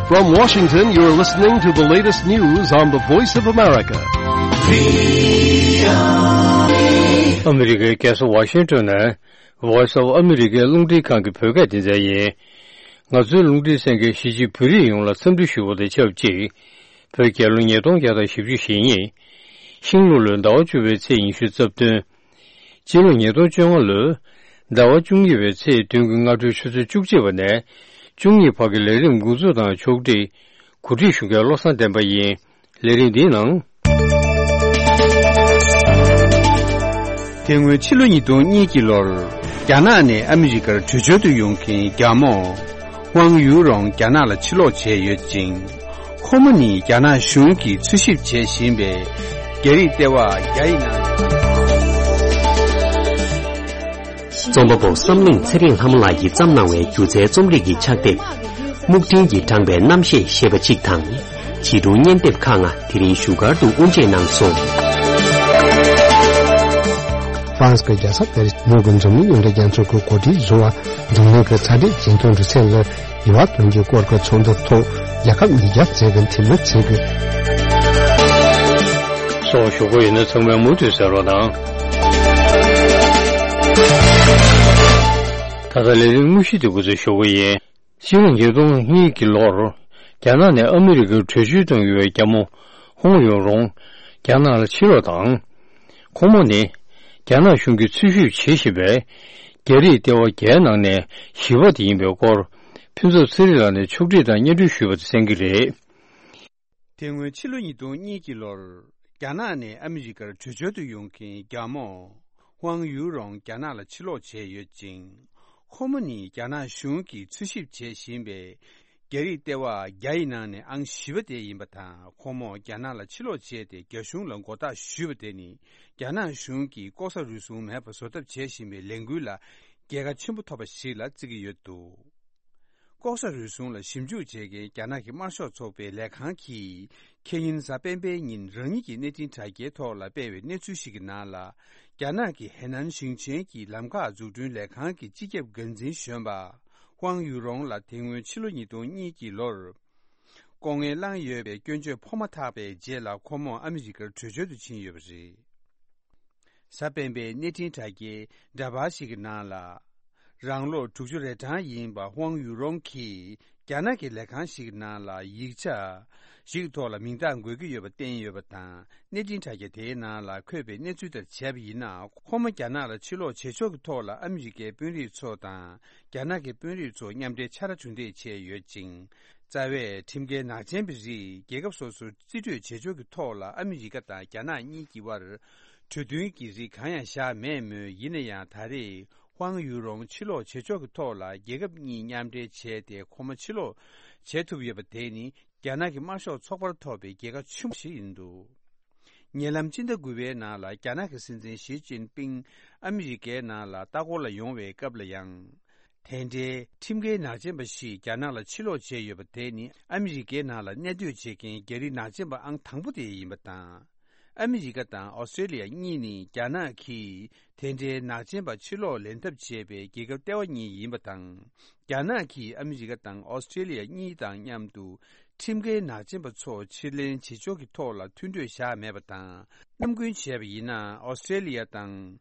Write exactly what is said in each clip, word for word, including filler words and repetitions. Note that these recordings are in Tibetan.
From Washington, you're listening to the latest news on the Voice of America. ཨ་མི་རི་ཀའི་རྒྱལ་ས་ཝ་ཤིང་ཏོན་ནས་Voice of America རླུང་འཕྲིན་ཁང་གི་བོད་སྐད་སྡེ་ཚན་ཡིན། ང་ཚོའི་རླུང་འཕྲིན་གསན་མཁན་གཞིས་བྱེས་བོད་རིགས་ཡོངས་ལ་འཚམས་འདྲི་ཞུ་བ་དང་ཆབས་ཅིག་བོད་རྒྱལ་ལོ་ཉིས་སྟོང་བརྒྱ་དང་བཞི་བཅུ་ཞེ་གཉིས། ཤིང་ལུག་ལོའི་ཟླ་བ་བཅུ་པའི་ཚེས་ཉི་ཤུ་རྩ་བདུན། སྤྱི་ལོ་ཉིས་སྟོང་བཅོ་ལྔ་ལོའི་ཟླ་བ་བཅུ་གཉིས་པའི་ཚེས་བདུན་གྱི་སྔ་དྲོའི་ཆུ་ཚོད་བཅུ་གཅིག་པ་ནས་བཅུ་གཉིས་བར་གྱི་ལས་རིམ་འགོ་འཛུགས་དང་ཕྱོགས་སྒྲིག་གོ་སྒྲིག་ཞུ་མཁན་བློ་བཟང་བསྟན་པ་ཡིན། ལས་རིམ་འདིའི་ནང་། དེ་སྔོན་ཕྱི་ལོ་ཉིས་སྟོང་གཉིས་ཀྱི་ལོར་རྒྱ་ནག་ནས་ཨ་མི་རི་ཀར་བྲོས་བྱོལ་དུ་ཡོང་མཁན་རྒྱ་མོ་ཧུའང་ཡུའུ་རོང་རྒྱ་ནག་ལ་ཕྱིར་ལོག་བྱས་ཡོད་ཅིང་། ཁོ་མོ་ནི་རྒྱ་ནག་གཞུང་གིས་འཚོལ་ཞིབ་བྱེད་བཞིན་པའི་རྒྱ་རིགས་ལྟེ་བ་བརྒྱ་ཡི་ནང་། རྩོམ་པ་པོ་བསམ་གླིང་ཚེ་རིང་ལྷ་མོ་ལགས་ཀྱིས་བརྩམས་གནང་བའི་སྒྱུ་རྩལ་རྩོམ་རིག་གི་ཕྱག་དེབ། སྨུག་སྤྲིན་གྱིས་དྲངས་པའི་རྣམ་ཤེས་ཞེས་པ་གཅིག་དང་། བྱིས་སྒྲུང་སྙན་དེབ་ཁག་ལྔ་དེ་རིང་བཞུགས་སྒར་དུ་དབུ་འབྱེད་གནང་སོང་། ཧྥ་རན་སི་གི་རྒྱལ་ས་པེ་རི་སི་ནང་གི་འཛམ་གླིང་ཡོངས་འབྲེལ་རྒྱལ་ཚོགས་ཀྱི་གོ་སྒྲིག་བཟུང་བ། འཛམ་གླིང་གི་ཚ་དྲོད་ཇེ་མཐོར་འགྲོ་ཚད་ལ་འགྱུར་བ་གཏོང་རྒྱུའི་སྐོར་གྱི་ཚོགས་འདུ་ཐོག་རྒྱལ་ཁབ་ཉིས་བརྒྱ་ཙམ་གྱི་འཐུས་མི་ཚོས་ཀྱི་སོགས་ཞུ་གི་ཡོད་ན་ཚང་མས་མུ་མཐུད་གསན་རོགས་གནང་། ད་ལྟ་ལས་རིམ་དངོས་གཞི་དེ་འགོ་འཛུགས་ཞུ་གི་ཡིན། སྤྱི་ལོ་ཉིས་སྟོང་གཉིས་ཀྱི་ལོར། རྒྱ་ནག་ནས་ཨ་མི་རི་ཀར་བྲོས་བྱོལ་གཏོང་གི་ཡོད་པའི་རྒྱ་མོ་ཧོང་ཡུང་རོང་རྒྱ་ནག་ལ་ཕྱིར་ལོག་དང་། ཁོང་མོ་ནི་རྒྱ་ནག་གཞུང་གིས་འཚོལ་ཞིབ་བྱེད་བཞིན་པའི་རྒྱ་རིགས་ལྟེ་བ་བརྒྱའི་ནང་ནས་བཞི་པ་དེ་ཡིན་པའི་སྐོར། ཕུན་ཚོགས་ཚེ་རིང་ལགས་ནས་ཕྱོགས་སྒྲིག་དང་སྙན་སྒྲོན་ཞུས་པ་དེ་གསན་གྱི་རེད། དེ་སྔོན་ཕྱི་ལོ་ཉིས་སྟོང་གཉིས་ཀྱི་ལོར་རྒྱ་ནག་ནས་ཨ་མི་རི་ཀར་བྲོས་བྱོལ་དུ་ཡོང་མཁན་རྒྱ་མོ་ཧུའང་ཡུའུ་རོང་རྒྱ་ནག་ལ་ཕྱིར་ལོག་བྱས་ཡོད་ཅིང་། ཁོ་མོ་ནི་རྒྱ་ནག་གཞུང་གིས་འཚོལ་ཞིབ་བྱེད་བཞིན་པའི་རྒྱ་རིགས་ལྟེ་བ་བརྒྱ་ཡི་ནང་ནས་ཨང་བཞི་པ་དེ་ཡིན་པ་དང་། ཁོ་མོ་རྒྱ་ནག་ལ་ཕྱིར་ལོག་བྱས་ཏེ་རྒྱ་གཞུང་ལ་མགོ་བཏགས་ཞུས་པ་དེ་ནི་རྒྱ་ནག་གཞུང་གིས་ལྐོག་ཟ་རུལ་སུངས་མེད་པ་བཟོ་ཐབས་བྱེད་བཞིན་པའི་ལས་འགུལ་ལ་རྒྱལ་ཁ་ཆེན་པོ་ཐོབ་པ་ཞིག་ལ་བརྩི་གི་ཡོད་འདུག་ལྐོག་ཟ་རུལ་སུངས་ལ་ཞིབ་འཇུག་བྱེད་མཁན་རྒྱ་ནག་གི་དམར་ཤོག་ཚོགས་པའི་ལས་ཁང་གིས་ཁེ་ཉིན་གཟའ་སྤེན་པའི་ཉིན་རང་ཉིད་ཀྱི་གནས་འཕྲིན་དྲ་རྒྱའི་ཐོག་ལ་སྤེལ་བའི་གནས་ཚུལ་ཞིག་གི་ནང་ལ། རྒྱ་ནག་གི་ཧེ་ནན་ཞིང་ཆེན་གྱི་ལམ་ཁ་འཛུགས་སྐྲུན་ལས་ཁང་གི་སྤྱི་ཁྱབ་འགན་འཛིན་གཞོན་པ་ཧུའང་ཡུ་རོང་ལ་དེ་སྔོན་ཕྱི་ལོ་ཉིས་སྟོང་གཉིས་ཀྱི་ལོར་ལྐོག་རྔན་བླངས་ཡོད་པའི་སྐྱོན་བརྗོད་ཕོག་མ་ཐག་པའི་རྗེས་ལ་ཁོ་མོ་ཨ་མི་རི་ཀར་བྲོས་བྱོལ་དུ་ཕྱིན་ཡོད་པ་རེད། གཟའ་སྤེན་པའི་གནས་འཕྲིན་དྲ་རྒྱའི་འདྲ་པར་ཞིག་གི་ནང་ལ། རང་ལོ་དྲུག་ཅུ་རེ་གྲངས་ཡིན་པ་ཧུའང་ཡུ་རོང་གིས་རྒྱ་ནག་གི་ལས་ཁང་ཞིག་གི་ནང་ལ་ཡིག་ཆ་ཞིག་ཐོག་ལ་མིང་རྟགས་འགོད་ཀྱི་ཡོད་པ་བསྟན་ཡོད་པ་དང་། གནས་འཕྲིན་དྲ་རྒྱ་དེའི་ནང་ལ་འཁོད་པའི་གནས་ཚུལ་ལྟར་བྱས་པ་ཡིན་ན། ཁོ་མོ་རྒྱ་ནག་ལ་ཕྱིར་ལོག་བྱེད་ཕྱོགས་ཀྱི་ཐོག་ལ་ཨ་མི་རི་ཀའི་དཔོན་རིགས་ཚོ་དང་རྒྱ་ནག་གི་དཔོན་རིགས་ཚོ་མཉམ་འབྲེལ་ཕྱག་ར་གྲུ་འདེགས་བྱས་ཡོད་ཅིང་། རྩ་བའི་ཁྲིམས་འགལ་ནག་ཅན་པའི་རིགས་རྒྱལ་ཁབ་སོ་སོར་རྩིས་སྤྲོད་བྱེད་ཕྱོགས་ཀྱི་ཐོག་ལ་ཨ་མི་རི་ཀ་དང་རྒྱ་ནག་གཉིས་ཀྱི་དབར་གྲོས་མཐུན་གྱི་རིགས་གང་ཡང་བཞག་མེད་མོད། ཡིན་ན་ཡང་ད་རེས་ཧུའང་ཡུ་རོང་ཕྱིར་ལོག་བྱེད་ཕྱོགས་ཀྱི་ཐོག་ལ་རྒྱལ་ཁབ་གཉིས་མཉམ་འབྲེལ་བྱས་ཏེ་ཁོ་མོ་ཕྱིར་ལོག་བྱེད་ཐུབ་ཡོད་པ་དེ་ནི་རྒྱ་ནག་གི་དམར་ཤོག་ཚོགས་པར་ཐོབ་པའི་རྒྱལ་ཁ་ཆེན་པོ་ཞིག་ཡིན་འདུག་ཉེ་ལམ་སྤྱི་ཟླ་དགུ་པའི་ནང་ལ་རྒྱ་ནག་གི་སྲིད་འཛིན་ཞི་ཅིན་ཕིང་ཨ་མི་རི་ཀའི་ནང་ལ་ལྟ་སྐོར་ལ་ཡོང་བའི་སྐབས་ལ་ཡང་། དེ་འདྲའི་ཁྲིམས་འགལ་ནག་ཅན་པ་ཞིག་རྒྱ་ནག་ལ་ཕྱིར་ལོག་བྱས་ཡོད་པ་དེ་ནི་ཨ་མི་རི་ཀའི་ནང་ལ་གནས་སྡོད་བྱེད་མཁན་རྒྱ་རིགས་ནག་ཅན་པ་ཨང་དང་པོ་དེ་ཡིན་པ་དང་། ཨ་མི་རི་ཀ་དང་ཨོ་སི་ཀྲེ་ལི་ཡ་གཉིས་ནི་རྒྱ་ནག་གིས་དེ་འདྲའི་ནག་ཅན་པ་ཕྱིར་ལོག་ལེན་ཐབས་བྱས་པའི་རྒྱལ་ཁབ་ལྟེ་བ་གཉིས་ཡིན་པ་དང་། རྒྱ་ནག་གིས་ཨ་མི་རི་ཀ་དང་ཨོ་སི་ཀྲེ་ལི་ཡ་གཉིས་དང་མཉམ་དུ་ཁྲིམས་འགལ་ནག་ཅན་པ་ཚོ་ཕྱིར་ལེན་བྱེད་ཕྱོགས་ཀྱི་ཐོག་ལ་མཐུན་གྲོས་བཞག་མེད་པ་དང་། ནམ་རྒྱུན་བྱས་པ་ཡིན་ན་ཨོ་སི་ཀྲེ་ལི་ཡ་དང་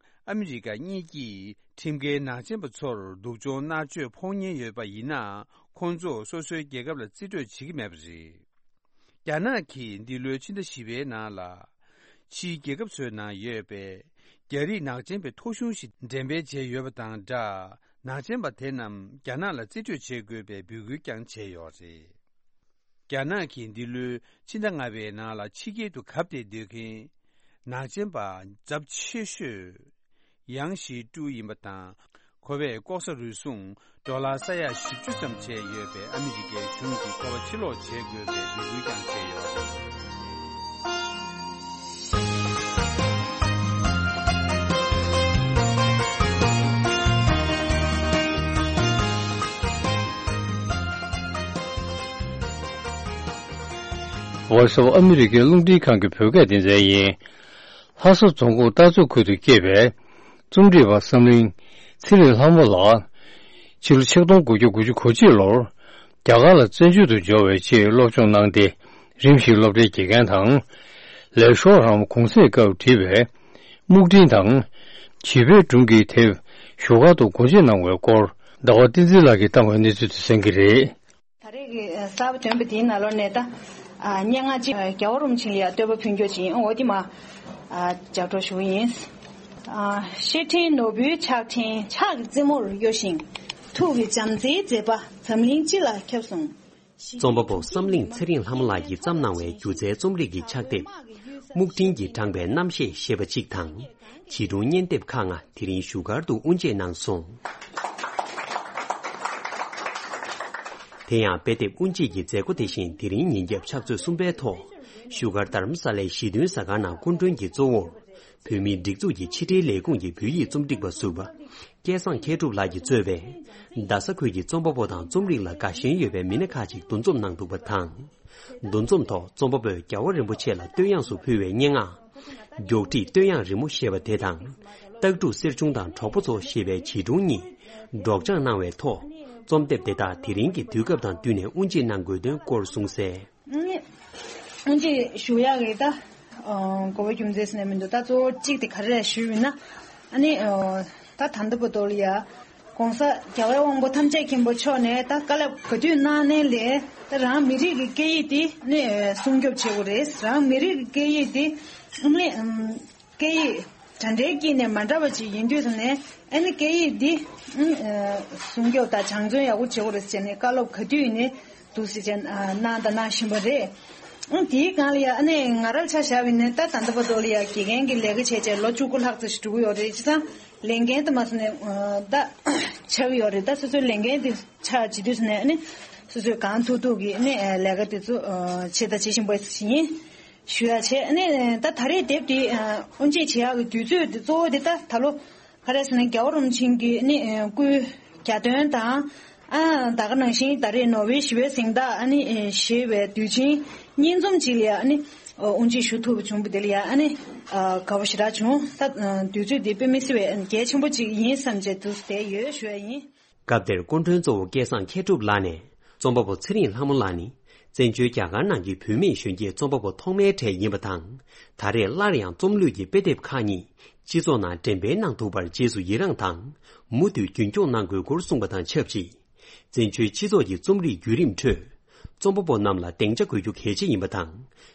ཨ་མི་རི་ཀ་གཉིས་ཀྱིས་ཁྲིམས་འགལ་ནག་ཅན་པ་ཚོར་སྡུག་སྦྱོང་མནར་གཅོད་ཕོག་ཉེན་ཡོད་པ་ཡིན་ན། ཁོང་ཚོ་སོ་སོའི་རྒྱལ་ཁབ་ལ་རྩིས་སྤྲོད་བྱེད་ཀྱི་མེད་པ་རེད། རྒྱ་ནག་གིས་འདི་ལོའི་ཕྱི་ཟླ་བཞི་པའི་ནང་ལ། ཕྱིའི་རྒྱལ་ཁབ་ཚོའི་ནང་ཡོད་པའི་རྒྱ་རིགས་ནག་ཅན་པའི་ཐོ་གཞུང་ཞིག་འགྲེམས་སྤེལ་བྱས་ཡོད་པ་དང་སྦྲགས། ནག་ཅན་པ་དེ་རྣམས་རྒྱ་ནག་ལ་རྩིས་སྤྲོད་བྱེད་དགོས་པའི་འབོད་སྐུལ་ཀྱང་བྱས་ཡོད་རེད། རྒྱ་ནག་གིས་འདི་ལོའི་ཕྱི་ཟླ་ལྔ་པའི་ནང་ལ་ཕྱི་རྒྱལ་དུ་གབ་སྟེ་སྡོད་མཁན་ནག་ཅན་པ་ཚབས་ཆེ་ཤོས་ཡང་ཞི་ཀྲུའུ་ཡིན་པ་དང་། ཁོ་པས་ལྐོག་ཟ་རུལ་སུངས་ཌོ་ལར་ས་ཡ་བཞི་བཅུ་ཙམ་བྱས་ཡོད་པའི་ཨ་མི་རི་ཀའི་གཞུང་གིས་ཁོ་པ་ཕྱིར་ལོག་བྱེད་དགོས་པའི་འབོད་སྐུལ་ཀྱང་བྱས་ཡོད། Voice of America རླུང་འཕྲིན་ཁང་གི་བོད་སྐད་སྡེ་ཚན་ཡིན། ལྷ་ས་རྫོང་ཁོངས་སྟག་འཚེར་ཁུལ་དུ་སྐྱེས་པའི་རྩོམ་སྒྲིག་པ་བསམ་གླིང་ཚེ་རིང་ལྷ་མོ་ལགས། ཕྱི་ལོ་ཆིག་སྟོང་དགུ་བརྒྱ་དགུ་བཅུ་གོ་གཅིག་ལོར་ རྒྱ་གར་ལ་བཙན་བྱོལ་དུ་འབྱོར་བའི་ཆེད་སློབ་སྦྱོང་གནང་སྟེ། རིམ་བཞིན་སློབ་གྲྭའི་དགེ་རྒན་དང་། ལས་ཤོག་རམ་གུང་སེང་སྐབས་བྲིས་པའི་སྨུག་སྤྲིན་དང་། བྱིས་པའི་སྒྲུང་གི་དེབ་བཞུགས་སྒར་དུ་སྒོ་འབྱེད་གནང་བའི་སྐོར། ཟླ་བ་བསྟན་འཛིན་ལགས་ཀྱིས་བཏང་བའི་གནས་ཚུལ་དེ་གསན་གྱི་རེད། ད་རེས་ཀྱི་གསར་པ་ཐོན་པ་དེའི་ནང་ལོགས་ནས་ད་སྙན་ངག་ཅིག་རྒྱལ་བ་རིན་པོ་ཆེ་ལ་བསྟོད་པ་ཕུལ་རྒྱུ་ཅིག་ཡིན། འོ་དེ་མ་ལྗགས་སྒྲོག་ཞུ་གི་ཡིན། ཤེལ་ཕྲེང་ནོར་བུའི་ཕྱག་ཕྲེང་ཕྱག་གི་རྩེ་མོར་གཡོ་ཞིང་། ཐུགས་ཀྱི་བྱམས་བརྩེའི་མཛེས་པ་འཛམ་གླིང་སྤྱི་ལ་ཁྱབ་སོང་། རྩོམ་པ་པོ་བསམ་གླིང་ཚེ་རིང་ལྷ་མོ་ལགས་ཀྱིས་བརྩམས་གནང་བའི་སྒྱུ་རྩལ་རྩོམ་རིག་གི་ཕྱག་དེབ། སྨུག་སྤྲིན་གྱིས་དྲངས་པའི་རྣམ་ཤེས་ཞེས་པ་གཅིག་དང་། བྱིས་སྒྲུང་སྙན་དེབ་ཁག་ལྔ་དེ་རིང་བཞུགས་སྒར་དུ་དབུ་འབྱེད་གནང་སོང་། དེ་ཡང་དཔེ་དེབ་དབུ་འབྱེད་ཀྱི་མཛད་སྒོ་དེ་བཞིན་དེ་རིང་ཉིན་རྒྱབ་ཕྱག་ཚོད་གསུམ་པའི་ཐོག་བཞུགས་སྒར་རྡ་རམ་ས་ལའི་ཞི་མཐུན་གཟའ་སྐར་ནང་སྐུ་མགྲོན་གྱི་གཙོ་བོར། བོད་མིའི་སྒྲིག་འཛུགས་ཀྱི་ཕྱི་དྲིལ་ལས་ཁུངས་ཀྱི་བོད་ཡིག་རྩོམ་སྒྲིག་པ་ཟུར་པ། སྐལ་བཟང་མཁས་གྲུབ་ལགས་ཀྱིས་གཙོས་པའི། རྡ་ས་ཁུལ་གྱི་རྩོམ་པ་པོ་དང་རྩོམ་རིག་ལ་དགའ་ཞེན་ཡོད་པའི་མི་སྣ་ཁག་ཅིག་འདུ་འཛོམས་གནང་འདུག་པ་དང་། འདུ་འཛོམས་ཐོག་རྩོམ་པ་པོས་རྒྱལ་བ་རིན་པོ་ཆེ་ལ་བསྟོད་དབྱངས་སུ་ཕུལ་བའི་སྙན་ངག་མགྱོགས་བྲིས་བསྟོད་དབྱངས་རི་མོ་ཞེས་པ་དེ་དང་། སྟག་ཕྲུག་གསེར་ཆུང་དང་གྲོགས་པོ་ཚོ་ཞེས་པའི་བྱིས་སྒྲུང་གཉིས་སྒྲོག་སྦྱང་གནང་བའི་ཐོག་རྩོམ་དེབ་དེ་དག་དེ་རིང་གི་དུས་སྐབས་དང་བསྟུན་ནས་དབུ་འབྱེད་གནང་དགོས་དོན་སྐོར་གསུངས་གསལ། དབུ་འབྱེད་ཞུ་ཡག་གི་ད་གོ་བ་རྒྱུ་མཚན་ནས་མི་འདུག་ད་གཙོ་བོ་གཅིག་དེ་ག་རེ་ཞུས་ཡིན་ན། ཨ་ནི་ད་ད་ལྟ་བར་དུ་ལ་ཡ། ༸གོང་ས་རྒྱལ་བའི་དབང་པོ་ཐམས་ཅད་མཁྱེན་པ་མཆོག་ནས་ད་བཀའ་སློབ་ག་དུས་གནང་ནའི་ལས་ད་རང་མི་རིགས་ཀྱི་སྐད་ཡིག་དེ་ནས་སྲུང་སྐྱོབ་བྱེད་དགོས་རེད། རང་མི་རིགས་ཀྱི་སྐད་ཡིག་དེ་ཨ་ནི་སྐད་ཡིག་གྲ་སྒྲིག་དཀྱིལ་ནས་མ་འདྲ་བ་ཅིག་ཡིན་དུས་ཙམ་ནས་ཨ་ནི་སྐད་ཡིག་འདི་སྲུང་སྐྱོབ་དང་སྦྱང་བརྩོན་ཡག་པོ་བྱེད་དགོས་རེད་ཟེར་ནས་བཀའ་སློབ་ག་དུས་ཡིན་ནའི་འདུག་ཟེར་བྱས་གནང་དང་གནང་བཞིན་པ་རེད། ཨ་དེའི་སྒང་ལ་ཡ་ཨ་ནི་ང་རང་ཆ་བཞག་པ་ཡིན་ན་ད་ད་ལྟ་བར་དུ་ལ་ཡ་དགེ་རྒན་གྱི་ལས་ཀ་བྱས་བྱས་ལོ་བཅུ་དགུ་ལྷག་ཙམ་ཞིག་འགྲོ་གི་ཡོད་རེད། བྱས་ཙང་ལས་འགན་དུ་མ་སོང་ནས་ད་ཆགས་ཀྱི་ཡོད་རེད། ད་སོ་སོའི་ལས་འགན་དེ་ཆགས་བྱེད་དུས་ཙམ་ནས་ཨ་ནི་སོ་སོས་གང་ཐུབ་ཐུབ་ཀྱིས་ཨ་ནི་ལས་ཀ་དེ་ཚོ་བྱེད་དང་བྱེད་བཞིན་པ་ཡིན། ཞུ་ཡ་བྱས་ནས་ད་ད་རེས་དེབ་དེ་དབུ་འབྱེད་བྱེད་ཡག་གི་དུས་ཚོད་དེ་གཙོ་བོ་དེ་ད་ད་ལོ་ག་རེ་ཟེར་ན་རྒྱལ་བ་རིན་པོ་ཆེ་གི་ནི་སྐུའི་གྱ་སྟོན་དང་ཨ་ད་ག་ནང་བཞིན་ད་རེས་ནོ་བྷེལ་ཞི་བའི་གཟེངས་རྟགས་ཨ་ནི་ཞེས་པའི་དུས་ཆེན་གཉིས་འཛོམས་ཅིག་ལ་ཡ་ཨ་ནི་དབུ་འབྱེད་ཞུ་ཐུབ་པ་བྱུང་བ་དེ་ལ་ཡ་ཨ་ནི་དགའ་པོ་ཞེ་དྲག་བྱུང་། ད་དུས་ཚོད་དེ་དཔེ་མི་སྲིད་པའི་གལ་ཆེན་པོ་ཅིག་ཡིན་བསམ་བྱས་འདུག་བསྡད་ཡོད་ཞུ་ཡ་ཡིན། སྐབས་དེར་སྐུ་མགྲོན་གཙོ་བོ་སྐལ་བཟང་མཁས་གྲུབ་ལགས་ནས་རྩོམ་པ་པོ་ཚེ་རིང་ལྷ་མོ་ལགས་ནི་བཙན་བྱོལ་རྒྱ་གར་ནང་གི་བུད་མེད་གཞོན་སྐྱེས་རྩོམ་པ་པོ་ཐོག་མའི་གྲས་ཡིན་པ་དང་། ད་རེས་སླར་ཡང་རྩོམ་ལུས་ཀྱི་དཔེ་དེབ་ཁག་གཉིས་སྤྱི་ཚོགས་ནང་འགྲེམས་སྤེལ་གནང་ཐུབ་པར་རྗེས་སུ་ཡི་རངས་དང་། མུ་མཐུད་རྒྱུན་སྐྱོང་གནང་དགོས་སྐོར་གསུངས་པ་དང་ཆབས་ཅིག་བཙན་བྱོལ་སྤྱི་ཚོགས་ཀྱི་རྩོམ་རིག་བརྒྱུད་རིམ་ཁྲོད། རྩོམ་པ་པོ་རྣམས་ལ་སྡིངས་ཆ་དགོས་རྒྱུ་གལ་ཆེ་ཡིན་པ་དང་།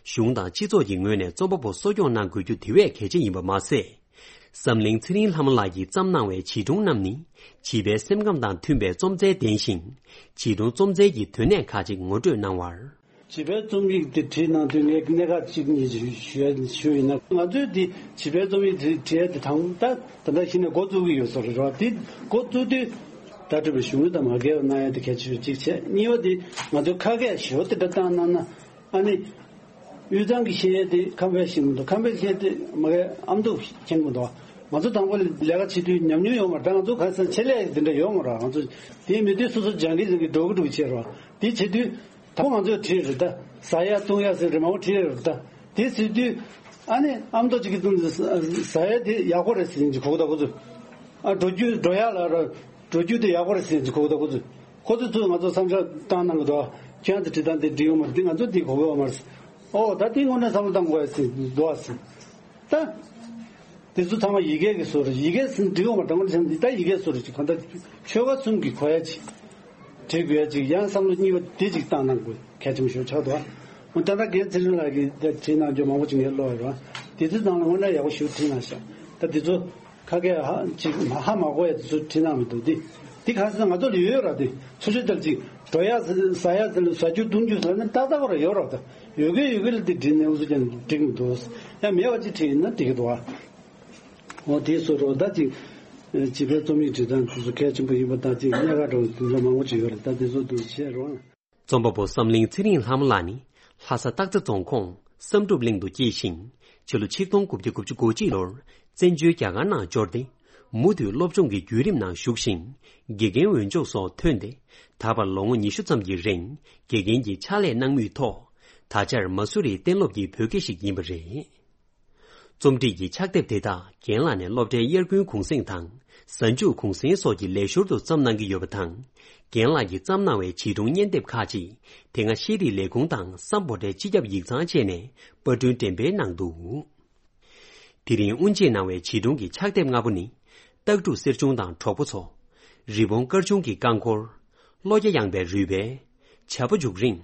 གཞུང་དང་སྤྱི་ཚོགས་ཀྱི་ངོས་ནས་རྩོམ་པ་པོ་གསོ་སྐྱོང་གནང་དགོས་རྒྱུ་དེ་བས་གལ་ཆེ་ཡིན་པ་མ་ཟད། བསམ་གླིང་ཚེ་རིང་ལྷ་མོ་ལགས་ཀྱིས་བརྩམས་གནང་བའི་བྱིས་སྒྲུང་རྣམས་ནི། བྱིས་པའི་སེམས་ཁམས་དང་མཐུན་པའི་རྩོམ་རྩལ་ལྡན་ཞིང་། བྱིས་སྒྲུང་རྩོམ་རྩལ་གྱི་དོན་གནད་ཁག་ཅིག་ངོ་སྤྲོད་གནང་བར། བྱིས་པའི་རྩོམ་ཡིག་དེ་བྲིས་གནང་དུས་ངས་གནད་འགག་ཅིག་གཉིས་ཞུ་ཞུ་ཞུ་ཡིན་ན། ང་ཚོས་དེ་བྱིས་པའི་རྩོམ་ཡིག་དེ་བྲིས་ཡ་དེ་དང་ད་ད་ལྟ་གཞི་ནས་འགོ་བཙུགས་ཀྱི་ཡོད་ས་རེད་བ། དེ་འགོ་བཙུགས་དུས་ད་སྤྲོས་པའི་གཞུང་ལུགས་དང་མ་འགལ་བ་གནང་ཡ་དེ་གལ་ཆེ་ཤོས་གཅིག་བྱས། གཉིས་པ་དེ་ང་ཚོས་ཁ་སྐད་ཞོ་དེ་འདྲ་བཏང་གནང་ན། ཨ་ནི། དབུས་གཙང་གི་ཤེས་ཡོན་དེ་ཁམས་པས་ཤེས་མི་འདུག་ཁམས་པས་ཤེས་དེ་མ་གའི་ཨ་མདོ་མཁྱེན་གི་མི་འདུག་ང་ཚོ་དང་པོ་ལས་ཀ་བྱེད་དུས་ཉམས་མྱོང་ཡོད་མ་རེད། ང་ཚོ་ག་ས་ཆེད་ལས་དེ་འདྲ་ཡོད་མ་རེད། ང་ཚོ་དེ་མི་དུས་སོ་སོ་སྦྱང་གི་སྦྱང་གི་འགྲོ་གི་འགྲོ་གི་བྱས་རོགས། དེ་བྱེད་དུས་དང་པོ་ང་ཚོས་བྲིས་རེད་ད། ཟ་ཡ་བཏུང་ཡ་ཟེར་རེད་མང་པོ་བྲིས་རེད་ད། དེ་ཟེར་དུས་ཨ་ནི་ཨ་མདོ་གཅིག་གི་སྟེང་དུ་ཟ་ཡ་དེ་ཡག་པོ་རེད་ཟེར་གྱི་གོ་གི་ད་ཁོ་ཚོས། ཨ་འགྲོ་རྒྱུ་འགྲོ་ཡ་ལ་ར་འགྲོ་རྒྱུ་དེ་ཡག་པོ་རེད་ཟེར་གྱི་གོ་གི་ད་ཁོ་ཚོས། ཁོ་ཚོས་ཚུར་ང་ཚོ་བསམ་འཆར་བཏང་གནང་གི་འདུག་ཁྱེད་རང་ཚོ་བྲིས་སྟངས་དེ་འགྲིག་ཡོད་མ་རེད། འདི་ང་ཚོ་འདི་གོ་གི་ཡོད་མ་རེད། ཨོ་ད་འདི་དངོས་གནས་བསམ་བློ་བཏང་དགོས་ཡ་ཟེར་འདུག་ཨ་ཟེར། ད་དེ་ཚོ་ཚང་མ་ཡི་གེ་གི་བཟོ་རེད། ཡི་གེ་ཟེར་འགྲིག་ཡོད་མ་རེད། དངོས་གནས་བྱས་ན་འདི་ད་ཡི་གེ་བཟོ་རེད་ཅིག་གང་ལྟར་ཆོལ་ཁ་གསུམ་གྱི་གོ་ཡ་ཅིག་བྲིས་དགོས་ཡ་ཅིག་ཡང་བསམ་བློ་གཉིས་པ་དེ་ཅིག་བཏང་གནང་དགོས་གལ་ཆེན་པོ་ཞིག་ཆགས་འདུག་ཨ་ད་ལྟ་རྒན་ཚེ་རིང་ལགས་ཀྱིས་བྲིས་གནང་རྒྱུ་མང་པོ་ཅིག་ངས་ཀློག་ཡོད་རེད། དེ་ཚོའི་ནང་ལ་དངོས་གནས་ཡག་པོ་ཞིག་བྲིས་གནང་ཤག་ད་དེ་ཚོ། ཁ་སྐད་ཧ་ཅིག་ཧ་མ་གོ་ཡ་དེ་ཚོ་བྲིས་གནང་མི་འདུག་འདི་འདི་ག་ཟེར་ན་ང་ཚོ་ལ་ཡོད་ར། དེ་ཚོ་ཆུ་དལ་ཅིག་འགྲོ་ཡ་ཟ་ཡ་ཟ་ལ་ཟ་རྒྱུ་བཏུང་རྒྱུ་ཟ་ནི་ཏག་ཏག་ར་ཡོད་ར། ད་ཡོད་གི་ཡོད་གི་ལ་འདི་བྲིས་ནས་འུ་ཚོ་ཀྱང་འགྲིག་མི་འདུག་ཡང་མེད་པ་ཅིག་བྲིས་ཡིན་ན་འགྲིག་གི་འདུག་ཨ། འོ་དེ་སོ་རོ་ད་ཅིག་བྱིས་པའི་རྩོམ་ཡིག་འབྲི་སྟངས་དེ་ཚོ་གལ་ཆེན་པོ་ཡིན་པ་དང་ཅིག་གནད་འགག་འདྲ་བོ་དེ་ཚོ་མང་པོ་ཅིག་ཡོད་རེད། ད་དེ་ཚོ་འདུག་བཤད་རོགས། རྩོམ་པ་པོ་བསམ་གླིང་ཚེ་རིང་ལྷ་མོ་ལགས་ནི་ལྷ་ས་སྟག་རྩེ་རྫོང་ཁོངས་བསམ་གྲུབ་གླིང་དུ་སྐྱེས་ཤིང་། ཕྱི་ལོ་ཆིག་སྟོང་དགུ་བརྒྱ་དགུ་བཅུ་གོ་གཅིག་ལོར་བཙན་བྱོལ་རྒྱ་གར་ནང་འབྱོར་ཏེ། མུ་མཐུད་སློབ་སྦྱོང་གི་བརྒྱུད་རིམ་ནང་ཞུགས་ཤིང་། དགེ་རྒན་འོས་སྦྱོང་སོགས་ཐོན་ཏེ། ད་བར་ལོ་ངོ་ཉི་ཤུ་ཙམ་གྱི་རིང་དགེ་རྒན་གྱི་ཕྱག་ལས་གནང་མུས་ཐོག་ད་ཆར་མ་སུ་རིའི་གཏན་སློབ་ཀྱི་བོད་དགེ་ཞིག་ཡིན་པ་རེད། རྩོམ་སྒྲིག་གི་ཕྱག་དེབ་དེ་དག་རྒན་ལགས་ནས་སློབ་གྲྭའི་དབྱར་དགུན་གུང་གསེང་དང་ གཟའ་མཇུག་གུང་སེང་སོགས་ཀྱི་ལས་ཞོར་དུ་བརྩམས་གནང་གི་ཡོད་པ་དང་། རྒན་ལགས་ཀྱིས་བརྩམས་གནང་བའི་བྱིས་སྒྲུང་བརྙན་དེབ་ཁག་ཅིག་དེ་སྔ་ཤེས་རིག་ལས་ཁུངས་དང་སམ་བྷོ་ཊའི་སྤྱི་ཁྱབ་ཡིག་ཚང་བཅས་ནས་པར་སྐྲུན་འགྲེམས་སྤེལ་གནང་འདུག་དེ་རིང་དབུ་འབྱེད་གནང་བའི་བྱིས་སྒྲུང་གི་ཕྱག་དེབ་ལྔ་པོ་ནི། སྟག་ཕྲུག་གསེར་ཆུང་དང་གྲོགས་པོ་ཚོ། རི་བོང་དཀར་ཆུང་གི་རྐང་འཁོར། ལོ་བརྒྱ་ཡངས་པའི་རུས་སྦལ། བྱ་ཕོ་རྒྱུག་རིང་།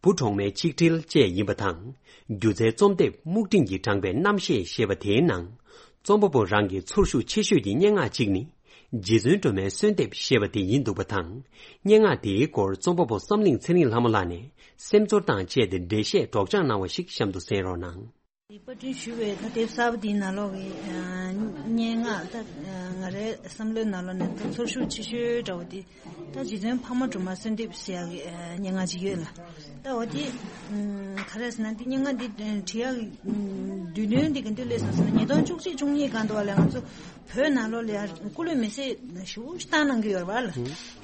བུ་གྲོག་མའི་ཆིག་དྲིལ་བཅས་ཡིན་པ་དང་། སྒྱུ་རྩལ་རྩོམ་དེབ་སྨུག་སྤྲིན་གྱིས་དྲངས་པའི་རྣམ་ཤེས་ཞེས་པ་དེའི་ནང་། རྩོམ་པ་པོ་རང་གི་ཚོར་ཤུགས་ཆེ་ཤོས་ཀྱི་སྙན་ངག་ཅིག་ནི། རྗེ་བཙུན་སྒྲོལ་མའི་གསོལ་འདེབས་ཞེས་པ་དེ་ཡིན་འདུག་པ་དང་། སྙན་ངག་དེའི་སྐོར་རྩོམ་པ་པོ་བསམ་གླིང་ཚེ་རིང་ལྷ་མོ་ལགས་ནས་སེམས་ཚོར་དང་བཅས་ཏེ་འགྲེལ་བཤད་སྒྲོག་སྦྱང་གནང་བ་ཞིག་གཤམ་དུ་གསན་རོགས་གནང་། དེ་པར་སྐྲུན་ཞུས་པའི་ད་དེབ་གསར་པ་འདིའི་ནང་ལོགས་ཀྱི་ཨ་སྙན་ངག་ད་ཨ་ང་རའི་བསམ་བློའི་ནང་ལོགས་ནས་ད་ཚོར་ཤུགས་ཆེ་ཤོས་འདྲ་བོ་དེ་ད་རྗེ་བཙུན་འཕགས་མ་སྒྲོལ་མ་གསོལ་འདེབས་ཟེར་ཡག་གི་ཨ་སྙན་ངག་ཅིག་ཡོད་ལ། ད་འོ་དེ་ཨ་ག་རེ་ཟེར་ན་དེ་སྙན་ངག་འདི་བྲིས་ཡག་གི་ཨ་དུས་སྟོན་འདི་ག་དུས་སླེབས་སོང་ཟེར་ན་ཉིས་སྟོང་བཅུ་གཅིག་བཅུ་གཉིས་སྒང་དུ་བ་ལས་ང་ཚོ་བོད་ནང་ལོགས་ལ་ཡ་སྐུ་ལུས་མེ་བསྲེགས་ཞེ་པོ་ཞིག་བཏང་གནང་གི་ཡོད་རེད་པ་ལ།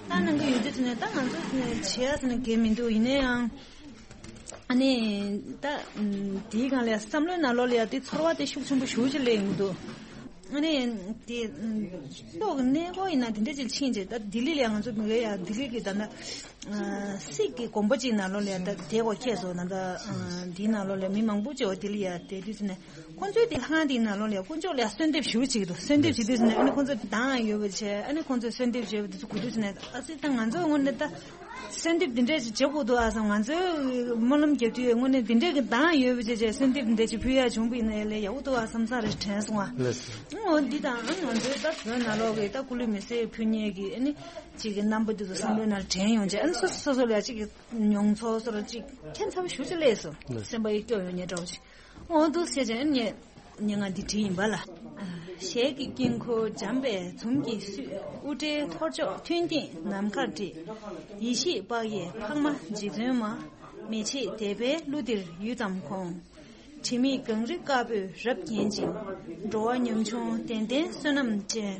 བཏང་གནང་གི་ཡོད་དུས་ཙམ་ནས་ད་ང་ཚོ་བྱེད་ཡག་ཟེར་ན་གང་ཡང་མི་འདུག་ཡིན་ན་ཡང་། ཨ་ནི། ད། ཨམ། དེའི་སྒང་ལ་བསམ་བློའི་ནང་ལོགས་ལ་ཡང་དེ་ཚོར་བ་དེ་ཤུགས་ཆེན་པོ་ཞེ་པོ་ཅིག་སླེབས་ཡོང་གི་འདུག་ཨ་ནི། དེ། ཨམ། ཕྱོགས་ཀྱི་གནས་སྐོར་ཡིན་ན་དེ་འདྲ་ཅིག་ཕྱིན་རྗེས་ད་ལྡི་ལི་ལ་ཡང་ང་ཚོ་མི་རེ་ཡང་ལྡི་ལི་གི་ད་ལྟ། ཨ། སིག་གི་དགོན་པ་ཅིག་ནང་ལོགས་ལ་ཡང་ད་དེ་གོ་ཁྱེད་ཚོ་ད་ལྟ། ཨ། དེའི་ནང་ལོགས་ལ་མི་མང་པོ་ཅིག་འོ་ལྡི་ལི་ཡང་དེ་དུས་ཙམ་ནས་ཁོང་ཚོའི་དེ་ལྷ་ཁང་དེའི་ནང་ལོགས་ལ་ཡང་དཀོན་མཆོག་ལ་ཡང་གསོལ་འདེབས་ཞེ་པོ་ཅིག་འདུག་གསོལ་འདེབས་བྱེད་དུས་ཙམ་ནས་ཨ་ནི་ཁོང་ཚོ་གདངས་ཡོད་པ་བྱས་ཨ་ནི་ཁོང་ཚོས་གསོལ་འདེབས་བྱས་པ་དེ་ཚོ་གོ་དུས་ཙམ་ནས་ཨ་ཙི་ད་ང་ཚོའི་ངོས་ནས་ད། གསོལ་འདེབས་འདི་འདྲས་ཅིག་བྱེད་དགོས་འདུག་ཨ་བསམ། ང་ཚོའི་སྨོན་ལམ་རྒྱབ་དུས་དངོས་གནས་འདི་འདྲས་ཀྱི་གདངས་ཡོད་པ་བྱས་བྱས་གསོལ་འདེབས་འདི་འདྲས་ཅིག་ཕུལ་ཡག་བྱུང་བ་ཡིན་ན་ལས་ཡག་པོ་འདུག་ཨ་བསམ་ས་རེ་དྲན་སོང་ཨ། ལགས་སོ། འོ་འདི་དང་ང་ཚོའི་ད་བོད་ནང་ལོགས་ཀྱི་ད་སྐུ་ལུས་མེ་བསྲེགས་ཕུལ་མཁན་གྱི་ཨ་ནི་ཅིག་གི་རྣམ་པ་འདི་ཚོ་བསམ་བློའི་ནང་དྲན་ཡོང་བྱས་ཨ་ནི་སོ་སོ་སོ་སོ་ལ་ཅིག་གི་མྱོང་ཚོར་སོ་ར་ཅིག་ཁྱད་མཚར་པོ་ཞེ་པོ་ཅིག་སླེབས་སོང་། ལགས་སོ། སེམས་པ་ཡི་སྐྱོ་ཡོང་ཉེ་འདྲ་བོ་ཅིག་འོ་འདུག་ཟེར་བྱས་ཨ་ནི། སྙན་ངག་འདི་བྲིས་ཡིན་པ་ལ། ཞལ་གྱི་དཀྱིལ་འཁོར་འཇམ་པའི་འཛུམ་གྱིས་བསུས། དབུ་སྐྲའི་ཐོར་ཅོག་མཐུན་རྐྱེན་ནམ་མཁར་བསྒྲིགས། ཡེ་ཤེས་དཔག་ཡས་འཕགས་མ་རྗེ་བཙུན་མ། མེ་ལྕེ་དད་པའི་གླུ་འདིར་ཡུད་ཙམ་དགོངས། དྲི་མེད་གངས་རི་དཀར་པོས་རབ་བརྒྱན་ཅིང་། འགྲོ་བ་ཉམ་ཆུང་ལྡན་ལྡན་བསོད་ནམས་ཅན།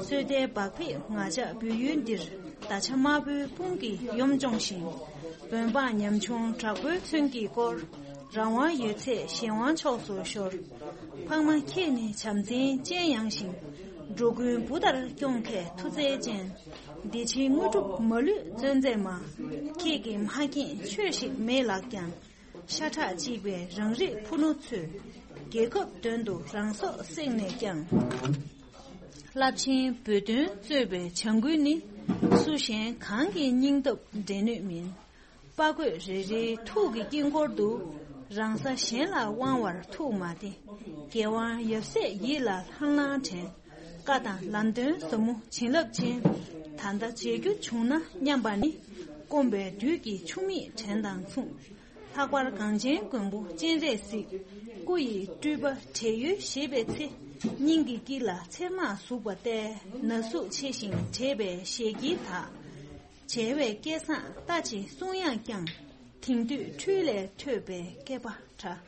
སོས་དལ་བག་ཕེབས་ང་ཅག་བོད་ཡུལ་འདིར། ད་ཆ་དམར་པོའི་དཔུང་གིས་ཡོམ་སྦྱོང་ཞིང་། བོད་འབངས་ཉམ་ཆུང་དྲག་པོའི་མཚོན་གྱིས་བསྐོར། རང་དབང་ཡོད་ཚད་གཞན་དབང་ཕྱོགས་སུ་ཤོར། འཕགས་མ་ཁྱེད་ནི་བྱམས་བརྩེའི་སྤྱན་ཡངས་ཤིང་། འགྲོ་ཀུན་བུ་ལྟར་སྐྱོང་མཁས་མཐུ་རྩལ་ཅན། བདེ་ཆེན་དངོས་གྲུབ་མ་ལུས་བརྩོན་མཛད་མ། ཁྱེད་ཀྱི་མ་རྒན་ཆོས་ཤིག་མེད་ལགས་ཀྱང་། ཤ་ཁྲག་གཅིག་པའི་རང་རིགས་ཕུ་ནུ་ཚོས། རྒྱལ་ཁབ་དོན་དུ་རང་སྲོག་བསྲེགས་ནས་ཀྱང་། རླབས་ཆེན་བོད་དོན་རྩོད་པའི་བྱ་འགུལ་ནི། སུ་གཞན་གང་གི་སྙིང་སྟོབས་འགྲན་ནུས་མིན། དཔའ་རྒོད་རེ་རེའི་ཐུགས་ཀྱི་དཀྱིལ་འཁོར་དུ། རང་ས་གཞན་ལ་དབང་བར་ཐུགས་མ་བདེ། རྒྱལ་དབང་ཡབ་སྲས་ཡིད་ལ་ལྷང་ལྷང་དྲན། བཀའ་དང་ལམ་སྟོན་ཟབ་མོ་བྱིན་རླབས་ཅན། ད་ལྟ་མཇལ་རྒྱུ་བྱུང་ན་སྙམ་པ་ནི། སྐོམ་པའི་དུས་ཀྱི་ཆུ་མིག་དྲན་དང་མཚུངས། ལྷག་པར་གངས་ཅན་མགོན་པོ་སྤྱན་རས་གཟིགས། སྐུ་ཡི་སྤྲུལ་པ་བགྲེས་ཡོལ་བཞེས་པའི་ཚེ། སྙིང་གི་དཀྱིལ་ལ་ཚེར་མ་ཟུག་པ་སྟེ། ན་ཟུག་ཆེ་ཞིང་བགྲེས་པའི་ཞལ་དཀྱིལ་དག་བྱེ་བའི་སྐད་གསང་རྟ་ཆེན་གསུང་དབྱངས་ཀྱང་། དེང་དུས་འཕྲུལ་ལས་ཐོས་པའི་སྐད་པ་འདྲ།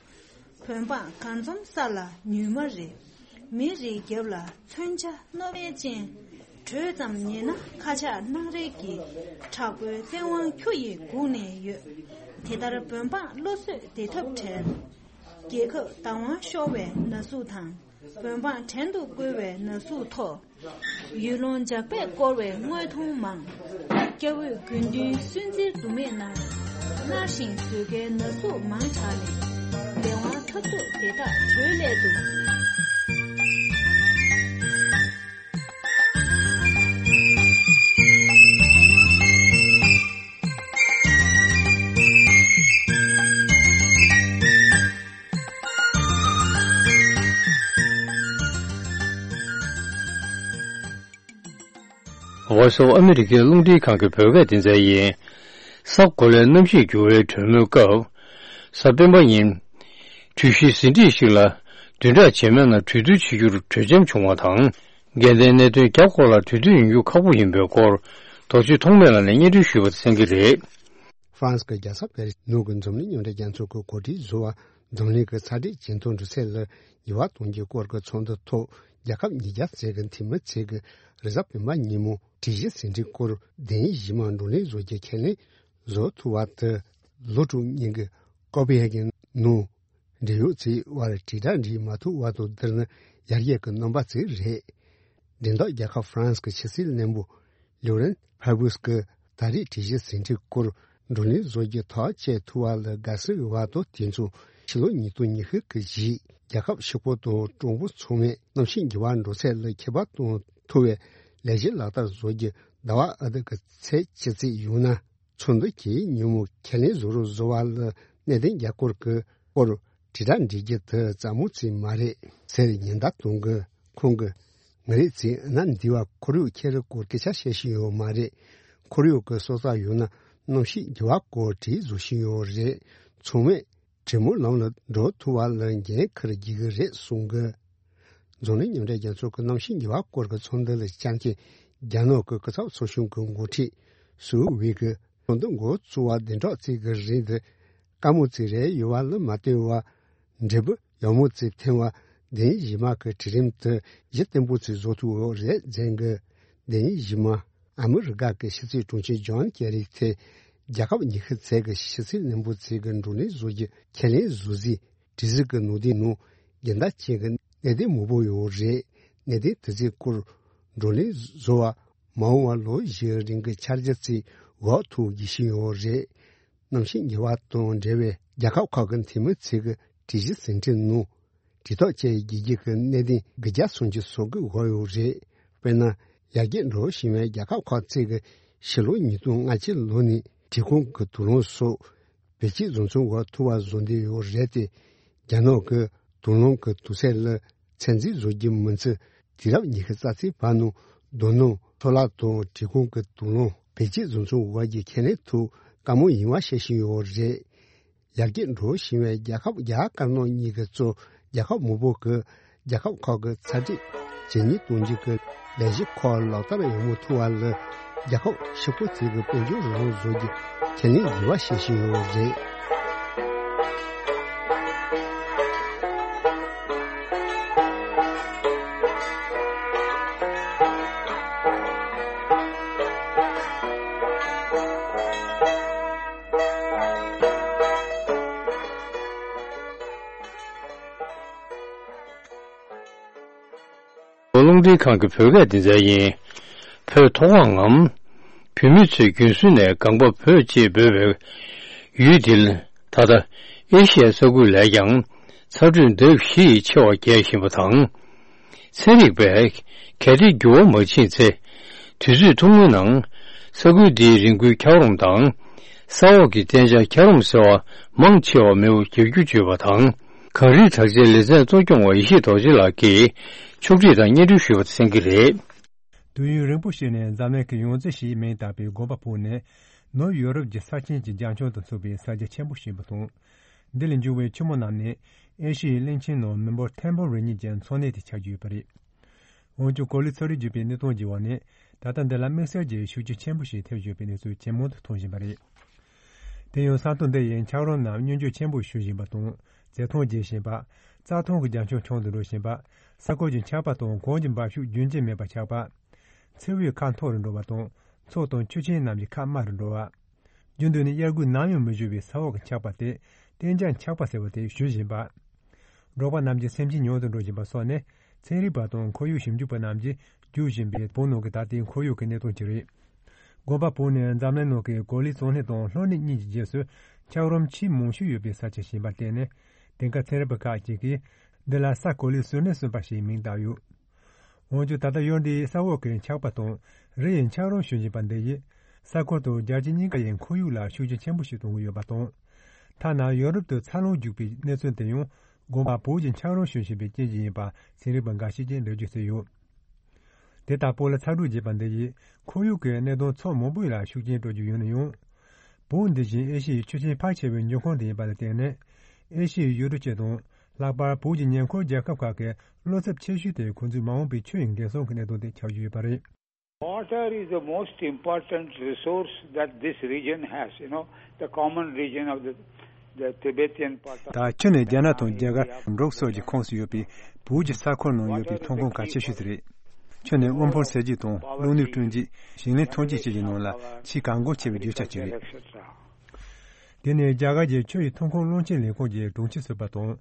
བོད་འབངས་གར་འཛོམས་ས་ལ་ཉུལ་མ་རེད། མི་རིགས་རྒྱབ་ལ་མཚོན་ཆ་རྣོ་དཔལ་ཅན། གྲོས་ཙམ་ཉན་ན་ཁ་ཆག་སྣང་རལ་གྱི། དྲག་པོའི་བཙན་དབང་ཁྱོ་ཡི་སྒུག་ནས་ཡོད། དེ་ལྟར་བོད་འབངས་བློ་གསོས་བདེ་ཐབས་བྲལ། རྒྱལ་ཁབ་བདག་དབང་ཤོར་བའི་ན་ཟུག་དང་། བོད་འབངས་བྲན་དུ་བཀོལ་བའི་ན་ཟུག་ཐོག་ཡུལ་ལུང་ཇག་པས་བསྐོར་བའི་དངོས་མཐོང་མང་། སྐྱ་བོས་དགེ་འདུན་སུན་གཙེར་དུ་མས་ན། མནར་ཞིང་ཟོས་ཁའི་ན་ཟུག་མང་དྲགས་ནས། བདེ་དབང་འཐབ་རྩོད་དེ་དག་གྲོལ་སླད་དུ། Voice of America རླུང་འཕྲིན་ཁང་གི་བོད་སྐད་སྡེ་ཚན་ཡིན། ས་གོ་ལའི་གནམ་གཤིས་འགྱུར་བའི་གྲོས་མོལ་སྐབས། གཟའ་སྤེན་པ་ཉིན། གྲོས་གཞི་ཟིན་བྲིས་ཤིག་ལ་བདུན་ཕྲག་རྗེས་མའི་ནང་གྲོས་བསྡུར་བྱེད་རྒྱུར་གྲོས་འཆམ་བྱུང་བ་དང་། འགལ་ཟླའི་གནད་དོན་བརྒྱ་སྐོར་ལ་གྲོས་མཐུན་ཡོང་རྒྱུ་ཁག་པོ་ཡིན་པའི་སྐོར། རྡོ་རྗེ་ཐོགས་མེད་ལགས་ནས་སྙན་སྒྲོན་ཞུས་པ་དང་གསན་གྱི་རེད། ཧྥ་རན་སི་གི་རྒྱལ་ས་པེ་རི་ནུབ་ཀྱི་འཛམ་གླིང་མཉམ་འབྲེལ་རྒྱལ་ཚོགས་ཀྱིས་གོ་སྒྲིག་བཟོ་བ་འཛམ་གླིང་གི་ཚ་དྲོད་ཇེ་མཐོར་འགྲོ་ཚད་ལ་ཉེས་པ་གཏོང་རྒྱུའི་སྐོར་གྱི་ཚོགས་འདུ་ཐོག་རྒྱལ་ཁབ་ཉིས་བརྒྱ་ཙམ་གྱི་འཐུས་མི་ཚོས་ཀྱི་རེས་གཟའ་སྤེན་པ་ཉིན་མོ་གྲོས་གཞི་ཟིན་བྲིས་སྐོར་བདེན་གཞི་མ་བགྲོ་གླེང་བཟོ་རྒྱུ་ཁས་ལེན་བཟོ་ཐུབ་པ་དེ་ལོ་དྲུག་སྔོན་གྱི་ཀོ་པེ་ཧེ་གྷན་ནང་འབྲེལ་ཡོད་ཚོའི་དབར་དྲིལ་བསྒྲགས་འགྲིག་མ་ཐུབ་བར་དུ་འདིར་ནི་ཡར་རྒྱས་ཀྱི་རྣམ་པ་ཙམ་རེད། འགྲེམས་སྟོན་རྒྱལ་ཁབ་ཧྥ་རན་སི་གི་ཕྱི་སྲིད་བློན་པོ་ལིའུ་རན་ཕ་བུས་ཀྱིས་ད་རེས་དྲི་གཞི་ཟིན་བྲིས་སྐོར་བགྲོ་གླེང་བཟོ་རྒྱུ་ཐག་བཅད་ཐུབ་པ་ལ་དགའ་བསུ་ཡོད་པ་དང་། དེ་མཚུངས་ཕྱི་ལོ་ཉིས་སྟོང་ཉི་ཤུ་གི་རྗེས་རྒྱལ་ཁབ་ཕྱུག་པོ་དང་གྲོང་པོ་ཚང་མས་གནམ་གཤིས་འགྱུར་བ་འགྲོ་ཚད་ལ་ཁྱད་པར་གཏོང་ཐུབ་པའི་ལས་གཞི་ལག་བསྟར་བཟོ་རྒྱུ་ཟླ་བ་ཨ་ཐི་གི་ཚེས་བཅུ་ཙམ་ཡོང་ན། ཚོགས་འདུ་གྱི་ཉིན་མོ་ཁས་ལེན་བཟོ་རོགས་བཟོ་བ་ལ་གནད་དོན་རྒྱ་སྐོར་གྱི་སྐོར་དྲིལ་བསྒྲགས་འབྲི་རྒྱུ་དེ་རྩ་མོ་ཙམ་མ་རེད་ཟེར་ཉེན་བརྡ་གཏོང་གི། ཁོང་གིས་ངེད་རེད་ཚེ་ན་འདི་བ་ཁོར་ཡུག་ཁྱེར་སྐོར་སྐད་ཆ་བཤད་བཞིན་ཡོད་མ་རེད། ཁོར་ཡུག་གི་སྲོག་རྩ་ཡོད་ན་གནམ་གཤིས་འགྱུར་བ་སྐོར་བྲིས་བཟོ་བཞིན་ཡོད་རེད། ཚང་མས་གྲོས་མོལ་ལམ་ལ་འགྲོ་ཐུབ་པ་ལ་འགན་འཁུར་རྒྱུ་གི་རེད་གསུང་གི། འཛམ་གླིང་མཉམ་འབྲེལ་རྒྱལ་ཚོགས་ཀྱི་གནམ་གཤིས་འགྱུར་བ་སྐོར་གྱི་ཚོགས་འདུ་ལ་བཅར་མཁན་རྒྱ་ནག་གི་སྐུ་ཚབ་ཚོགས་ཆུང་གི་འགོ་ཁྲིད་སུའུ་ཝེ་གིས་ཚོགས་འདུ་འགོ་བཙུགས་པ་བདུན་ཕྲག་གཅིག་གི་རིང་དུ་དཀའ་མོ་ཅིག་རེད། ཡོད་པ་ལ་མ་ལྟོས་པར་འབྲས་བུ་ཡག་མོ་ཅིག་ཐོན་པ་བདེན་གཞི་མ་གི་གྲལ་རིམ་དུ་གཞི་བརྟན་པོ་ཅིག་བཟོ་ཐུབ་ཡོད་རེད་ཟེར་གི། བདེན་གཞི་མ་ཨ་མི་རི་ཀ་གི་ཕྱི་སྲིད་དྲུང་ཆེ་ཇོན་ཀེ་རི་དེ་རྒྱལ་ཁབ་ཉི་ཤུ་ཙམ་གི་ཕྱི་སྲིད་བློན་པོ་ཅིག་གི་བགྲོ་གླེང་བཟོ་རྒྱུ་ཁས་ལེན་བཟོ་རྩིས་དྲི་ཟིག་གི་ནང་དོན་ནང་རྒྱུན་ལྡན་ཅན་གྱི་གནད་དོན་མང་པོ་ཡོད་རེད། གནད་དོན་དེ་ཚོའི་སྐོར་བགྲོ་གླེང་བཟོ་བ་མ་འོངས་པ་ལོ་བཞིའི་རིང་གི་འཆར་གཞི་ཅིག་འགོ་ཐུག་རྒྱུ་ཞིག་ཡོད་རེད། གནམ་གཤིས་འགྱུར་བ་དང་འབྲེལ་བའི་རྒྱལ་ཁབ་ཁག་གི་འཐུས་མི་ཚོས་ཀྱི་དྲི་གཞི་ཟིན་བྲིས་ནང་དྲི་ཐག་བཅད་རྒྱུ་གི་གནད་དོན་དགུ་བརྒྱ་སུམ་ཅུ་སོ་དགུ་འགོད་ཡོད་རེད། དཔེར་ན། ཡར་རྒྱས་འགྲོ་བཞིན་པའི་རྒྱལ་ཁབ་ཁག་ཅིག་གིས་ཕྱི་ལོ་ཉིས་སྟོང་ལྔ་བཅུ་ལོ་ནས་བྲེལ་གོང་གི་དུག་རླངས་སོགས་བེད་སྤྱོད་བཟོ་ཚོང་འགོ་ཐུབ་པ་བཟོ་འདོད་ཡོད་རེད་དེ། རྒྱ་ནག་གི་དུག་རླངས་ཀྱི་དུག་ཚད་ལ་ཚད་འཛིན་བཟོ་རྒྱུ་མིན་ཚེ། དུས་རབས་ཉི་ཤུ་རྩ་གཅིག་བར་ནང་རྡོ་སྣུམ་འཕྲོ་བརླག་དང་བྲེལ་གོང་གི་དུག་རླངས་བེད་སྤྱོད་བཟོ་ཚོང་འགོ་རྒྱུ་ཁས་ལེན་ཐུབ་དཀའ་མོ་ཡིན་པ་བཤད་བཞིན་ཡོད་རེད། ཡར་རྒྱས་འགྲོ་བཞིན་པའི་རྒྱལ་ཁབ་རྒྱ་དཀར་ནག་གཉིས་ཀྱིས་གཙོས་རྒྱལ་ཁབ་མང་པོ་གིས་རྒྱལ་ཁབ་ཁག་གི་ཚ་དྲོད་ཇེ་ཉུང་གཏོང་རྒྱུ་གི་ལས་གཞི་ཁག་ལག་བསྟར་ཡག་མོ་ཐུབ་པ་ལ་རྒྱལ་ཁབ་ཕྱུག་པོ་ཅིག་གི་དཔལ་འབྱོར་རང་དབང་བཟོ་རྒྱུ་ཁས་ལེན་བགྱིས་པ་བཤད་བཞིན་ཡོད་རེད། རླུང་འཕྲིན་ཁང་གི་བོད་སྐད་སྡེ་ཚན་ཡིན། བོད་མཐོ་སྒང་ངམ། བོད་མི་ཚོས་རྒྱུན་སྲོལ་ནས་སྒང་པ་བོད་ཅེས་འབོད་པའི་ཡུལ་འདིར། ད་ལྟ་ཨེ་ཤི་ཡའི་ས་ཁུལ་ལས་ཀྱང་ཚ་དྲོད་ལྡབ་བཞི་ཡིས་ཆེ་བ་རྒྱས་བཞིན་པ་དང་། ཚན་རིག་པས་གལ་ཏེ་འགྱུར་བ་མ་ཕྱིན་ཚེ། དུས་ཚོད་ཐུང་ངུའི་ནང་ས་ཁུལ་འདིའི་རི་མགོའི་འཁྱགས་རོམ་དང་། ས་འོག་གི་གཏན་ཆགས་འཁྱགས་རོམ་ཟེར་བ་མང་ཆེ་བ་མེད་པར་འགྱུར་རྒྱུ་བརྗོད་པ་དང་། གངས་རིའི་བྲག་ཆའི་ལེ་ཚན་གཙོ་སྐྱོང་བ་ཡེ་ཤེས་རྡོ་རྗེ་ལགས་ཀྱིས་ཕྱོགས་སྒྲིག་དང་སྙན་སྒྲོན་ཞུས་པ་གསན་གྱི་རེད། དུས་ཡུན་རིང་པོ་ཞིག་ནས་འཛམ་གླིང་གི་ཡང་རྩེ་ཞེས་མིང་བཏགས་པའི་དགོན་པ་བོད་ནི་ནུབ་ཡོ་རོབ་ཀྱི་ས་ཆེན་གྱི་རྒྱ་ཁྱོན་དུ་ཚུད་པའི་ས་ཆ་ཆེན་པོ་ཞིག་ཡིན་པ་དང་། འདི་ལས་འབྱུང་བའི་ཆུ་མོ་རྣམས་ནི་ཨེ་ཤི་ཡའི་གླིང་ཆེན་ནང་མི་འབོར་ཐེར་འབུམ་རེ་གཉིས་ཀྱི་འཚོ་གནས་དེ་ཆགས་ཀྱི་ཡོད་པ་རེད། འོན་ཀྱང་གོ་ལའི་ཚོ་རིགས་བརྒྱུད་པའི་གནས་སྟངས་ཀྱི་འོག་ནས་ད་ལྟ་འདི་ལ་དམིགས་བསལ་གྱི་ཤུགས་རྐྱེན་ཆེན་པོ་ཞིག་ཐེབས་ཡོད་པའི་གནས་ཚུལ་ཇེ་མང་དུ་ཐོན་བཞིན་པ་རེད། དེ་ཡང་ས་མཐོ་འདི་ཡི་འཁྱགས་རོམ་རྣམས་སྙོམས་འཇུག་ཆེན་པོ་ཞུགས་བཞིན་པ་དང་རྩི་ཐང་རྒྱས་བཞིན་པ། རྩྭ་ཐང་གི་རྒྱ་ཁྱོན་ཆུང་དུ་འགྲོ་བཞིན་པ། ས་ཁུལ་གྱི་འཁྱགས་པ་དང་གངས་ཀྱི་འབབ་ཤུགས་རྒྱུན་ཆད་མེད་པར་ཆགས་པ། མཚེའུ་ཡི་ཁ་མཐོ་རུ་འགྲོ་བ་དང་མཚོ་དང་ཆུ་ཆེན་རྣམས་ཀྱི་ཁ་དམའ་རུ་འགྲོ་བ། རྒྱུན་དུ་ནས་དབྱར་དགུན་ནམ་ཡང་མི་བཞུར་བའི་ས་འོག་གི་འཁྱགས་པ་སྟེ་གཏན་འཇགས་འཁྱགས་པ་ཟེར་བ་དེ་ཞུ་བཞིན་པ། འབྲོག་པ་རྣམས་ཀྱི་སེམས་ཅན་ཉུང་དུ་འགྲོ་བཞིན་པ་སོགས་ནི་ཚན་རིག་པ་དང་ཁོར་ཡུག་ཞིབ་འཇུག་པ་རྣམས་ཀྱིས་བརྗོད་བཞིན་པའི་བོད་ནང་གི་ད་ལྟའི་ཁོར་ཡུག་གི་གནས་སྟངས་ཅིག་རེད། དགོན་པ་བོད་ནི་འཛམ་གླིང་ནང་གི་གོ་ལའི་གཙང་གནས་དང་ལྷོ་གནས་གཉིས་ཀྱི་རྗེས་སུ་འཁྱགས་རོམ་ཆེས་མང་ཤོས་ཡོད་པའི་ས་ཆ་ཞིག་ཡིན་པར་བརྟེན་ནས་དེང་སྐབས་ཚན་རིག་པ་ཁག་ཅིག་གིས་འདི་ལ་ས་གོ་ལའི་ཟུར་གནས་གསུམ་པ་ཞེས་མིང་བཏགས་ཡོད། འོན་ཀྱང་ད་ལྟ་ཡུལ་འདིའི་ས་འོག་གི་འཁྱགས་པ་དང་རི་ཡི་འཁྱགས་རོམ་ཞུགས་བཞིན་པ་འདི་ཡིས་ས་ཁུལ་དང་རྒྱལ་སྤྱི་གཉིས་ཀ་ཡི་ཁོར་ཡུག་ལ་ཤུགས་རྐྱེན་ཆེན་པོ་ཞིག་གཏོང་གི་ཡོད་པ་དང་། ཐ་ན་ཡོ་རོབ་ཏུ་འཚར་ལོངས་བརྒྱུགས་པའི་གནས་ཚུལ་དེ་ཡང་དགོན་པ་བོད་ཀྱི་འཁྱགས་རོམ་ཞུགས་བཞིན་པའི་རྐྱེན་གྱིས་ཡིན་པ་ཚན་རིག་པ་འགའ་ཤས་ཀྱིས་འགྲེལ་བརྗོད་བྱས་ཡོད། དེ་ལྟ་བུ་ལ་ཚ་དྲོད་རྒྱས་པ་འདི་ཡིས་ཁོར་ཡུག་གི་གནད་དོན་ཕྱོགས་མང་པོ་ལ་ཤུགས་རྐྱེན་སྤྲོད་རྒྱུ་ཡིན་ན་ཡང་། བོད་འདི་བཞིན་ཨེ་ཤི་ཡའི་ཆུ་ཆེན་ཕལ་ཆེ་བའི་མྱོང་ཁུངས་དེ་ཡིན་པ་ལ་བརྟེན་ནས། ཨེ་ཤི་ཡའི་ཡུལ་གྲུ་སྤྱི་དང་། ལྷག་པར་བོད་ཀྱི་ཉེ་འཁོར་རྒྱལ་ཁབ་ཁག་གི་བློ་འཚབ་ཆེ་ཤོས་དེ་ཁོང་ཚོའི་མ་འོངས་པའི་ཆུ་ཡི་འགན་སྲུང་གི་གནད་དོན་དེ་ཆགས་ཀྱི་ཡོད་པ་རེད། Water is the most important resource that this region has, you know, the common region of the, the Tibetan part of ད་ཆུ་ནི་རྒྱ་ནག་དང་རྒྱ་གར་འབྲུག་སོགས་ཀྱི་ཁོངས་སུ་ཡོད་པའི་བོད་ཀྱི་ས་ཁུལ་ནང་ཡོད་པའི་ཐོན་ཁུངས་གལ་ཆེ་ཤོས་དེ་རེད། ཆུ་ནི་དབུལ་ཕོངས་སེལ་རྒྱུ་དང་བློ་ནུས་བསྐྲུན་རྒྱུ། ཞིང་ལས་ཐོན་སྐྱེད་བཅས་ཀྱི་ནང་ལ་ཆེས་གལ་འགངས་ཆེ་བའི་རྒྱུ་ཆ་ཅིག་རེད། དེ་ནི་རྒྱ་གར་གྱི་ཆུ་ཡི་ཐོན་ཁུངས་བློན་ཆེན་ལས་ཁུངས་ཀྱི་དྲུང་ཆེ་ཟུར་པ་དང་།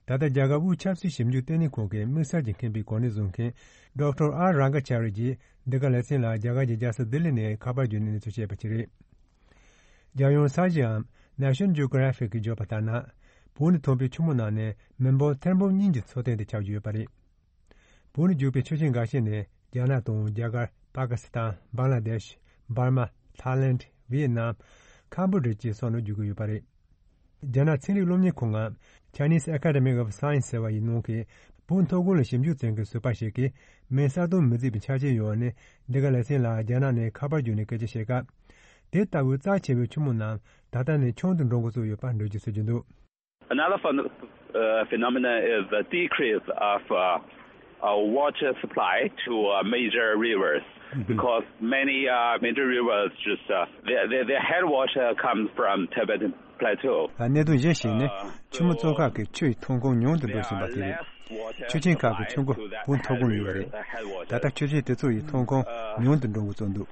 ད་ལྟ་རྒྱ་གར་དབུས་ཆབ་སྲིད་ཞིབ་འཇུག་ལྟེ་གནས་ཁང་གི་དམིགས་བསལ་གྱི་མཁས་པའི་གོ་གནས་བཟུང་མཁན་ཌོག་ཊར་ཨར་རང་ག་ཅཱ་རི་ཡིས་འདི་ག་ལེ་ཚན་ལ་རྒྱ་གར་གྱི་རྒྱལ་ས་ལྡི་ལི་ནས་ཁ་པར་བརྒྱུད་ནས་གནས་ཚུལ་བཤད་པ་ཞིག་རེད། རྒྱལ་ཡོངས་ས་གཞིའམ་National Geographic གིས་བརྗོད་པ་ལྟར་ན། བོད་ནས་ཐོན་པའི་ཆུ་མོ་རྣམས་ནི་མི་འབོར་ཐེར་འབུམ་གཉིས་ཀྱི་འཚོ་རྟེན་དུ་ཆགས་ཀྱི་ཡོད་པ་རེད། བོད་ནས་རྒྱུག་པའི་ཆུ་ཆེན་འགའ་ཤས་ནི་རྒྱ་ནག་དང་རྒྱ་གར། པ་ཀི་སི་ཐན། བང་ལ་དེཤ། འབར་མ། ཐའི་ལེནྡ། ཝི་ཡེ་ནམ། ཁམ་བྷོ་ཌི་ཡ་བཅས་སོགས་ནས་རྒྱུག་གི་ཡོད་པ་རེད། རྒྱ་ནག་ཚན་རིག་སློབ་གཉེར་ཁང་ངམ་Chinese Academy of Science ཟེར་བ་ཡི་ནང་གི་བོད་མཐོ་སྒང་ལ་ཞིབ་འཇུག་བྱེད་མཁན་ཟུར་པ་ཞིག་གིས་མིང་གསལ་སྟོན་མི་མཛད་པའི་ཆ་རྐྱེན་ཡོད་པ་ནི། འདི་ག་ལེ་ཚན་ལ་རྒྱ་ནག་ནས་ཁ་པར་བརྒྱུད་ནས་སྐད་ཆ་བཤད་སྐབས། དེ་ལྟ་བུའི་རྩ་ཆེ་བའི་ཆུ་མོ་རྣམས་ད་ལྟ་ནས་ཆུང་དུ་འགྲོ་འགོ་བཙུགས་ཡོད་པ་འགྲེལ་བརྗོད་བྱེད་ཀྱི་འདུག། Another phen- uh, phenomenon is the decrease of uh, uh, water supply to uh, major rivers because many uh, major rivers just uh, their, their, their headwater comes from Tibetan plateau. གནད་དོན་གཞན་ཞིག་ནི་ཆུ་མོ་གཙོ་ཁག་གི་ཆུ་ཡི་ཐོན་ཁུངས་ཉུང་དུ་འགྲོ་བཞིན་པ་དེ་རེད། ཆུ་ཆེན་ཁག་གི་ཆུ་མགོ་བོད་མཐོ་སྒང་ཡོད་རེད། ད་ལྟ་ཆུ་ཆེན་དེ་ཚོ་ཡི་ཐོན་ཁུངས་ཉུང་དུ་འགྲོ་འགོ་བཙུགས་འདུག།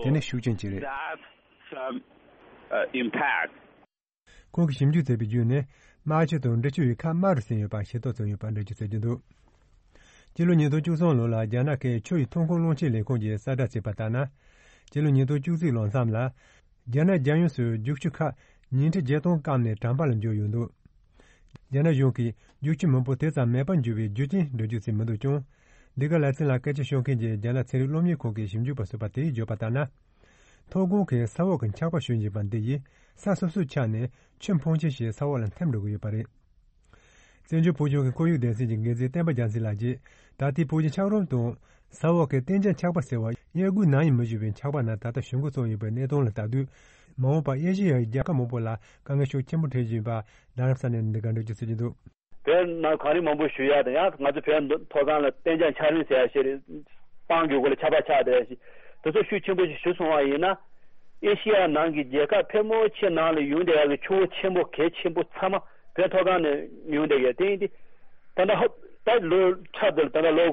དེ་ནི་ཤུགས་རྐྱེན་ཅིག་རེད། Impact. ཁོང་གིས་ཞིབ་འཇུག་བྱས་པའི་བརྒྱུད་ནས་རྨ་ཆུ་དང་འབྲི་ཆུ་ཡི་ཁ་དམའ་རུ་ཟིན་ཡོད་པ་ཤེས་རྟོགས་བྱུང་ཡོད་པ་འགྲེལ་བརྗོད་བྱེད་ཀྱི་འདུག། སྤྱི་ལོ་ཉིས་སྟོང་བཅུ་གསུམ་ལོ་ལ་རྒྱ་ནག་གིས་ཆུ་ཡི་ཐོན་ཁུངས་བློན་ཆེན་ལས་ཁུངས་ཀྱིས་གསལ་བསྒྲགས་བྱས་པ་ལྟར་ན། སྤྱི་ལོ་ཉིས་སྟོང་བཅུ་གཅིག་ལོ་མཚམས་ལ། རྒྱ་ནག་རྒྱལ་ཡོངས་སུ་རྒྱུག་ཆུ་ཁག་ཉིས་ཁྲི་བརྒྱད་སྟོང་སྐམ་ནས་གྲམ་པ་ལ་འགྱུར་ཡོད་འདུག། རྒྱ་ནག་གཞུང་གིས་རྒྱུག་ཆུ་མང་པོ་དེ་ཙམ་མེད་པར་འགྱུར་བའི་རྒྱུ་རྐྱེན་འགྲེལ་བརྗོད་བྱས་མི་འདུག་ཀྱང་། འདི་ག་ལེ་ཚན་ལ་སྐད་ཆ་ཤོད་མཁན་གྱི་རྒྱ་ནག་ཚན་རིག་སློབ་གཉེར་ཁང་གི་ཞིབ་འཇུག་པ་ཟུར་པ་དེས་བརྗོད་པ་ལྟར་ན། མཐོ་སྒང་གི་ས་འོག་གི་འཁྱགས་པ་ཞོན་བཞིན་པ་འདི་ཡིས་ས་སོ་སོར་ཆགས་ནས་ཆུ་འཕོ་ཆེན་ཞིག་ས་འོག་ལ་འཐིམ་འགྲོ་གི་ཡོད་པ་རེད། བཙན་བྱོལ་བོད་གཞུང་གི་ཁོར་ཡུག་སྡེ་ཚན་གྱི་འགན་འཛིན་བསྟན་པ་རྒྱལ་མཚན་ལགས་ཀྱིས་ད་ལྟའི་བོད་ཀྱི་འཁྱགས་རོམ་དང་ས་འོག་གི་གཏན་འཇགས་འཁྱགས་པ་ཟེར་བ་གཡས་འགུལ་ནམ་ཡང་མི་བྱུང་བའི་འཁྱགས་པ་རྣམས་ད་ལྟ་ཞོན་འགོ་བཙུགས་ཡོད་པའི་གནས་སྟངས་ལ་ལྟ་དུས། མ་འོངས་པར་ཨེ་ཤེ་ཡ་ཡི་རྒྱལ་ཁབ་མང་པོ་ལ་དཀའ་ངལ་ཤུགས་ཆེན་པོ་འཕྲད་བཞིན་པ་རྡ་རམ་ས་ནས་འདི་ག་འགྲེལ་བརྗོད་བྱེད་ཀྱི་འདུག། བོད་ནང་གངས་རི་མང་པོ་བཞུར་ཡག་དང་ཡང་ང་ཚོ་བོད་མཐོ་སྒང་ལ་གཏན་འཇགས་འཁྱགས་རོམ་ཟེར་ཡག་ཞིག་རེད། སྤང་གི་སྒོ་ལ་ཆར་པ་ཆགས་བསྡད་ཡག་ཞིག་དེ་ཚོ་ཤུགས་ཆེན་པོ་ཞིག་བཞུར་སོང་བ་ཡིན་ན། ཨེ་ཤེ་ཡ་ནང་གི་རྒྱལ་ཁབ་ཕལ་མོ་ཆེ་ནང་ལ་ཡོང་བསྡད་ཡག་གི་ཆུ་བོ་ཆེན་པོ་གལ་ཆེན་པོ་ཚང་མ་བོད་མཐོ་སྒང་ནས་ཡོང་བསྡད་ཡག་དེ་ཡིན་ཏེ། ད་ལྟ་ཧོབ་ད་ལོ་འཁྲབ་དེ་ལ་ད་ལྟ་ལོ་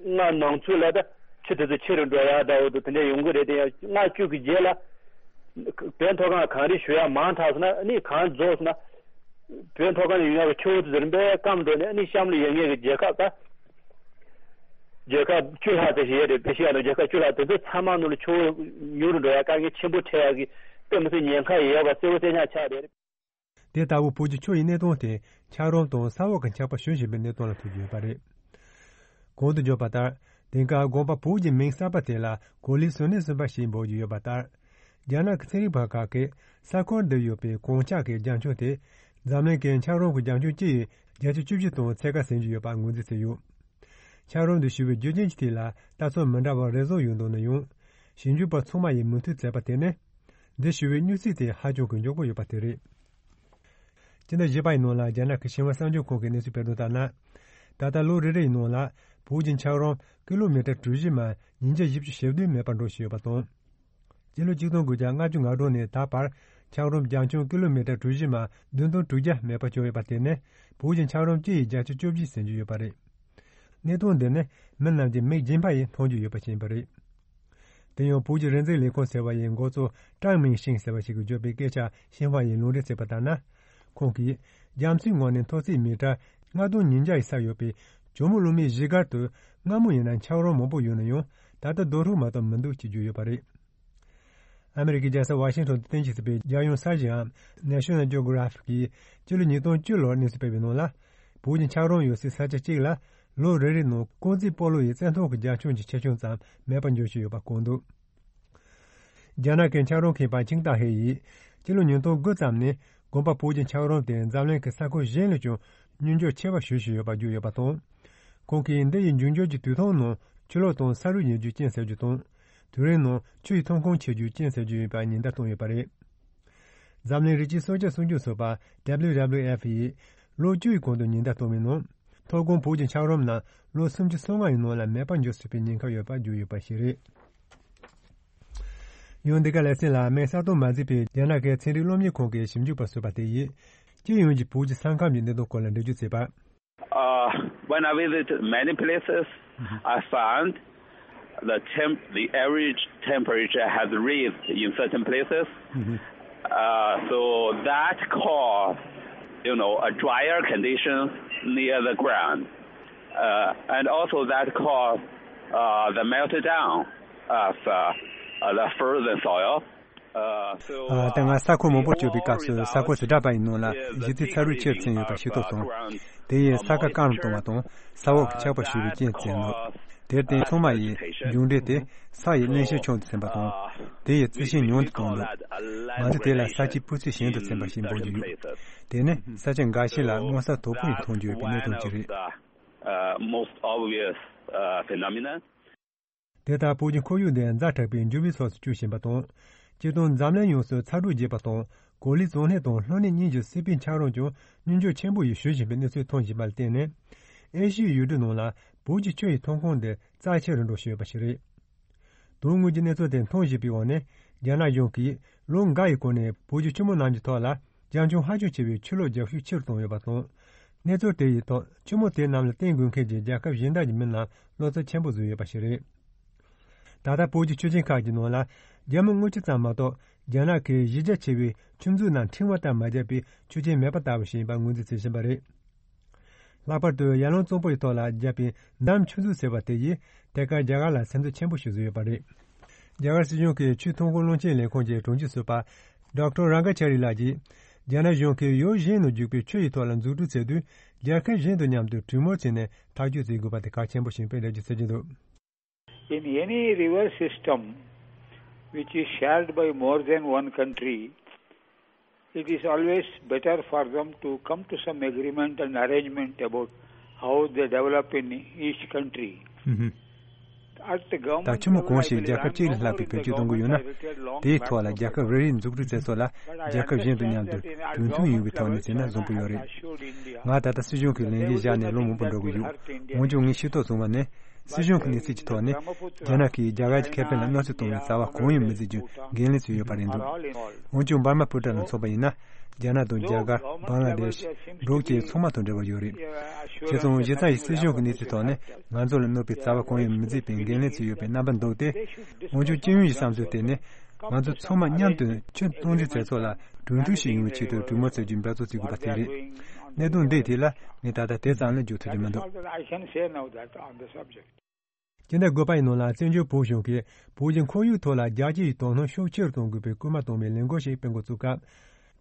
ལྔ་ནང་ཚུད་ལ་ད་ཆུ་དེ་ཚོ་ཆེ་རུ་འགྲོ་ཡག་འདྲ་བོ་དེ་འདྲ་ཡོང་གི་རེད་དེ། ཡང་ལྔ་བཅུ་གི་རྗེས་ལ་བོད་མཐོ་སྒང་གངས་རི་བཞུར་ཡག་མང་དྲགས་སོང་ན་ཨ་ནི་གངས་རྫོགས་སོང་ན། བོད་མཐོ་སྒང་ནས་ཡོང་ཡག་གི་ཆུ་བོ་དེ་ཚོ་རིམ་པས་སྐམ་འགྲོ་ནས་ཨ་ནི་གཤམ་ལ་ཡོད་མཁན་གྱི་རྒྱལ་ཁབ་ད། རྒྱལ་ཁབ་བཅུ་ལྷག་ཙམ་ཞིག་ཡོད་རེད། ཨེ་ཤེ་ཡ་ནང་རྒྱལ་ཁབ་བཅུ་ལྷག་དེ་ཚོ་ཚང་མ་ནང་ལ་ཆུ་བོ་ཉུང་རུ་འགྲོ་ཡག་དཀའ་ངལ་ཆེན་པོ་འཕྲད་ཡག་གི་དཔེ་མི་སྲིད་ཉེན་ཁ་ཡོད་པ་གསལ་པོ་གསལ་རྐྱང་ཆགས་བསྡད་རེད། དེ་ལྟ་བུ་བོད་ཀྱི་ཆུ་ཡི་གནས་སྟངས་དེ་འཁྱགས་རོམ་དང་ས་འོག་གི་འཁྱགས་པ་ཞོན་བཞིན་པའི་གནས་སྟངས་ལ་ཐུག་གི་ཡོད་པ་རེད། གོང་དུ་བརྗོད་པ་ལྟར། དེང་སྐབས་དགོན་པ་བོད་ཀྱི་མིང་གསར་པ་དེ་ལ་གོ་ལའི་བཟོ་གནས་གསུམ་པ་ཞེས་འབོད་ཀྱི་ཡོད་པ་ལྟར། རྒྱ་ནག་གི་ཚན་རིག་པ་ཁག་གིས་ས་ཁུལ་འདིར་ཡོད་པའི་གངས་འཁྱགས་ཀྱི་རྒྱང་ཁྱོན་དེ་འཛམ་གླིང་གི་འཁྱགས་རོམ་གྱི་རྒྱང་ཁྱོན་སྤྱི་ཡི་བརྒྱ་ཆ་བཅུ་བཞི་དང་ཕྱེད་ཀ་ཟིན་གྱི་ཡོད་པ་ངོས་འཛིན་བྱས་ཡོད། འཁྱགས་རོམ་འདི་བཞུར་བའི་རྒྱུ་རྐྱེན་གྱི་ཐད་ལ་ལྟ་ཚུལ་མི་འདྲ་བ་རེ་ཟུང་ཡོད་འདུག་ན་ཡང་། ཞིབ་འཇུག་པ་ཚང་མ་ཡིས་མོས་མཐུན་མཛད་པ་དེ་ནི། འདི་བཞུར་བའི་མྱུར་ཚད་དེ་ཧ་ཅང་གི་མགྱོགས་པོ་ཡོད་པ་དེ་རེད། སྤྱི་ཟླ་བཞི་པ་ཡི་ནང་ལ་རྒྱ་ནག་གི་ཤིན་ཧྭ་གསར་འགྱུར་ཁང་གིས་གནས་ཚུལ་སྤེལ་དོན་ལྟར་ན། ད་ལྟ་ལོ་རེ་རེ་ཡི་ནང་ལ་བོད་ཀྱི་འཁྱགས་རོམ་ཀི་ལོ་མི་ཊར་གྲུ་བཞི་མ་ཉིས་བརྒྱ་བཞི་བཅུ་ཞེ་བདུན་མེད་པར་འགྲོ་བཞིན་ཡོད་པ་དང་། སྤྱི་ལོ་ཆིག་སྟོང་དགུ་བརྒྱ་ལྔ་བཅུ་ང་དྲུག་ནས་ད་བར་འཁྱགས་རོམ་རྒྱང་ཁྱོན་ཀི་ལོ་མི་ཊར་གྲུ་བཞི་མ་བདུན་སྟོང་དྲུག་བརྒྱ་མེད་པར་གྱུར་ཡོད་པ་དེ་ནི་བོད་ཀྱི་འཁྱགས་རོམ་སྤྱི་ཡི་བརྒྱ་ཆ་བཅུ་བཞི་ཟིན་གྱི་ཡོད་པ་རེད། གནད་དོན་འདི་ནི་མི་རྣམས་ཀྱི་མིག་རྒྱན་པ་ཡིས་མཐོང་རྒྱུ་ཡོད་པ་ཞིག་ཡིན་པ་རེད། དེ་ཡང་བོད་ཀྱི་རིག་འཛིན་ལས་ཁུངས་ཟེར་བ་ཡི་འགོ་གཙོ་ཀྲང་མིང་ཤིང་ཟེར་བ་ཞིག་གིས་བརྗོད་པའི་སྐད་ཆ་ཤིན་ཧྭ་ཡིས་ལུང་འདྲེན་བྱས་པ་ལྟར་ན། ཁོང་གིས་རྒྱ་མཚོའི་ངོས་ནས་མཐོ་ཚད་མི་ཊར་ལྔ་སྟོང་ཉིས་བརྒྱ་ཡི་ས་ཡོད་པའི་ཇོ་མོ་གླང་མའི་གཞིས་སྒར་དུ་སྔ་མོ་ཡིན་ན་འཁྱགས་རོམ་མང་པོ་ཡོད་ན་ཡང་ད་ལྟ་རྡོ་ཧྲུག་མ་གཏོགས་མི་འདུག་ཅེས་བརྗོད་ཡོད་པ་རེད། ཨ་མི་རི་ཀའི་རྒྱལ་ས་ཝ་ཤིང་ཊོན་དུ་རྟེན་གཞི་བྱས་པའི་རྒྱལ་ཡོངས་ས་གཞིའམ་National Geographic གིས་སྤྱི་ལོ་ཉིས་སྟོང་བཅུ་ལོར་གནས་ཚུལ་སྤེལ་བའི་ནང་ལ། བོད་ཀྱི་འཁྱགས་རོམ་ཡོད་སའི་ས་ཆ་གཅིག་ལ་ལོ་རེ་རེའི་ནང་རྐང་རྩེད་སྤོ་ལོ་ཡི་རྩེད་ཐང་གི་རྒྱ་ཁྱོན་གྱི་ཆེ་ཆུང་ཙམ་མེད་པར་འགྱུར་བཞིན་ཡོད་པ་བཀོད་འདུག། རྒྱ་ནག་གི་འཁྱགས་རོམ་མཁས་པ་ཆིང་ཏཱ་ཧེ་ཡིས་སྤྱི་ལོ་ཉིས་སྟོང་དགུ་ཙམ་ནས་དགོན་པ་བོད་ཀྱི་འཁྱགས་རོམ་དེ་འཛམ་གླིང་གི་ས་ཁུལ་གཞན་ལས་ཀྱང་སྙོམས་འཇུག་ཆེ་བ་ཞུ་བཞིན་ཡོད་པ་བརྗོད་ཡོད་པ་དང་། ཁོང་གིས་འདི་ཡི་འབྱུང་འགྱུར་གྱི་དུས་ཐུང་ནང་ཆུ་ལོག་དང་ས་རུད་ཉིལ་རྒྱུ་རྐྱེན་སེལ་རྒྱུ་དང་། དུས་རིང་ནང་ཆུ་ཡི་ཐོན་ཁུངས་ཆེ་རྒྱུ་རྐྱེན་སེལ་རྒྱུ་ཡིན་པ་ཉེན་བརྡ་བཏང་ཡོད་པ་རེད། འཛམ་གླིང་རི་སྐྱེས་སྲོག་ཆགས་སྲུང་སྐྱོབ་ཚོགས་པ་W W F ཡིས་ལོ་བཅུ་ཡི་གོང་དུ་ཉེན་བརྡ་བཏང་བའི་ནང་། མཐོ་སྒང་བོད་ཀྱི་འཁྱགས་རོམ་རྣམས་ལོ་སུམ་ཅུ་སོ་ལྔ་ཡི་ནང་ལ་མེད་པར་འགྱུར་སྲིད་པའི་ཉེན་ཁ་ཡོད་པ་བརྗོད་ཡོད་པ་ཞིག་རེད། ཡང་འདི་ག་ལེ་ཚན་ལ་མིང་གསལ་སྟོན་མ་མཛད་པའི་རྒྱ་ནག་གི་ཚན་རིག་སློབ་གཉེར་ཁང་གི་ཞིབ་འཇུག་པ་ཟུར་པ་དེ་ཡིས་སྤྱི་ཡོངས་ཀྱི་བོད་ཀྱི་ས་ཁམས་ཀྱི་གནད་དོན་སྐོར་ལ་འགྲེལ་བརྗོད་བྱས་པ། Uh, when I visited many places, I found the temp the average temperature has raised in certain places. Uh, so that caused you know, a drier condition near the ground. Uh, and also that caused uh, the melting down of uh, uh, the frozen soil. Uh, so, ཨ། ད་ང་ས་ཁུལ་མང་པོར་བསྐྱོད་པའི་སྐབས་སུ་ས་ཁུལ་དེ་འདྲ་པ་ཡིན་ནོ་ལ་གཞི་རྩའི་ཚ་རུད་ཆེར་ཕྱིན་ཡོད་པ་ཤེས་རྟོགས་སོང་། དེ་ཡིས་ས་ཁ་སྐམ་རུ་གཏོང་བ་དང་ས་འོག་གི་ཆག་པ་ཞུ་བའི་རྐྱེན་བཙན་འདུག་དེར་བརྟེན་ཚང་མ་ཡིས་མཇུག་འབྲས་དེ་ས་ཡི་བརླན་གཤེར་ཆུང་དུ་ཕྱིན་པ་དང་། དེ་ཡི་རྩི་ཤིང་ཉུང་དུ་བཏང་འདུག་ང་ཚོས་དེ་ལ་ས་དཀྱིལ་སྤུས་ཚད་ཞན་དུ་ཕྱིན་པ་ཞེས་འབོད་ཀྱི་ཡོད། དེ་ནི་ས་ཆ་འགའ་ཤས་ལ་མངོན་གསལ་དོད་པོ་ཡིས་མཐོང་རྒྱུ་ཡོད་པའི་གནད་དོན་ཅིག་རེད། Uh, most obvious uh, phenomenon. དེ་ལྟར་བོད་ཀྱི་ཁོར་ཡུག་འདི་ཛ་དྲག་པའི་འགྱུར་བའི་ཕྱོགས་སུ་བསྐྱོད་བཞིན་པ་དང་། སྤྱིར་བཏང་འཛམ་གླིང་ཡོངས་སུ་ཚ་དྲོད་རྒྱས་པ་དང་གོ་ལའི་གཙང་གནས་དང་ལྷོ་ནུབ་གཉིས་ཀྱི་སྲིད་པའི་འཁྱགས་རོམ་ཀྱང་སྙོམས་འཇུག་ཆེན་པོ་ཡིས་ཞུ་བཞིན་པའི་གནས་ཚུལ་མཐོང་བཞིན་པ་ལ་བརྟེན་ནས། ཨེ་ཤི་ཡའི་ཡུལ་གྲུ་ནང་ལ་བོད་ཀྱི་ཆུ་ཡི་ཐོན་ཁུངས་འདི་རྩ་ཆེ་རུ་འགྲོ་བཞིན་ཡོད་པ་ཞིག་རེད། དོན་དངོས་ཀྱི་གནས་ཚུལ་དེ་མཐོང་བཞིན་པའི་འོག་ནས། རྒྱ་ནག་གཞུང་གིས་ལོ་འགའ་ཡི་གོང་ནས་བོད་ཀྱི་ཆུ་མོ་རྣམས་ཀྱི་ཐོག་ལ་རྒྱ་ཁྱོན་ཧ་ཅང་ཆེ་བའི་ཆུ་ལོག་རྒྱག་ཤུགས་ཆེ་རུ་བཏང་ཡོད་པ་དང་། གནས་ཚུལ་དེ་ཡི་ཐོག་ཆུ་མོ་དེ་རྣམས་ལ་བརྟེན་དགོས་མཁན་གྱི་རྒྱལ་ཁབ་གཞན་དག་གི་མི་རྣམས་བློ་འཚབ་ཆེན་པོ་བཟོས་ཡོད་པ་ཞིག་རེད། ད་ལྟ་བོད་ཀྱི་ཆུ་ཆེན་ཁག་གི་ནང་ལ་རྒྱ་མི་དངུལ་ཆུ་ཙམ་མ་གཏོགས་རྒྱ་ནག་གི་གཞི་རྒྱ་ཆེ་བའི་ཆུ་མཛོད་རྣམས་ཕྲེང་བ་ལྟར་མ་བརྒྱབ་པའི་ཆུ་རྐྱེན་མེད་པ་ལྟ་བུ་ཞིག་ཡིན་པ་ངོས་འཛིན་བྱེད་བཞིན་པ་རེད། ལྷག་པར་དུ་ཡར་ཀླུང་གཙང་པོ་ཡི་ཐོག་ལ་བརྒྱབ་པའི་འདམ་ཆུ་མཛོད་ཟེར་བ་དེ་ཡིས་ཐད་ཀར་རྒྱ་གར་ལ་སེམས་འཚབ་ཆེན་པོ་ཞིག་བཟོས་ཡོད་པ་རེད། རྒྱ་གར་སྲིད་གཞུང་གི་ཆུའི་ཐོན་ཁུངས་བློན་ཆེན་ལས་ཁུངས་ཀྱི་དྲུང་ཆེ་ཟུར་པ་ཌོག་ཊར་རང་ཀ་ཆ་རི་ལགས་ཀྱིས། རྒྱ་ནག་གཞུང་གིས་ཡུལ་གཞན་ནང་རྒྱུག་པའི་ཆུ་ཡི་ཐོག་ལ་འཛུགས་སྐྲུན་བྱེད་དུས་རྒྱལ་ཁབ་གཞན་དང་མཉམ་དུ་གྲོས་མོལ་བྱས་ནས་ཐག་གཅོད་བྱེད་དགོས་པ་དེ་གལ་ཆེན་པོ་ཞིག་ཡིན་པའི་འགྲེལ་བརྗོད་བྱེད་ཀྱི་འདུག In any river system which is shared by more than one country, it is always better for them to come to some agreement and arrangement about how they develop in each country. ད་ཆུ་མོ་གང་ཞིག་རྒྱལ་ཁབ་གཅིག་ལས་ལྷག་པའི་བེད་སྤྱོད་གཏོང་གི་ཡོད་ན། དེའི་ཐོག་ལ་རྒྱལ་ཁབ་རེ་རེའི་འཛུགས་སྐྲུན་མཛད་ཚོགས་ལ་རྒྱལ་ཁབ་གཞན་དང་མཉམ་དུ་གྲོས་མཐུན་ཡོང་བའི་ཐོག་ནས་བྱས་ན་བཟང་པོ་ཡོད་རེད། ང་ད་ལྟ་སྲིད་གཞུང་གི་ལས་འགན་བཞག་ནས་ལོ་མང་པོ་འགྲོ་གི་ཡོད། འོན་ཀྱང་ངས་ཤེས་རྟོགས་བྱུང་བ་ནི། སྲིད་གཞུང་གི་གནས་ཚུལ་གྱི་ཐོག་ནས། རྒྱ་ནག་གིས་རྒྱ་གར་གྱི་ཁེ་ཕན་ལ་གནོད་འཚེ་གཏོང་བའི་རྩ་བ་གང་ཡང་མི་བརྩི་རྒྱུ་འགན་ལེན་བྱས་ཡོད་པ་རེད་འདུག་འོན་ཀྱང་འབར་མ་སྤུ་ཊ་ལ་མཚོན་པ་ཡིན་ན། རྒྱ་ནག་དང་རྒྱ་གར། བང་ལ་དེཤ། འབྲུག་བཅས་ཚང་མ་དང་འབྲེལ་བ་ཡོད་རེད། བྱས་ཙང་གཞི་རྩ་ཡི་སྲིད་གཞུང་གི་གནས་ཚུལ་ཐོག་ནས་ང་ཚོ་ལ་གནོད་པའི་རྩ་བ་གང་ཡང་མི་བརྩི་བའི་འགན་ལེན་བྱས་ཡོད་པའི་རྣམ་པ་འདུག་སྟེ། འོན་ཀྱང་སྤྱི་ཡོངས་ཀྱི་བསམ་ཚུལ་དེ་ནི། ང་ཚོ་ཚང་མ་མཉམ་དུ་ཆུ་གཏོང་འདྲེན་མཛད་ཚོགས་ལ་གྲོས་མཐུན་ཞིག་ཡོང་བའི་ཆེད་དུ་གྲོས་མོལ་བྱ་རྒྱུའི་འབད་རྩོལ་བྱེད་དགོས་པ་དེ་རེད། གནད་དོན་འདིའི་ཐད་ལ་ངས་ད་ལྟ་དེ་ཙམ་ལས་བརྗོད་ཐུབ་ཀྱི་མི་འདུག I can say now that on the subject. སྤྱི་ཟླ་དགུ་པ་ཡི་ནང་ལ་བཙན་བྱོལ་བོད་གཞུང་གིས་བོད་ཀྱི་ཁོར་ཡུག་ཐོག་ལ་རྒྱལ་སྤྱི་ཡི་དོ་སྣང་ཤུགས་ཆེ་རུ་གཏོང་དགོས་པའི་སྐུལ་མ་གཏོང་བའི་ལས་འགུལ་ཞིག་སྤེལ་འགོ་བཙུགས་སྐབས།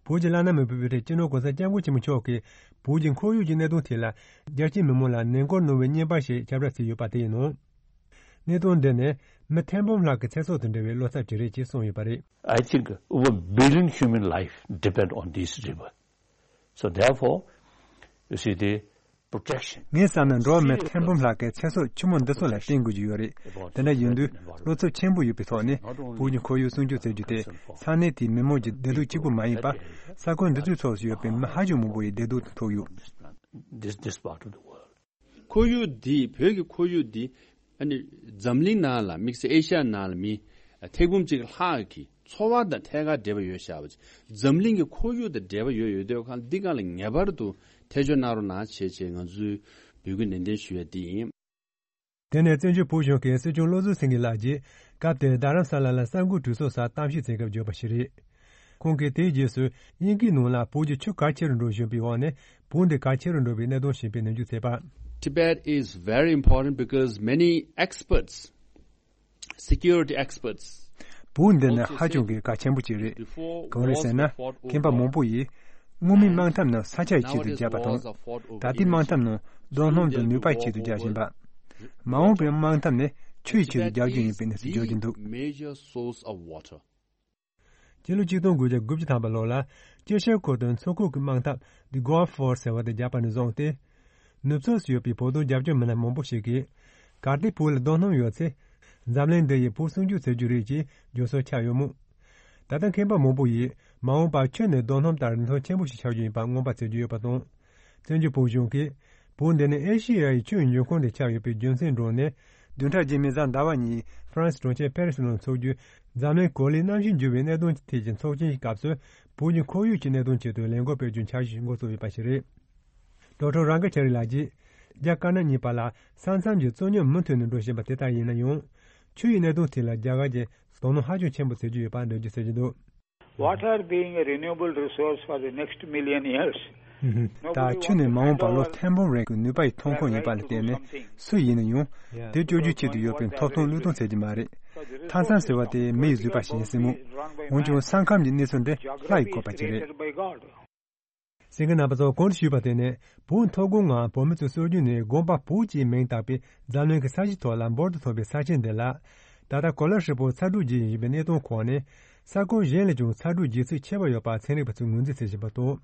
བོད་ཀྱི་བླ་ན་མེད་པའི་དབུ་ཁྲིད་སྤྱི་ནོར་༸གོང་ས་༸སྐྱབས་མགོན་ཆེན་པོ་མཆོག་གིས་བོད་ཀྱི་ཁོར་ཡུག་གི་གནད་དོན་ཐད་ལ་རྒྱལ་སྤྱིའི་མི་མང་ལ་ནན་སྐུལ་གནང་བའི་བརྙན་པར་ཞིག་ཁྱབ་བསྒྲགས་བྱས་ཡོད་པ་དེ་ཡིན་ནོ། གནད་དོན་འདི་ནི་མི་ཐེར་འབུམ་ལྷག་གི་ཚེ་སྲོག་དང་འབྲེལ་བའི་བློ་འཚབ་ཅིག་རེད་ཅེས་གསུངས་ཡོད་པ་རེད། I think over billion human life depend on this river. So therefore, you see the protection. ངས་བསམ་ན་འགྲོ་བ་མི་ཐེར་འབུམ་ལྷག་གི་ཚེ་སྲོག་ཆུ་མོ་འདི་ཚོ་ལ་བརྟེན་དགོས་ཀྱི་ཡོད་རེད། དེ་འདྲ་ཡིན་དུས་བློ་འཚབ་ཆེན་པོ་ཡོད་པའི་ཐོག་ནས་བོད་ཀྱི་ཁོར་ཡུག་སྲུང་སྐྱོབ་བྱ་རྒྱུ་དེ་ས་གནས་དེའི་མི་མང་གི་བདེ་སྡུག་གཅིག་པུ་མ་ཡིན་པར་ས་ཁུལ་འདི་ཚོའི་ཕྱོགས་སུ་ཡོད་པའི་མི་ཧ་ཅང་མང་པོ་ཡི་བདེ་སྡུག་དང་ཐུག་ཡོད། This, this part of the world. ཁོར་ཡུག་འདི་བོད་ཀྱི་ཁོར་ཡུག་འདི་ཨ་ནི་འཛམ་གླིང་ནང་ལ་དམིགས་བསལ་ཨེ་ཤ་ཡ་ནང་ལ་མི་ཐེར་འབུམ་གཅིག་ལྷག་གི་འཚོ་བ་དང་ཐད་ཀར་འབྲེལ་བ་ཡོད་བཞག་པ་ཅིག་འཛམ་གླིང་གི་ཁོར་ཡུག་དང་འབྲེལ་བ་ཡོད་ཡོད་དུས་ཁ་འདི་སྒང་ལ་ངེས་པར་དུ་ཐེ་ཇུས་གནང་རོགས་གནང་བྱས་བྱས་ང་ཚོས་འབོད་སྐུལ་ནན་ཏན་ཞུ་ཡ་འདི་ཡིན། དེ་ནས་བཙན་བྱོལ་བོད་གཞུང་གི་སྲིད་སྐྱོང་བློ་བཟང་སེང་གེ་ལགས་ཀྱིས་སྐབས་དེར་རྡ་རམ་ས་ལ་ལ་གསར་འགོད་གྲོས་ཚོགས་སར་གཏམ་བཤད་བྱེད་སྐབས་བརྗོད་པ་ཞིག་རེད། ཁོང་གིས་དེའི་རྗེས་སུ་དབྱིན་སྐད་ནང་ལ་བོད་ཀྱི་ཆུ་གལ་ཆེ་རུ་འགྲོ་བཞིན་པའི་འོག་ནས་བོད་འདི་གལ་ཆེ་རུ་འགྲོ་བའི་གནད་དོན་ཞེས་པའི་ནན་བརྗོད་བྱས་པ། Tibet is very important because many experts, security experts, བོད་འདི་ནི་ཧ་ཅང་གི་གལ་ཆེན་པོ་ཅིག་རེད། གང་རེད་ཟེར་ན། མཁས་པ་མང་པོ་ཡིས་སྔོན་མའི་དམག་འཐབ་ནི་ས་ཆ་ཡི་ཆེད་དུ་བརྒྱབ་པ་དང་། ད་ལྟའི་དམག་འཐབ་ནི་རྡོ་སྣུམ་དང་ནུས་པ་ཆེད་དུ་རྒྱག་བཞིན་པ། མ་འོངས་པའི་དམག་འཐབ་ནི་ཆུ་ཡི་ཆེད་དུ་རྒྱག་རྒྱུ་ཡིན་པའི་གནས་ཚུལ་བརྗོད་ཀྱི་འདུག Major source of water. ཕྱི་ལོ་ཆིག་སྟོང་དགུ་བརྒྱ་དགུ་བཅུ་ཐམ་པ་ལོ་ལ་དཀྱིལ་ཤར་ཁུལ་དུ་མཚོ་ཁུག་གི་དམག་འཐབ་The Gulf War ཟེར་བ་དེ་བརྒྱབ་པ་ནས་བཟུང་སྟེ། ནུབ་ཕྱོགས་སུ་ཡོད་པའི་བོད་དོན་རྒྱབ་སྐྱོར་མི་སྣ་མང་པོ་ཞིག་གིས་གལ་ཏེ་བོད་ལ་རྡོ་སྣུམ་ཡོད་ཚེ། འཛམ་གླིང་འདི་ཡིས་བོད་སྲུང་སྐྱོབ་བྱེད་རྒྱུ་རེད་ཅེས་བརྗོད་སྲོལ་ཆགས་ཡོད་མོད། ད་ལྟ་མཁས་པ་མང་པོ་ཡིས་མ་འོངས་པར་ཆུ་ནི་རྡོ་སྣུམ་ལྟར་རིན་ཐང་ཆེན་པོ་ཞིག་ཆགས་རྒྱུ་ཡིན་པར་མངོན་པ་བྱེད་ཀྱི་ཡོད་པ་དང་། བཙན་བྱོལ་བོད་གཞུང་གིས་བོད་འདི་ནི་ཨེ་ཤེ་ཡ་ཡི་ཆུའི་འབྱུང་ཁུངས་དེ་ཆགས་ཡོད་པའི་རྒྱུ་མཚན་བསྒྲགས་ནས། བདུན་ཕྲག་རྗེས་མའི་གཟའ་ཟླ་བ་ཉིན་ཧྥ་རན་སི་གྲོང་ཁྱེར་ཕེ་རི་སི་ནང་འཚོགས་རྒྱུའི་འཛམ་གླིང་གོ་ལའི་གནམ་གཤིས་འགྱུར་བའི་གནད་དོན་ཐད་ཀྱི་ཚོགས་ཆེན་གྱི་སྐབས་སུ་བོད་ཀྱི་ཁོར་ཡུག་གི་གནད་དོན་ཆེད་དུ་ལས་འགུལ་སྤེལ་རྒྱུའི་འཆར་གཞི་འགོ་བཙུགས་ཡོད་པ་ཞིག་རེད། ཌོག་ཊར་རང་ག་ཆ་རི་ལགས་ཀྱིས་རྒྱ་དཀར་ནག་གཉིས་བར་ལ་ས་མཚམས་ཀྱི་རྩོད་རྙོག་མུ་མཐུད་ནས་འགྲོ་བཞིན་པ་དེ་ལྟར་ཡིན་ན་ཡང་། ཆུ་ཡི་གནད་དོན་ཐད་ལ་རྒྱ་གར་གྱིས་དོ་སྣང་ཧ་ཅང་ཆེན་པོ་བྱེད་ཀྱི་ཡོད་པ་འགྲེལ་བརྗོད་བྱེད་ཀྱི་འདུག Water being a renewable resource for the next million years, ད་ཁྱོད་ནི་མ་འོངས་པར་ལོ་ཐེར་འབུམ་རིང་གི་ནུས་པ་ཡི་ཐོན་ཁུངས་ཡིན་པ་ལ་བརྟེན་ནས་སུ་ཡིན་ན་ཡང་དེ་སྤྱོད་རྒྱུའི་ཆེད་དུ་ཡོད་པའི་ཐོབ་ཐང་བློས་གཏོང་ཟེར་གྱི་མ་རེད། མཐའ་མཚམས་ཟེར་བ་དེ་མི་ཡི་བཟོས་པ་ཞིག་ཡིན་སྲིད་མོད། འོན་ཀྱང་ས་ཁམས་ཀྱི་གནས་ཚུལ་འདི་ལྷ་ཡི་བཀོད་པ་ཅིག་རེད། གསན་མཁན་རྣམ་པ་ཚོ། གོང་དུ་ཞུས་པ་དེ་ནི་བོད་མཐོ་སྒང་ངམ་བོད་མི་ཚོས་གསོ་རྒྱུ་ནི་དགོན་པ་བོད་ཅེས་མིང་བཏགས་པའི་འཛམ་གླིང་གི་ས་གཞི་ཐོག་ལ་འབུར་དུ་ཐོན་པའི་ས་ཆེན་འདི་ལ། ད་ལྟ་གོ་ལ་ཧྲིལ་པོ་ཚ་དྲོད་རྒྱས་བཞིན་པའི་གནས་སྟངས་འོག་ནས། ས་ཁུལ་གཞན་ལས་ཀྱང་ཚ་དྲོད་རྒྱས་ཚད་ཆེ་བ་ཡོད་པ་ཚན་རིག་པ་ཚོས་ངོས་འཛིན་བྱེད་བཞིན་པ་དང་།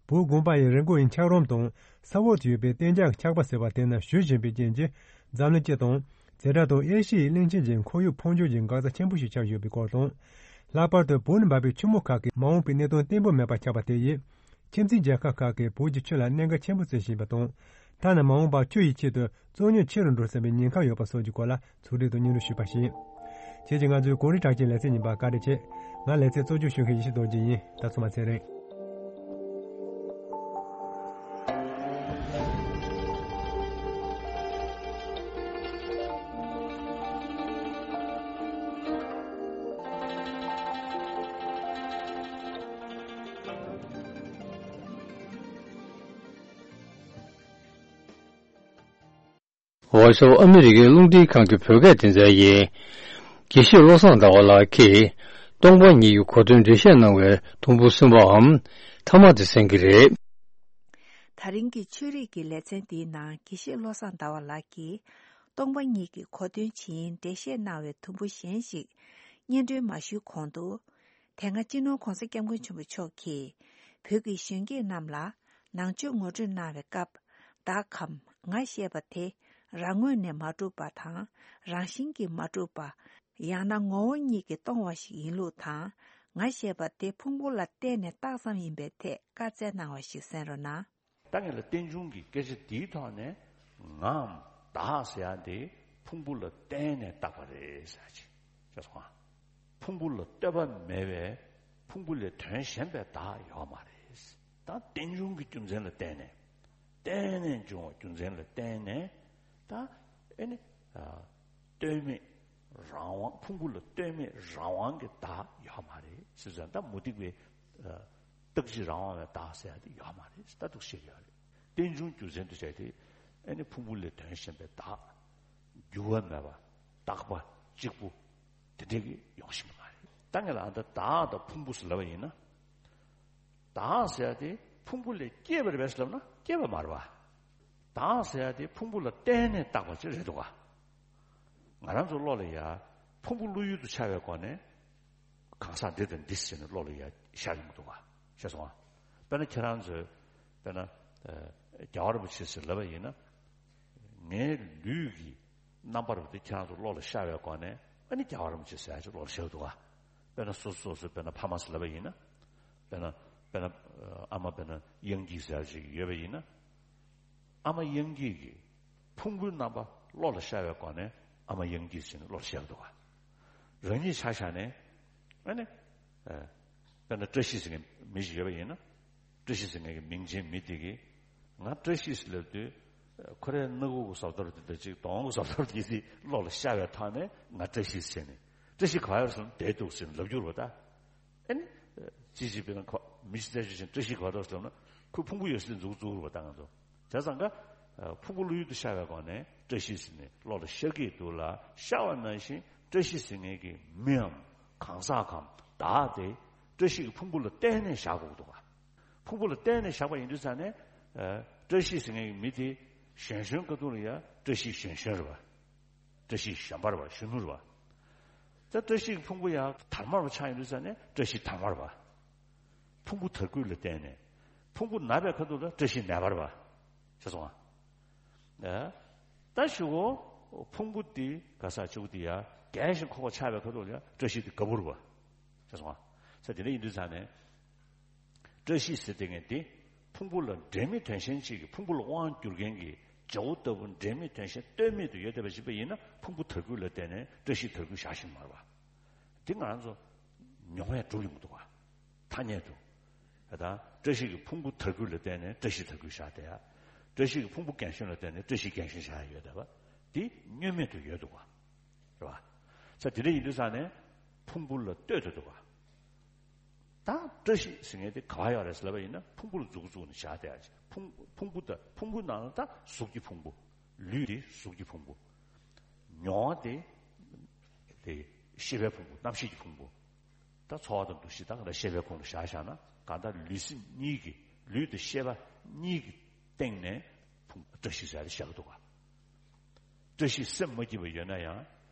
བོད་དགོན་པ་ཡི་རི་མགོ་ཡི་འཁྱགས་རོམ་དང་ས་འོག་ཏུ་ཡོད་པའི་གཏན་འཇགས་འཁྱགས་པ་ཟེར་བ་དེ་ནི་ཞུ་བཞིན་པའི་རྐྱེན་གྱིས། འཛམ་གླིང་སྤྱི་དང་། དེ་དག་དང་ཨེ་ཤི་ཡའི་གླིང་ཆེན་གྱི་ཁོར་ཡུག་འཕོ་འགྱུར་གྱི་འགག་རྩ་ཆེན་པོ་ཞིག་ཆགས་ཡོད་པའི་སྐོར་དང་། ལྷག་པར་དུ་བོད་ནས་འབབ་པའི་ཆུ་མོ་ཁག་གིས་མ་འོངས་པའི་གནད་དོན་བརྟན་པོ་མེད་པ་ཆགས་པ་དེ་ཡིས། ཁྱིམ་མཚེས་རྒྱལ་ཁབ་ཁག་གིས་བོད་ཀྱི་ཆུ་ལ་གནད་འགག་ཆེན་པོ་བརྩི་བཞིན་པ་དང་། ཐ་ན་མ་འོངས་པར་ཆུ་ཡི་ཆེད་དུ་རྩོད་རྙོག་ཆེ་རུ་འགྲོ་སྲིད་པའི་ཉེན་ཁ་ཡོད་པ་སོགས་ཀྱི་སྐོར་ལ་ཚོགས་སྒྲིག་དང་སྙན་སྒྲོན་ཞུས་པ་ཞིག་ཡིན། ཁྱེད་ཀྱིས་ང་ཚོའི་གངས་རི་གྲགས་ཅན་ལེ་ཚན་རྙིང་པ་བཀའ་འདྲི་བྱེད། ང་ལེ་ཚན་གཙོ་སྐྱོང་ཞུ་མཁན་ཡེ་ཤེས་རྡོ་རྗེ་ཡིན། ད་ཚོ་མ་ཚེ་རིང་། Voice of America རླུང་འཕྲིན་ཁང་གི་བོད་སྐད་སྡེ་ཚན་ཡིན། དགེ་བཤེས་བློ་བཟང་ཟླ་བ་ལགས་ཀྱིས་སྟོང་པ་ཉིད་ཀྱི་གོ་དོན་འགྲེལ་བཤད་གནང་བའི་ཐུང་ཕུ་གསུམ་པའམ་ཐ་མ་དེ་གསན་གྱི་རེད། ད་རིང་གི་ཆོས་རིག་གི་ལེ་ཚན་འདིའི་ནང་དགེ་བཤེས་བློ་བཟང་ཟླ་བ་ལགས་ཀྱིས་སྟོང་པ་ཉིད་ཀྱི་གོ་དོན་ཇི་ཡིན་འགྲེལ་བཤད་གནང་བའི་ཐུང་ཕུ་གཞན་ཞིག་སྙན་སྒྲོན་མ་ཞུས་གོང་དུ། དེ་སྔ་སྤྱི་ནོར་༧གོང་ས་༧སྐྱབས་མགོན་ཆེན་པོ་མཆོག་གིས་བོད་ཀྱི་གཞོན་སྐྱེས་རྣམས་ལ་ནང་ཆོས་ངོ་སྤྲོད་གནང་བའི་སྐབས། བདག་གམ་ང་ཞེས་པ་དེ་རང་ངོས་ནས་མ་གྲུབ་པ་དང་རང་བཞིན་གྱིས་མ་གྲུབ་པ། ཡང་ན་ངོ་བོ་ཉིད་ཀྱིས་སྟོང་བ་ཞིག་ཡིན་ལུགས་དང་། ང་ཞེས་པ་དེ་ཕུང་པོ་ལ་བརྟེན་ནས་བཏགས་ཙམ་ཡིན་པའི་ཐད་བཀའ་སྩལ་གནང་བ་ཞིག་གསན་རོགས་གནང་། ད་ངེད་ལ་རྟེན་འབྱུང་གི་སྐད་ཆ་འདིའི་ཐོག་ནས་ངའམ་བདག་ཟེར་ཡ་འདི་ཕུང་པོ་ལ་བརྟེན་ནས་བཏགས་པ་རེད་ཟེར་ཡ་ཅིག་ཤེས་སོང་ང་། ཕུང་པོ་ལ་ལྟོས་པ་མེད་པའི་ཕུང་པོ་ལས་དོན་གཞན་པའི་བདག་ཡོད་མ་རེད། ད་རྟེན་འབྱུང་གི་རྒྱུ་མཚན་ལ་བརྟེན་ནས་བརྟེན་ནས་འབྱུང་བ་རྒྱུ་མཚན་ལ་བརྟེན་ནས་ད་ཨེ་ནི་ལྟོས་མེད་རང་དབང་ཕུང་པོ་ལ་ལྟོས་མེད་རང་དབང་གི་བདག་ཡོད་མ་རེད་ཟེར་ཙང་ད་མུ་སྟེགས་པའི་རྟག་གཅིག་རང་དབང་བའི་བདག་ཟེར་ཡ་དེ་ཡོད་མ་རེད། ད་འདུག་ཤེས་ཡོད་རེད། རྟེན་འབྱུང་རྒྱུ་མཚན་དུ་བྱས་ཏེ་ཨེ་ནི་ཕུང་པོ་ལས་དོན་གཞན་པའི་བདག་འགྱུར་བ་མེད་པ་རྟག་པ་གཅིག་པུ་དེ་འདྲས་ཀྱི་ཡོང་ཤེས་མ་རེད། ད་ངས་ལ་ཨ་ད་བདག་དང་ཕུང་པོ་ཟེར་ལབ་པ་ཡིན་ན། བདག་ཟེར་ཡ་དེ་ཕུང་པོ་ལས་སྐྱེས་པ་རེད་པས་ཟེར་ལབ་ན་སྐྱེས་པ་མ་རེད་པ། བདག་ཟེར་ཡ་དེ་ཕུང་པོ་ལ་བརྟེན་ནས་བཏགས་པ་ཅིག་རེད་འདུག་ག། ང་རང་ཚོ་བློ་ལ་ཡ་ཕུང་པོ་བློ་ཡུལ་དུ་འཆར་བའི་སྒོ་ནས་གང་ཟག་འདི་དང་འདི་ཟེར་ནས་བློ་ལ་ཡ་ཤར་ཡོང་གི་འདུག་ག། ཤེས་སོང་ང་། དཔེར་ན་ཁྱེད་རང་ཚོས་དཔེར་ན་རྒྱལ་བ་རིན་པོ་ཆེ་ཟེར་ལབ་པ་ཡིན་ན། ངའི་ལུས་ཀྱི་རྣམ་པར་བ་དེ་ཁྱེད་རང་ཚོ་བློ་ལ་ཤར་བའི་སྒོ་ནས་ཨ་ནི་རྒྱལ་བ་རིན་པོ་ཆེ་ཟེར་ཡ་ཅིག་བློ་ལ་ཤར་གི་འདུག་ག། དཔེར་ན་སོ་སོ་སོ་སོས་དཔེར་ན་ཕ་མ་ཟེར་ལབ་པ་ཡིན་ན། དཔེར་ན་དཔེར་ན་ཨ་མ་དཔེར་ན་དབྱངས་སྐྱིད་ཟེར་ཡ་ཅིག་ཡོད་པ་ཡིན་ན། ཨ་མ་དབྱངས་སྐྱིད་ཀྱི་ཕུང་པོའི་རྣམ་པ་བློ་ལ་ཤར་བའི་སྒོ་ནས་ཨ་མ་དབྱངས་སྐྱིད་ཟེར་ནས་བློ་ལ་ཤར་གི་འདུག་ག། རང་ཉིད་ཆ་བཞག་ནས་ཨ་ནི། དཔེར་ན་བཀྲ་ཤིས་ཟེར་མཁན་མི་ཞིག་ཡོད་པ་ཡིན་ན། བཀྲ་ཤིས་ཟེར་མཁན་གྱི་མིང་ཅན་མི་དེ་གིས་ང་བཀྲ་ཤིས་ཟེར་ལབ་དུས། ཁོ་རའི་སྣ་ཁུག་གི་བཟོ་ལྟ་དེ་དང་གཅིག་གདོང་གི་བཟོ་ལྟ་དེ་གི་བློ་ལ་ཤར་བའི་ཐོག་ནས་ང་བཀྲ་ཤིས་ཟེར་ནས་བཀྲ་ཤིས་ག་པར་ཡོད་ཟེར་ན་བསྡད་འདུག་ཟེར་ནས་ལབ་རྒྱུ་རེད་པ་ད། ཨ་ནི། ཅི་ཞིག་དཔེར་ན་ཁོ་མི་ཞིག་བཙལ་ཞིག་བྱས་བཀྲ་ཤིས་ག་པར་ཡོད་ཟེར་ན་ཁོའི་ཕུང་པོ་ཡོད་སའི་འཛུགས་འཛུགས་རེད་པ་ད་ང་ཚོ། བྱས་ཙང་ཀ་ཕུང་པོ་བློ་ཡུལ་དུ་ཤར་བའི་སྒོ་ནས་བཀྲ་ཤིས་ཟེར་ནས་བློ་ལ་ཤར་གྱི་འདུག་ལ་ཤར་བ་ནང་བཞིན་བཀྲ་ཤིས་ཟེར་མཁན་གྱི་མིའམ་གང་ཟག་གམ་བདག་དེ་བཀྲ་ཤིས་ཀྱི་ཕུང་པོ་ལ་བརྟེན་ནས་བཞག་དགོས་འདུག་ག། ཕུང་པོ་ལ་བརྟེན་ནས་བཞག་པ་ཡིན་དུས་ཙང་ནས། བཀྲ་ཤིས་ཟེར་མཁན་གྱི་མི་དེ་གཞོན་གཞོན་སྐབས་དུས་ལ་ཡང་བཀྲ་ཤིས་གཞོན་གཞོན་རེད་པ། བཀྲ་ཤིས་གཞོན་པ་རེད་པ་གཞོན་ནུ་རེད་པ། ད་བཀྲ་ཤིས་ཀྱི་ཕུང་པོ་ཡང་དར་དམར་པོ་ཆགས་ཡོང་དུས་ཙང་ནས་བཀྲ་ཤིས་དར་དམར་རེད་པ། ཕུང་པོ་དར་རྒུད་ལ་བརྟེན་ནས། ཕུང་པོ་ན་བའི་ཁ་ཐུག་ལ་བཀྲ་ཤིས་ནད་པ་རེད་པ། ཤེས་སོང་ང་། ད་ཞུ་གོ། ཕུང་པོ་འདི་ག་ས་ཆུ་བོ་འདི་ཡ་རྒྱས་ཤིང་འཁོགས་པ་ཆགས་པའི་ཁ་ཐུག་ལ་བཀྲ་ཤིས་འདི་དགའ་པོ་རེད་པ། ཤེས་སོང་ང་། ས་དེ་འདྲ་ཡིན་དུས་ཙང་ནས། བཀྲ་ཤིས་ཟེར་དེ་ངས་འདི་ཕུང་པོ་ལ་འབྲེལ་མེད་དོན་གཞན་གཅིག་གི་ཕུང་པོ་ལ་དབང་བསྒྱུར་མཁན་གྱི་བྱ་བོ་ལྟ་བུ་འབྲེལ་མེད་དོན་གཞན་ལྟོས་མེད་དུ་ཡོད་བསྡད་པ་ཞིག་པ་ཡིན་ན་ཕུང་པོ་དར་རྒུད་ལ་བརྟེན་ནས་བཀྲ་ཤིས་དར་རྒུད་བཞག་ཤིང་མ་རེད་པ། འདི་ང་རང་ཚོ་མྱོང་བས་གྲུབ་ཡོང་གི་འདུག་ག། ཐ་སྙད་དུ། ད་བཀྲ་ཤིས་ཀྱི་ཕུང་པོ་དར་རྒུད་ལ་བརྟེན་ནས་བཀྲ་ཤིས་དར་རྒུད་བཞག་བསྡད་ཡ། བཀྲ་ཤིས་ཀྱི་ཕུང་པོ་རྒན་གཞོན་ལ་བརྟེན་ནས་བཀྲ་ཤིས་རྒན་གཞོན་བཞག་ཡ་ཡོད་བསྡད་པ། འདི་བསྙོན་མེད་དུ་ཡོད་འདུག་ག། རེད་པ། ས་དེ་འདྲ་ཡིན་དུས་ཙང་ནས་ཕུང་པོ་ལ་ལྟོས་དུ་འདུག་ག། ད་བཀྲ་ཤིས་ཟེར་མཁན་དེ་ག་བ་ཡོད་རེད་ཟེར་ལབ་པ་ཡིན་ན་ཕུང་པོ་ལ་མཛུབ་བཙུགས་ནས་བཞག་བསྡད་ཡ་ཅིག་ཕུང་ཕུང་པོ་དང་ཕུང་པོའི་ནང་ལ་ད་གཟུགས་ཀྱི་ཕུང་པོ། ལུས་དེ་གཟུགས་ཀྱི་ཕུང་པོ། མྱོང་བ་དེ་དེ་ཤེས་པའི་ཕུང་པོ། རྣམ་ཤེས་ཀྱི་ཕུང་པོ། ད་ཚོར་བ་དང་འདུ་ཤེས་ད་ག་ལ་ཤེས་པའི་ཁོངས་ལ་བཞག་བཞག་ན་གང་ལྟར་ལུས་སེམས་གཉིས་ཀྱི་ལུས་དང་ཤེས་པ་གཉིས་ཀྱི་སྟེང་ནས་ཕུང་བཀྲ་ཤིས་ཟེར་ཡ་དེ་བཞག་གི་འདུག་ག་བཀྲ་ཤིས་སེམས་མ་སྐྱིད་པ་ཡོད་ན་ཡང་།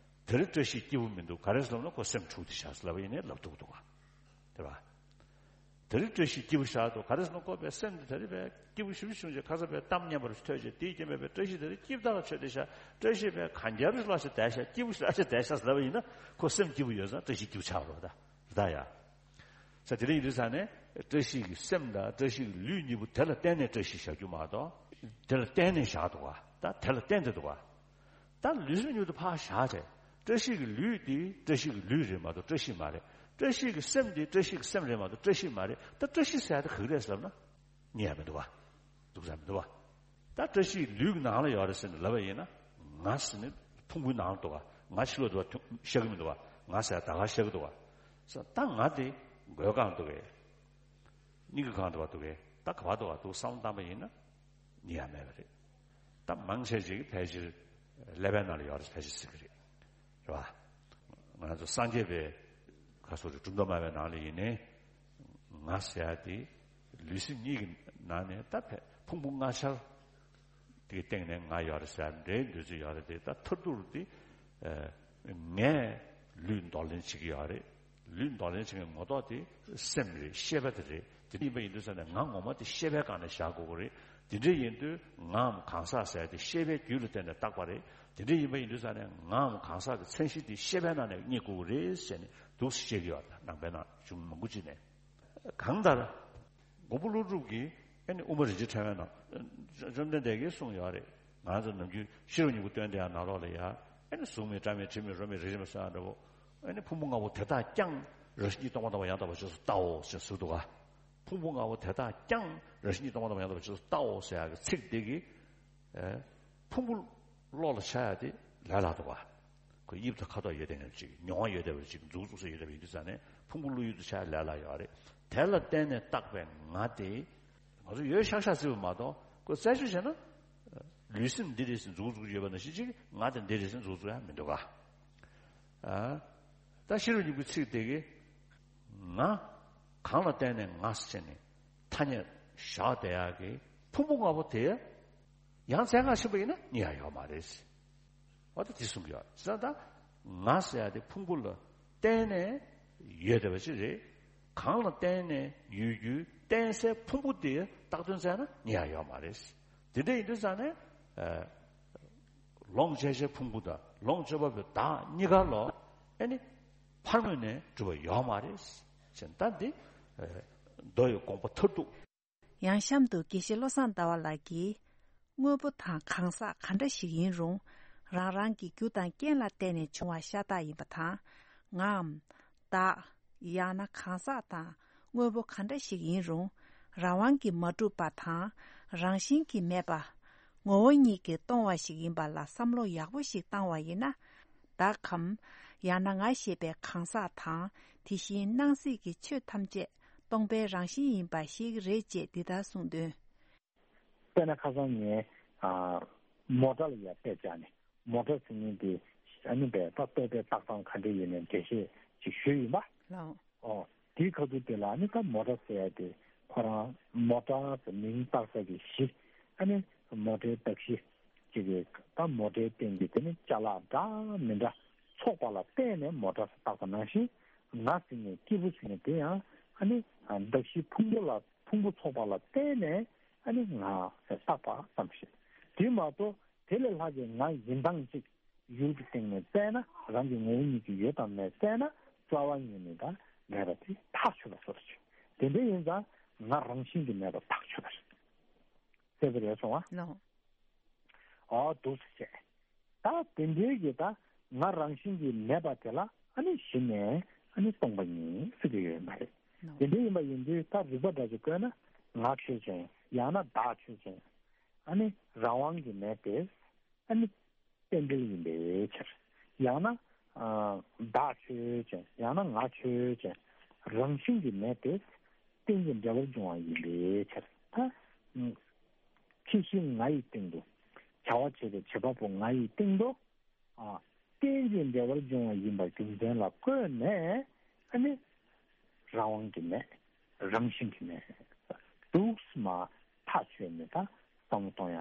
དེར་བཀྲ་ཤིས་སྐྱིད་པོ་མི་འདུག་ག་རེ་ཟེར་ལབ་ན་ཁོ་སེམས་འཁྲུགས་ཏེ་བཞག་ཟེར་ལབ་པ་ཡིན་ནའི་ལབ་ཐུབ་འདུག་ག་དེ་བ། དེར་བཀྲ་ཤིས་སྐྱིད་པོ་བཞག་འདུག་ག་རེ་ཟེར་ན་ཁོ་པའི་སེམས་དེ་དེ་རིང་པའི་སྐྱིད་པོ་ཞེ་པོ་བྱུང་རྗེས་ཁ་སང་པའི་གཏམ་སྙན་པ་རེ་ཐོས་རྗེས་དེའི་རྐྱེན་པས་པའི་བཀྲ་ཤིས་དེ་རིང་སྐྱིད་པོ་ཆགས་ཆོད་དེ་བཞག་བཀྲ་ཤིས་པའི་གན་རྒྱ་རེ་ལོག་ཞིག་བསྡད་བཞག་སྐྱིད་པོ་ཞེ་དྲག་ཆགས་བསྡད་པ་ཡིན་ན་ཁོ་སེམས་སྐྱིད་པོ་ཡོད་ཙང་བཀྲ་ཤིས་སྐྱིད་པོ་ཆགས་རོགས་ད་རེད་ད་ཡ། ས་དེ་རིང་ཡིན་དུས་ས་ནས་བཀྲ་ཤིས་ཀྱི་སེམས་དང་བཀྲ་ཤིས་ཀྱི་ལུས་གཉིས་པོ་དེ་ལ་བརྟེན་ནས་བཀྲ་ཤིས་བཞག་རྒྱུ་མ་གཏོགས་དེ་ལ་བརྟེན་ནས་བཞག་འདུག་ག་ད་དེ་ལ་བརྟེན་ཏེ་འདུག་ག་ད་ལུས་སེམས་གཉིས་པོ་དེ་ཕར་བཞག་བྱས། བཀྲ་ཤིས་ཀྱི་ལུས་དེ་བཀྲ་ཤིས་ཀྱི་ལུས་རེད་མ་གཏོགས་བཀྲ་ཤིས་མ་རེད། བཀྲ་ཤིས་ཀྱི་སེམས་དེ་བཀྲ་ཤིས་ཀྱི་སེམས་རེད་མ་གཏོགས་བཀྲ་ཤིས་མ་རེད། ད་བཀྲ་ཤིས་ཟེར་ཡ་དེ་ག་རེ་རེད་ཟེར་ལབ་ན། རྙེད་ཡ་མི་འདུག་བ། འདུག་ས་མི་འདུག་བ། ད་བཀྲ་ཤིས་ལུས་ཀྱི་ནང་ལ་ཡོད་རེད་ཟེར་ནས་ལབ་པ་ཡིན་ན། ང་ཟེར་ནས་ཕུང་པོའི་ནང་ལ་འདུག་བ། ང་ཕྱི་ལོགས་འདུག་བ་ཤ་གི་མི་འདུག་བ། ང་ཟེར་ཡ་ད་ག་ཤ་གི་འདུག་བ། ས་ད་ང་དེ་མགོའི་སྒང་འདུག་གས། སྙིང་གི་སྒང་འདུག་བ་འདུག་གས། ད་ག་བ་འདུག་བ་འདུག་བསམ་བློ་བཏང་པ་ཡིན་ན། རྙེད་ཡ་མེད་པ་རེད། ད་མང་ཆེ་ཅིག་ཕལ་ཆེར་ཀླད་པའི་ནང་ལ་ཡོད་རེད་ཕལ་ཆེར་ཟེར་གི་རེད། རེད་བ། ང་ཚོ་སངས་རྒྱས་པའི་ཁ་སོ་རེ་གྲུབ་མཐའ་སྨྲ་བའི་ནང་ལ་ཡིན་ནའི། ང་ཟེར་ཡ་དེ་ལུས་སེམས་གཉིས་ཀྱི་ནང་ནས་ད་ཕལ་ཕུང་པོ་ལྔ་ཆར་དེའི་སྟེང་ནས་ང་ཡོད་རེད་ཟེར་ཡ་འདྲའི་འདོད་ཚུལ་ཡོད་རེད་དེ། ད་མཐར་ཐུག་དེ་ངས་ལུས་འདོར་ལེན་བྱེད་ཀྱི་ཡོད་རེད། ལུས་འདོར་ལེན་བྱེད་མཁན་ངོ་ཐོག་དེ་སེམས་རེད། ཤེས་པ་དེ་རེད། དེ་འདྲ་ཡིན་པ་ཡིན་དུས་ཙང་ནས་ང་ངོ་མ་དེ་ཤེས་པའི་སྒང་ནས་བཞག་དགོས་ཀྱི་རེད། དེ་འདྲ་ཡིན་དུས་ངའམ་གང་ཟག་ཟེར་ཡ་དེ་ཤེས་པའི་རྒྱུད་ལ་བརྟེན་ནས་བཏགས་པ་རེད། དེ་འདྲ་ཡིན་པ་ཡིན་དུས་ཙང་ནས་ངའམ་གང་ཟག་གི་མཚན་གཞི་དེ་ཤེས་པའི་ནང་ནས་རྙེད་དགོས་ཀྱི་རེད་ཟེར་ནས་འདུག་སེ་བཤད་ཀྱི་ཡོད་རེད། ནང་པའི་ནང་གཞུང་མང་པོ་ཅིག་ནས། གང་ལྟར། མགོན་པོ་ཀླུ་སྒྲུབ་ཀྱིས་ཨེ་ནི་དབུ་མ་རིན་ཆེན་ཕྲེང་བའི་ནང་། བཅོམ་ལྡན་འདས་ཀྱིས་གསུངས་ཡོད་རེད། ང་ཚོ་ནམ་རྒྱུན་ཤེས་རབ་སྙིང་པོ་བཏོན་དེ་ཡང་ནང་ལོགས་ལ་ཡ། ཨེ་ནི་གཟུགས་མེད་སྒྲ་མེད་དྲི་མེད་རོ་མེད་རེག་བྱ་མེད་གསོན་པོ་འདྲ་པོ། ཨེ་ནི་ཕུང་པོ་ལྔ་པོ་དེ་དག་ཀྱང་རང་བཞིན་གྱིས་སྟོང་པར་གཏོང་བ་ཡང་དག་པར་རྗེས་སུ་བལྟའོ་ཞེས་གསུངས་འདུག་ག་ཕུང་པོ་ལྔ་པོ་དེ་དག་ཀྱང་རང་བཞིན་གྱིས་སྟོང་པར་གཏོང་བ་ཡང་དག་པར་རྗེས་སུ་བལྟའོ་ཟེར་ཡག་གི་ཚིག་དེ་གིས། ཨེ། ཕུང་པོ་བློ་ལ་འཆར་ཡག་དེ་ལས་སླ་འདུག་ག་ཁོ་དབྱིབས་དང་ཁ་དོག་ཡོད་བསྡད་མཁན་ཅིག་མྱོང་བ་ཡོད་བསྡད་པ་ཅིག་མཛུབ་བཙུགས་ས་ཡོད་བསྡད་པ་ཡིན་དུས་ཙང་ནས་ཕུང་པོ་བློ་ཡུལ་དུ་འཆར་ཡག་ལས་སླ་ཡོད་རེད། དེ་ལ་བརྟེན་ནས་བཏགས་པའི་ང་དེ། ང་ཚོ་ཡོད་ཤག་ཤག་བརྩི་བ་མ་གཏོགས་ཁོ་རྩད་གཅོད་བྱས་ན། ལུས་སེམས་འདི་རེད་ཟེར་མཛུབ་བཙུགས་ཡོད་པ་ནང་བཞིན་ཅིག་ང་དེ་འདི་རེད་ཟེར་མཛུབ་བཙུགས་ཡག་མི་འདུག་ག་ཨ། ད་ཤེས་རབ་སྙིང་པོའི་ཚིག་དེ་གིས། ང་། གང་ལ་བརྟེན་ནས་ང་ཟེར་ནས་ཐ་སྙད་བཞག་བསྡད་ཡག་གི་ཕུང་པོ་ལྔ་པོ་དེ་ཡང་བཙན་བཀག་ཕྱིན་པ་ཡིན་ན་རྙེད་ཡག་ཡོད་མ་རེད། འོ་ད་དེ་གསུང་གི་ཡོད་ཟེར་ན། ད་ང་ཟེར་ཡག་དེ་ཕུང་པོ་ལ་བརྟེན་ནས་ཡོད་བསྡད་པ་ཅིག་རེད། གང་ལ་བརྟེན་ནས་ཡོད་རྒྱུའི་བརྟེན་སའི་ཕུང་པོ་དེ་བཏགས་དོན་བཙལ་ན་རྙེད་ཡག་ཡོད་མ་རེད། དེ་འདྲ་ཡིན་དུས་ཙང་ནས། ཨ། ལོངས་སྤྱོད་བྱའི་ཕུང་པོ་དང་ལོངས་སྤྱོད་པ་པོའི་བདག་གཉིས་ཀ་ལོ། ཨེ་ནི། ཕར་ངོས་ནས་གྲུབ་པ་ཡོད་མ་རེད། ཅེས་ད་འདི། ཨེ། མདོ་ཡི་དགོངས་པ་མཐར་ཐུག་ཡང་གཤམ་དུ་དགེ་བཤེས་བློ་བཟང་ཟླ་བ་ལགས་ཀྱིས། དངོས་པོ་དང་གང་ཟག་ག་འདྲ་ཞིག་ཡིན་རུང་། རང་རང་གི་རྒྱུ་དང་རྐྱེན་ལ་བརྟེན་ནས་བྱུང་བ་ཤ་སྟག་ཡིན་པ་དང་། ངའམ། བདག་ཡང་ན་གང་ཟག་དང་དངོས་པོ་ག་འདྲ་ཞིག་ཡིན་རུང་། རང་དབང་གིས་མ་གྲུབ་པ་དང་། རང་བཞིན་གྱིས་མེད་པ། ངོ་བོ་ཉིད་ཀྱིས་སྟོང་བ་ཞིག་ཡིན་པ་ལ་བསམ་བློ་ཡག་པོ་ཞིག་བཏང་བ་ཡིན་ན། བདག་གམ། ཡང་ན་ང་ཞེས་པའི་གང་ཟག་དང་། དེ་བཞིན་སྣང་སྲིད་ཀྱི་ཆོས་ཐམས་ཅད་སྟོང་པའི་རང་བཞིན་ཡིན་པ་ཤེས་ཀྱི་རེད་ཅེས་འདི་ལྟར་གསུངས་དོན། དཔེར་ན་ཁ་སང་ངས་ཨ། མོ་ཊ་ལ་ཡ་དཔེ་བཅག་ནས་མོ་ཊ་ཟེར་མཁན་དེ་ཨ་ནི་བས་ད་ལྟོས་པའི་རྟགས་ཙམ་ག་འདྲ་ཡོད་ནས་འགྲེལ་བཤད་ཅིག་ཞུས་ཡིན་པ། ལགས། ཨོ། དེའི་ཁ་ཐུག་དེ་ལ་ཨ་ནི་ད་མོ་ཊ་ཟེར་ཡ་དེ་ཁོ་རང་མོ་ཊ་ཟེར་མིང་བཏགས་ས་གི་གཞི་ཨ་ནི་མོ་ཊའི་གདགས་གཞི་ཅིག་གི་ད་མོ་ཊའི་སྟེང་གི་དེ་ནི་ཅ་ལག་འདྲ་མི་འདྲ་ཚོགས་པ་ལ་བརྟེན་ནས་མོ་ཊ་ཟེར་བཏགས་པ་ནང་བཞིན་ང་ཟེར་མཁན་སྐྱེས་བུ་ཟེར་མཁན་དེ་ཡང་ཨ་ནི་གདགས་གཞི་ཕུང་པོ་ལ། ཕུང་པོ་ཚོགས་པ་ལ་བརྟེན་ནས་ཨ་ནི་ང་ཟེར་བཏགས་པ་ཙམ་ཞིག་དེ་མ་གཏོགས་དེ་ལས་ལྷག་གི་ང་ཡིན་སྟངས་ཅིག་ཡུལ་གྱི་སྟེང་ནས་བཙལ་ན་རང་གི་ངོ་བོ་ཉིད་ཀྱིས་ཡོད་དམ་མེད་བཙལ་ན་རྩ་བ་ཉིད་ནས་ད་མེད་པ་དེ་ཐག་ཆོད་པ་བཟོ་འདྲ་ཅིག་དེ་འདྲ་ཡིན་ཙང་ང་རང་བཞིན་གྱིས་མེད་པ་ཐག་ཆོད་པ་རེད། གསལ་པོ་རེད་སོང་ཨ། ལགས། ཨོ་འདུག་སེ་བྱས། ད་དེ་འདྲའི་གི་ད་ང་རང་བཞིན་གྱིས་མེད་པ་དེ་ལ་ཨ་ནི་གཞི་ནས་ཨ་ནི་སྟོང་པ་ཉིད་ཟེར་གྱི་ཡོད་མ་རེད། ལགས། དེ་འདྲ་ཡིན་པ་ཡིན་དུས་ད་རིགས་པ་འདྲ་ཞིག་བཀོད་ན་ང་ཆོས་ཅན་ཡང་ན་བདག་ཆོས་ཅན་ཨ་ནི་རང་དབང་གིས་མེད་པས་ཨ་ནི་རྟེན་འབྲེལ་ཡིན་པའི་ཕྱིར། ཡང་ན་ཨ་བདག་ཆོས་ཅན་ཡང་ན་ང་ཆོས་ཅན་ རང་བཞིན་གྱིས་མེད་དེ། རྟེན་ཅིང་འབྲེལ་བར་འབྱུང་བ་ཡིན་པའི་ཕྱིར། ད་ཁྱད་གཞི་ང་ཡི་སྟེང་དུ། བྱ་བ་བྱེད་པའི་བྱེད་པ་པོ་ང་ཡི་སྟེང་དུ། ཨ། རྟེན་ཅིང་འབྲེལ་བར་འབྱུང་བ་ཡིན་པ་རྒྱུ་མཚན་ལ་བཀོད་ནས། ཨ་ནི། རང་དབང་གིས་མེད། རང་བཞིན་གྱིས་མེད། འདུག་སེ་མར་ཐག་ཆོད་ནས་ད་བསམ་བློ་གཏོང་ཡ།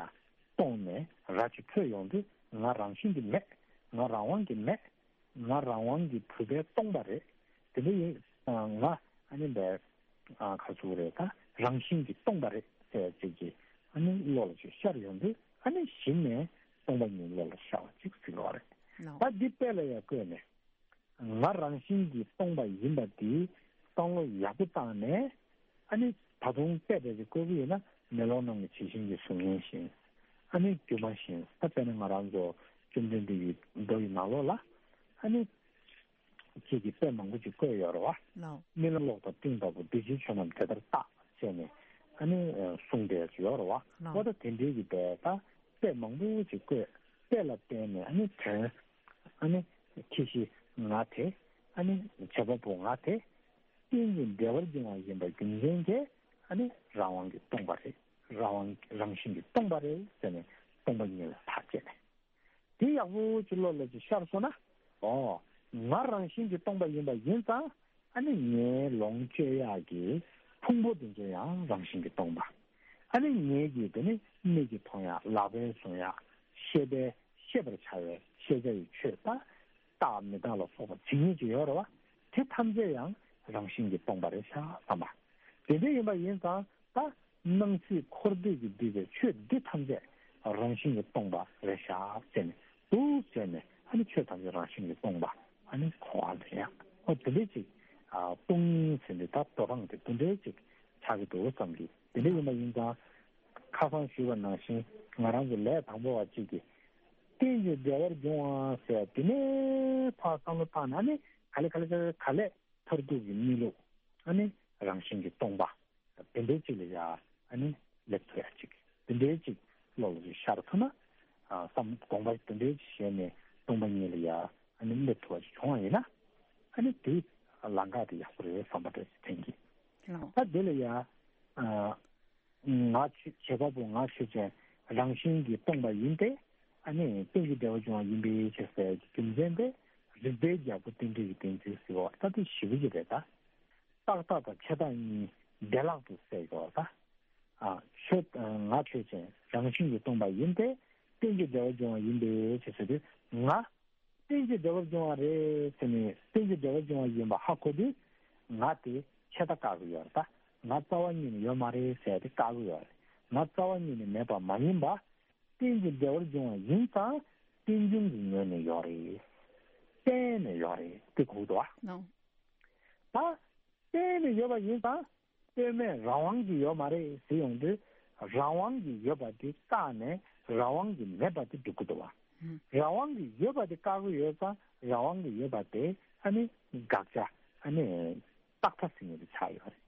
གཏོང་ནས་ར་ཅིག་འཕྲོད་ཡོང་དུས། ང་རང་བཞིན་གྱིས་མེད། ང་རང་དབང་གིས་མེད། ང་རང་དབང་གིས་གྲུབ་པས་སྟོང་པ་རེད། དེ་འདྲ་ཡིན། ང་ཨ་ནི་འདི། ཁ་ཚུགས་རེད། ད་རང་བཞིན་གྱིས་སྟོང་པ་རེད་ཟེར་ཅིག་གིས་ཨ་ནི་བློ་ལ་ཅིག་ཤར་ཡོང་དུས། ཨ་ནི་གཞི་ནས་སྟོང་པ་ཉིད་བློ་ལ་ཤར་བ་ཅིག་ཟེར་བ་རེད། ལགས། ད་འདི་དཔེ་ལ་ཡང་བཀོད་ནས། ང་རང་བཞིན་གྱིས་སྟོང་པ་ཡིན་པ་འདི་བསམ་བློ་ཡག་པོ་བཏང་ནས། ཨ་ནི་ད་དུང་དཔེ་འདྲ་ཅིག་བཀོད་ཀྱི་ཡོད་ན། མེ་ལོང་ནང་གི་བྱད་བཞིན་གྱི་གཟུགས་བརྙན་བཞིན། ཨ་ནི་སྒྱུ་མ་བཞིན། ད་དཔེར་ན་ང་རང་ཚོ་བཅོམ་ལྡན་འདས་ཀྱི་མདོ་ཡི་ནང་ལོགས་ལ། ཨ་ནི། ཁྱེད་ཀྱིས་དཔེ་མང་པོ་ཅིག་བཀོད་ཡོད་རེད་བ། ལགས། རྨི་ལམ་གློག་དང་སྤྲིན་ལྟ་བུ། འདི་ཕྱིའི་ཆོས་རྣམས་དེ་ལྟར་རྟག་ཅེས་ནས། ཨ་ནི་གསུངས་བསྡད་ཡོད་རེད་བ། ལགས། འོ་ད་དེ་འདྲའི་གི་དཔེ་ད་དཔེ་མང་པོ་ཅིག་བཀོད། དཔེ་ལ་བརྟེན་ནས་ཨ་ནི་དོན། ཨ་ནི་ཁྱད་གཞི་ང་དེ། ཨ་ནི་བྱེད་པ་པོ་ང་དེ། རྟེན་ཅིང་འབྲེལ་བར་འབྱུང་བ་ཡིན་པ་རྒྱུ་མཚན་གྱིས། ཨ་ནི་རང་དབང་གིས་སྟོང་པ་རེད། རང་དབང་རང་བཞིན་གྱིས་སྟོང་པ་རེད་ཟེར་ནས་སྟོང་པ་ཉིད་ལ་ཐག་བཅད་ནས། དེ་ཡག་པོ་ཅིག་བློ་ལ་ཅིག་ཤར་སོང་ན། ཨོ། ང་རང་བཞིན་གྱིས་སྟོང་པ་ཡིན་པ་ཡིན་ཙང་། ཨ་ནི་ངའི་ལོངས་སྤྱོད་ཡག་གི་ཕུང་པོ་དེ་ཚོ་ཡང་རང་བཞིན་གྱིས་སྟོང་པ། ཨ་ནི་ངའི་གི་དེ་ནི་མིག་གིས་མཐོང་ཡག། ལག་པས་བཟུང་ཡག། ཤེས་པས་ཤེས་པར་བྱ་བའི་ཤེས་བྱ་ཡི་ཆོས་དང་། རྟག་མི་རྟག་ལ་སོགས་པ་ཇི་སྙེད་ཅིག་ཡོད་རེད་བ། དེ་ཐམས་ཅད་ཡང་རང་བཞིན་གྱིས་སྟོང་པ་རེད་ཤག་བསམ་པ། དེ་འདྲ་ཡིན་པ་ཡིན་ཙང་། ད་སྣང་སྲིད་འཁོར་འདས་ཀྱིས་བསྡུས་པའི་ཆོས་འདི་ཐམས་ཅད་རང་བཞིན་གྱིས་སྟོང་པ་རེད་ཤག་ཟེར་ནས། འདུག་ཟེར་ནས། ཨ་ནི་ཆོས་ཐམས་ཅད་རང་བཞིན་གྱིས་སྟོང་པ། ཨ་ནི་གོ་བ་ལེན་ཡག། ཨོ་དེ་འདྲ་ཅིག། ཨ། སྟོང་ཉིད་ཟེར་འདི་ད་དོ་སྣང་དེ་དེ་འདྲ་ཅིག་ཆགས་ཀྱི་འདུག་བསམ་གི། དེ་འདྲ་ཡིན་པ་ཡིན་ཙང་། ཁ་སང་ཞུས་པ་ནང་བཞིན། ང་རང་ཚོ་ལས་དང་པོ་བ་གཅིག་གིས། རྟེན་ཅིང་འབྲེལ་བར་འབྱུང་བ་ཟེར་དེ་ནས་ཕར་བསམ་བློ་བཏང་ན། ཨ་ནི་ག་ལེ་ག་ལེ་ག་ལེ་ག་ལེ། མཐར་ཐུག་གི་གནས་ལུགས། ཨ་ནི་རང་བཞིན་གྱིས་སྟོང་པ། དེ་འདྲའི་ཅིག་ལ་ཡ། ཨ་ནི་སླེབས་ཐུབ་ཡ་ཅིག། དེ་འདྲའི་ཅིག་བློ་ལ་ཅིག་ཤར་ཐུབ་ན། ཨ། བསམ་དགོངས་པ་དེ་འདྲའི་ཅིག་བཞེས་ནས་སྟོང་པ་ཉིད་ལ་ཡ། ཨ་ནི་སླེབས་ཐུབ་པ་ཅིག་བྱུང་བ་ཡིན་ན། ཨ་ནི་དེ་ལམ་ཁ་དེ་ཡག་པོ་རེད་བསམ་པ་འདྲ་ཅིག་དྲན་གྱི། ལགས། ད་དེ་ལ་ཡ། ཨ། ང་ཆོས་བྱེད་པ་པོ་ང་ཆོས་ཅན། རང་བཞིན་གྱིས་སྟོང་པ་ཡིན་ཏེ། ཨ་ནི་རྟེན་ཅིང་འབྲེལ་བར་འབྱུང་བ་ཡིན་པའི་ཕྱིར་ཟེར་གྱི་རྒྱུ་མཚན་དེ། རིགས་པའི་རྒྱལ་པོ་རྟེན་འབྲེལ་གྱི་བསྟན་བཅོས་ཟེར་བ་ད་དེ་ཞེ་པོ་ཅིག་རེད་ད། རྟག་ལྟ་དང་ཆད་ལྟ་གཉིས་བདེ་བླག་ཏུ་བསལ་དགོས་པ་ད། ཨ། ཆོས། ང་ཆོས་ཅན། རང་བཞིན་གྱིས་སྟོང་པ་ཡིན་ཏེ། རྟེན་ཅིང་འབྲེལ་བར་འབྱུང་བ་ཡིན་པའི་ཕྱིར་ཟེར་དུས། ང་རྟེན་ཅིང་འབྲེལ་བར་འབྱུང་བ་རེད་ཟེར་ནས། རྟེན་ཅིང་འབྲེལ་བར་འབྱུང་བ་ཡིན་པ་ཧ་གོ་དུས། ང་དེ་ཆད་ལྟ་བཀག་གི་ཡོད་རེད་ད། ང་རྩ་བ་ཉིད་ནས་ཡོད་མ་རེད་ཟེར་དེ་བཀག་གི་ཡོད་རེད། ང་རྩ་བ་ཉིད་ནས་མེད་པ་མ་ཡིན་པ། རྟེན་ཅིང་འབྲེལ་བར་འབྱུང་བ་ཡིན་ཙང་། རྟེན་འབྱུང་གི་ངོས་ནས་ཡོད་རེད། གཏན་ནས་ཡོད་རེད། དེ་གོ་གི་འདུག་བ། ལགས། ད་གཏན་ནས་ཡོད་པ་ཡིན་ཙང་། གཏན་མེད་རང་དབང་གིས་ཡོད་མ་རེད་ཟེར་ཡོང་དུས། རང་དབང་གིས་ཡོད་པ་དེ་བཀག་ནས་རང་དབང་གིས་མེད་པ་དེ་སྒྲུབ་ཀྱི་འདུག་བ། ཧུམ། རང་དབང་གིས་ཡོད་པ་དེ་བཀག་གི་ཡོད་ཙང་། རང་དབང་གིས་ཡོད་པ་དེ་ཨ་ནི་དགག་བྱ། ཨ་ནི་རྟག་མཐའ་ཟེར་མཁན་དེ་ཆགས་ཡོད་རེད།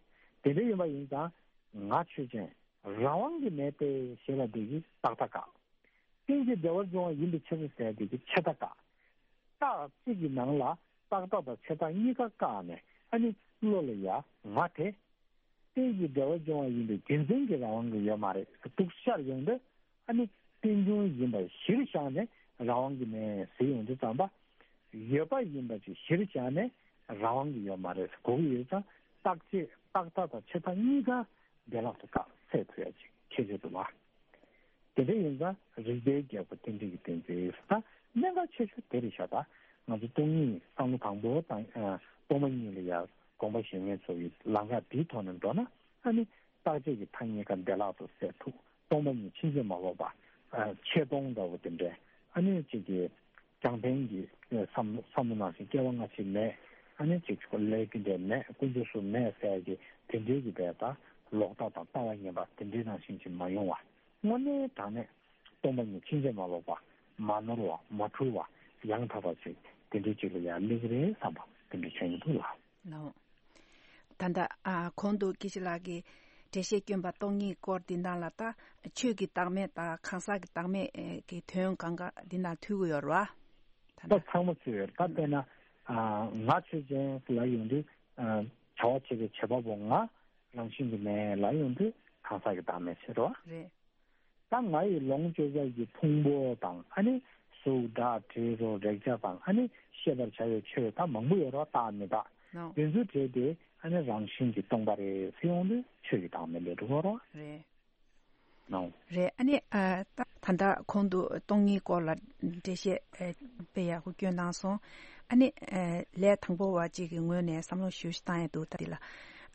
དེ་འདྲ་ཡིན་པ་ཡིན་ཙང་། ང་ཆོས་ཅན། རང་དབང་གིས་མེད་པའི་ཞེས་པ་འདི་གིས་རྟག་མཐའ་བཀག། རྟེན་ཅིང་འབྲེལ་བར་འབྱུང་བ་ཡིན་པའི་ཕྱིར་ཟེར་དེ་གིས་ཆད་ལྟ་བཀག། རྟགས་གཅིག་གི་ནང་ལ་རྟག་མཐའ་དང་ཆད་ལྟ་གཉིས་ཀ་བཀག་ནས། ཨ་ནི་བློ་ལ་ཡ་ང་དེ། རྟེན་ཅིང་འབྲེལ་བར་འབྱུང་བ་ཡིན་པའི་རྒྱུ་མཚན་གྱིས་རང་དབང་གིས་ཡོད་མ་རེད་ཟེར་འདུག་ཤར་ཡོང་དུས། ཨ་ནི་རྟེན་འབྱུང་ཡིན་པ་གཞིར་བཞག་ནས་རང་དབང་གིས་མེད་ཟེར་ཡོང་དུས་ཙམ་པ། ཡོད་པ་ཡིན་པ་ཅིག་གཞིར་བཞག་ནས་རང་དབང་གིས་ཡོད་མ་རེད་ཟེར་གོ་གི་ཡོད་ཙང་། རྟག་ཆད། རྟག་མཐའ་དང་ཆད་མཐའ་གཉིས་ཀ་བདེ་བླག་ཏུ་བཀག་སེལ་ཐུབ་ཡ་ཅིག་ཁྱད་ཆོས་འདུག་བ། དེ་འདྲ་ཡིན་ཙང་རིགས་པའི་རྒྱལ་པོ་རྟེན་འབྲེལ་གྱི་བསྟན་བཅོས་ད་གནད་འགག་ཆེ་ཤོས་དེ་རེད་ཤག་ད་ང་ཚོ་སྟོང་ཉིད་བསམ་བློ་དང་པོ་དང་། ཨ། སྟོང་པ་ཉིད་ལ་ཡ་དགོངས་པ་བཞེས་མཁན་ཚོ་ཡི་ལམ་ཁ་འདིའི་ཐོག་ནས་འགྲོ་ན། ཨ་ནི་རྟག་ཆད་ཀྱི་མཐའ་གཉིས་ཀ་བདེ་བླག་ཏུ་སེལ་ཐུབ། སྟོང་པ་ཉིད་ཕྱིན་ཅི་མ་ལོག་པ། ཨ། ཆད་སྟོང་འདྲ་བོ་དེ་འདྲ། ཨ་ནི་གཅིག་གི་རྒྱང་འཕེན་གྱི་བསམ་བསམ་བློ་ནང་བཞིན་སྐྱེ་བ་སྔ་ཕྱི་མེད། ཨ་ནི་གཅིག་ཆོག་ལས་ཀྱི་འབྲས་མེད། ཀུན་རྫོབ་གཟུགས་མེད་ཟེར་གྱི་དེ་འདྲའི་གི་བས་ད་ལོག་ལྟ་དང་ལྟ་བ་ངན་པ་དེ་འདྲའི་ནང་བཞིན་ཅིག་མ་ཡོང་བ། དངོས་གནས་དྲང་གནས་སྟོང་པ་ཉིད་ཕྱིན་ཅི་མ་ལོག་པ། མ་ནོར་བ། མ་འཁྲུལ་བ། ཡང་དག་པ་ཅིག་དེ་འདྲའི་ཅིག་ལ་ཡར་སླེབས་ཀྱི་རེད་བསམ་པ་དེ་འདྲ་བྱུང་གི་འདུག་ལགས། ལགས། ད་ལྟ། ཨ། གོང་དུ་དགེ་བཤེས་ལགས་ཀྱིས་འགྲེལ་བཤད་བསྐྱོན་པ་སྟོང་ཉིད་སྐོར་འདི་ནང་ལ་ད་ཆོས་ཀྱི་བདག་མེད་དང་གང་ཟག་གི་བདག་མེད་ཀྱི་དོན་གང་ག་འདི་ནང་ཐུག་གི་ཡོད་རེད་བ། ད་ད་ལྟ་ཚང་མ་ཚུད་ཡོད་རེད། ད་དཔེར་ན། ཨ། ང་ཆོས་ཅན་ལ་ཡོང་དུས། ཨ། བྱ་བ་བྱེད་པའི་བྱེད་པ་པོ་ང་རང་བཞིན་གྱིས་མེད་ལབ་ཡོང་དུས་གང་ཟག་གི་བདག་མེད་ཟེར་རོ། རེད། ད་ང་ཡི་ལོངས་སྤྱོད་པ་གི་ཕུང་པོ་དང་ཨ་ནི་གཟུགས་སྒྲ་དྲི་རོ་རེག་བྱ་དང་ཨ་ནི་ཤེས་པར་བྱ་བའི་ཆོས་ད་མང་པོ་ཡོད་རོ། རྟག་མི་རྟག་ནོ། དེ་ཚོའི་གྲས་དེ་ཨ་ནི་རང་བཞིན་གྱིས་སྟོང་པ་རེད་ཟེར་ཡོང་དུས་ཆོས་ཀྱི་བདག་མེད་ལས་གྲུབ་རོ། རེད། ནོ། རེད། ཨ་ནི་ཨ་ད་ད་ལྟ་གོང་དུ་སྟོང་ཉིད་སྐོར་ལ་འགྲེལ་བཤད་ཨ་དཔེ་ཡག་པོ་སྐྱོན་གནང་སོང་། ཨ་ནི་ཨ་ལས་དང་པོ་བ་གཅིག་གི་ངོས་ནས་བསམ་བློ་ཞུ་ཞིག་བཏང་ཡ་འདུག་ད་འདི་ལ་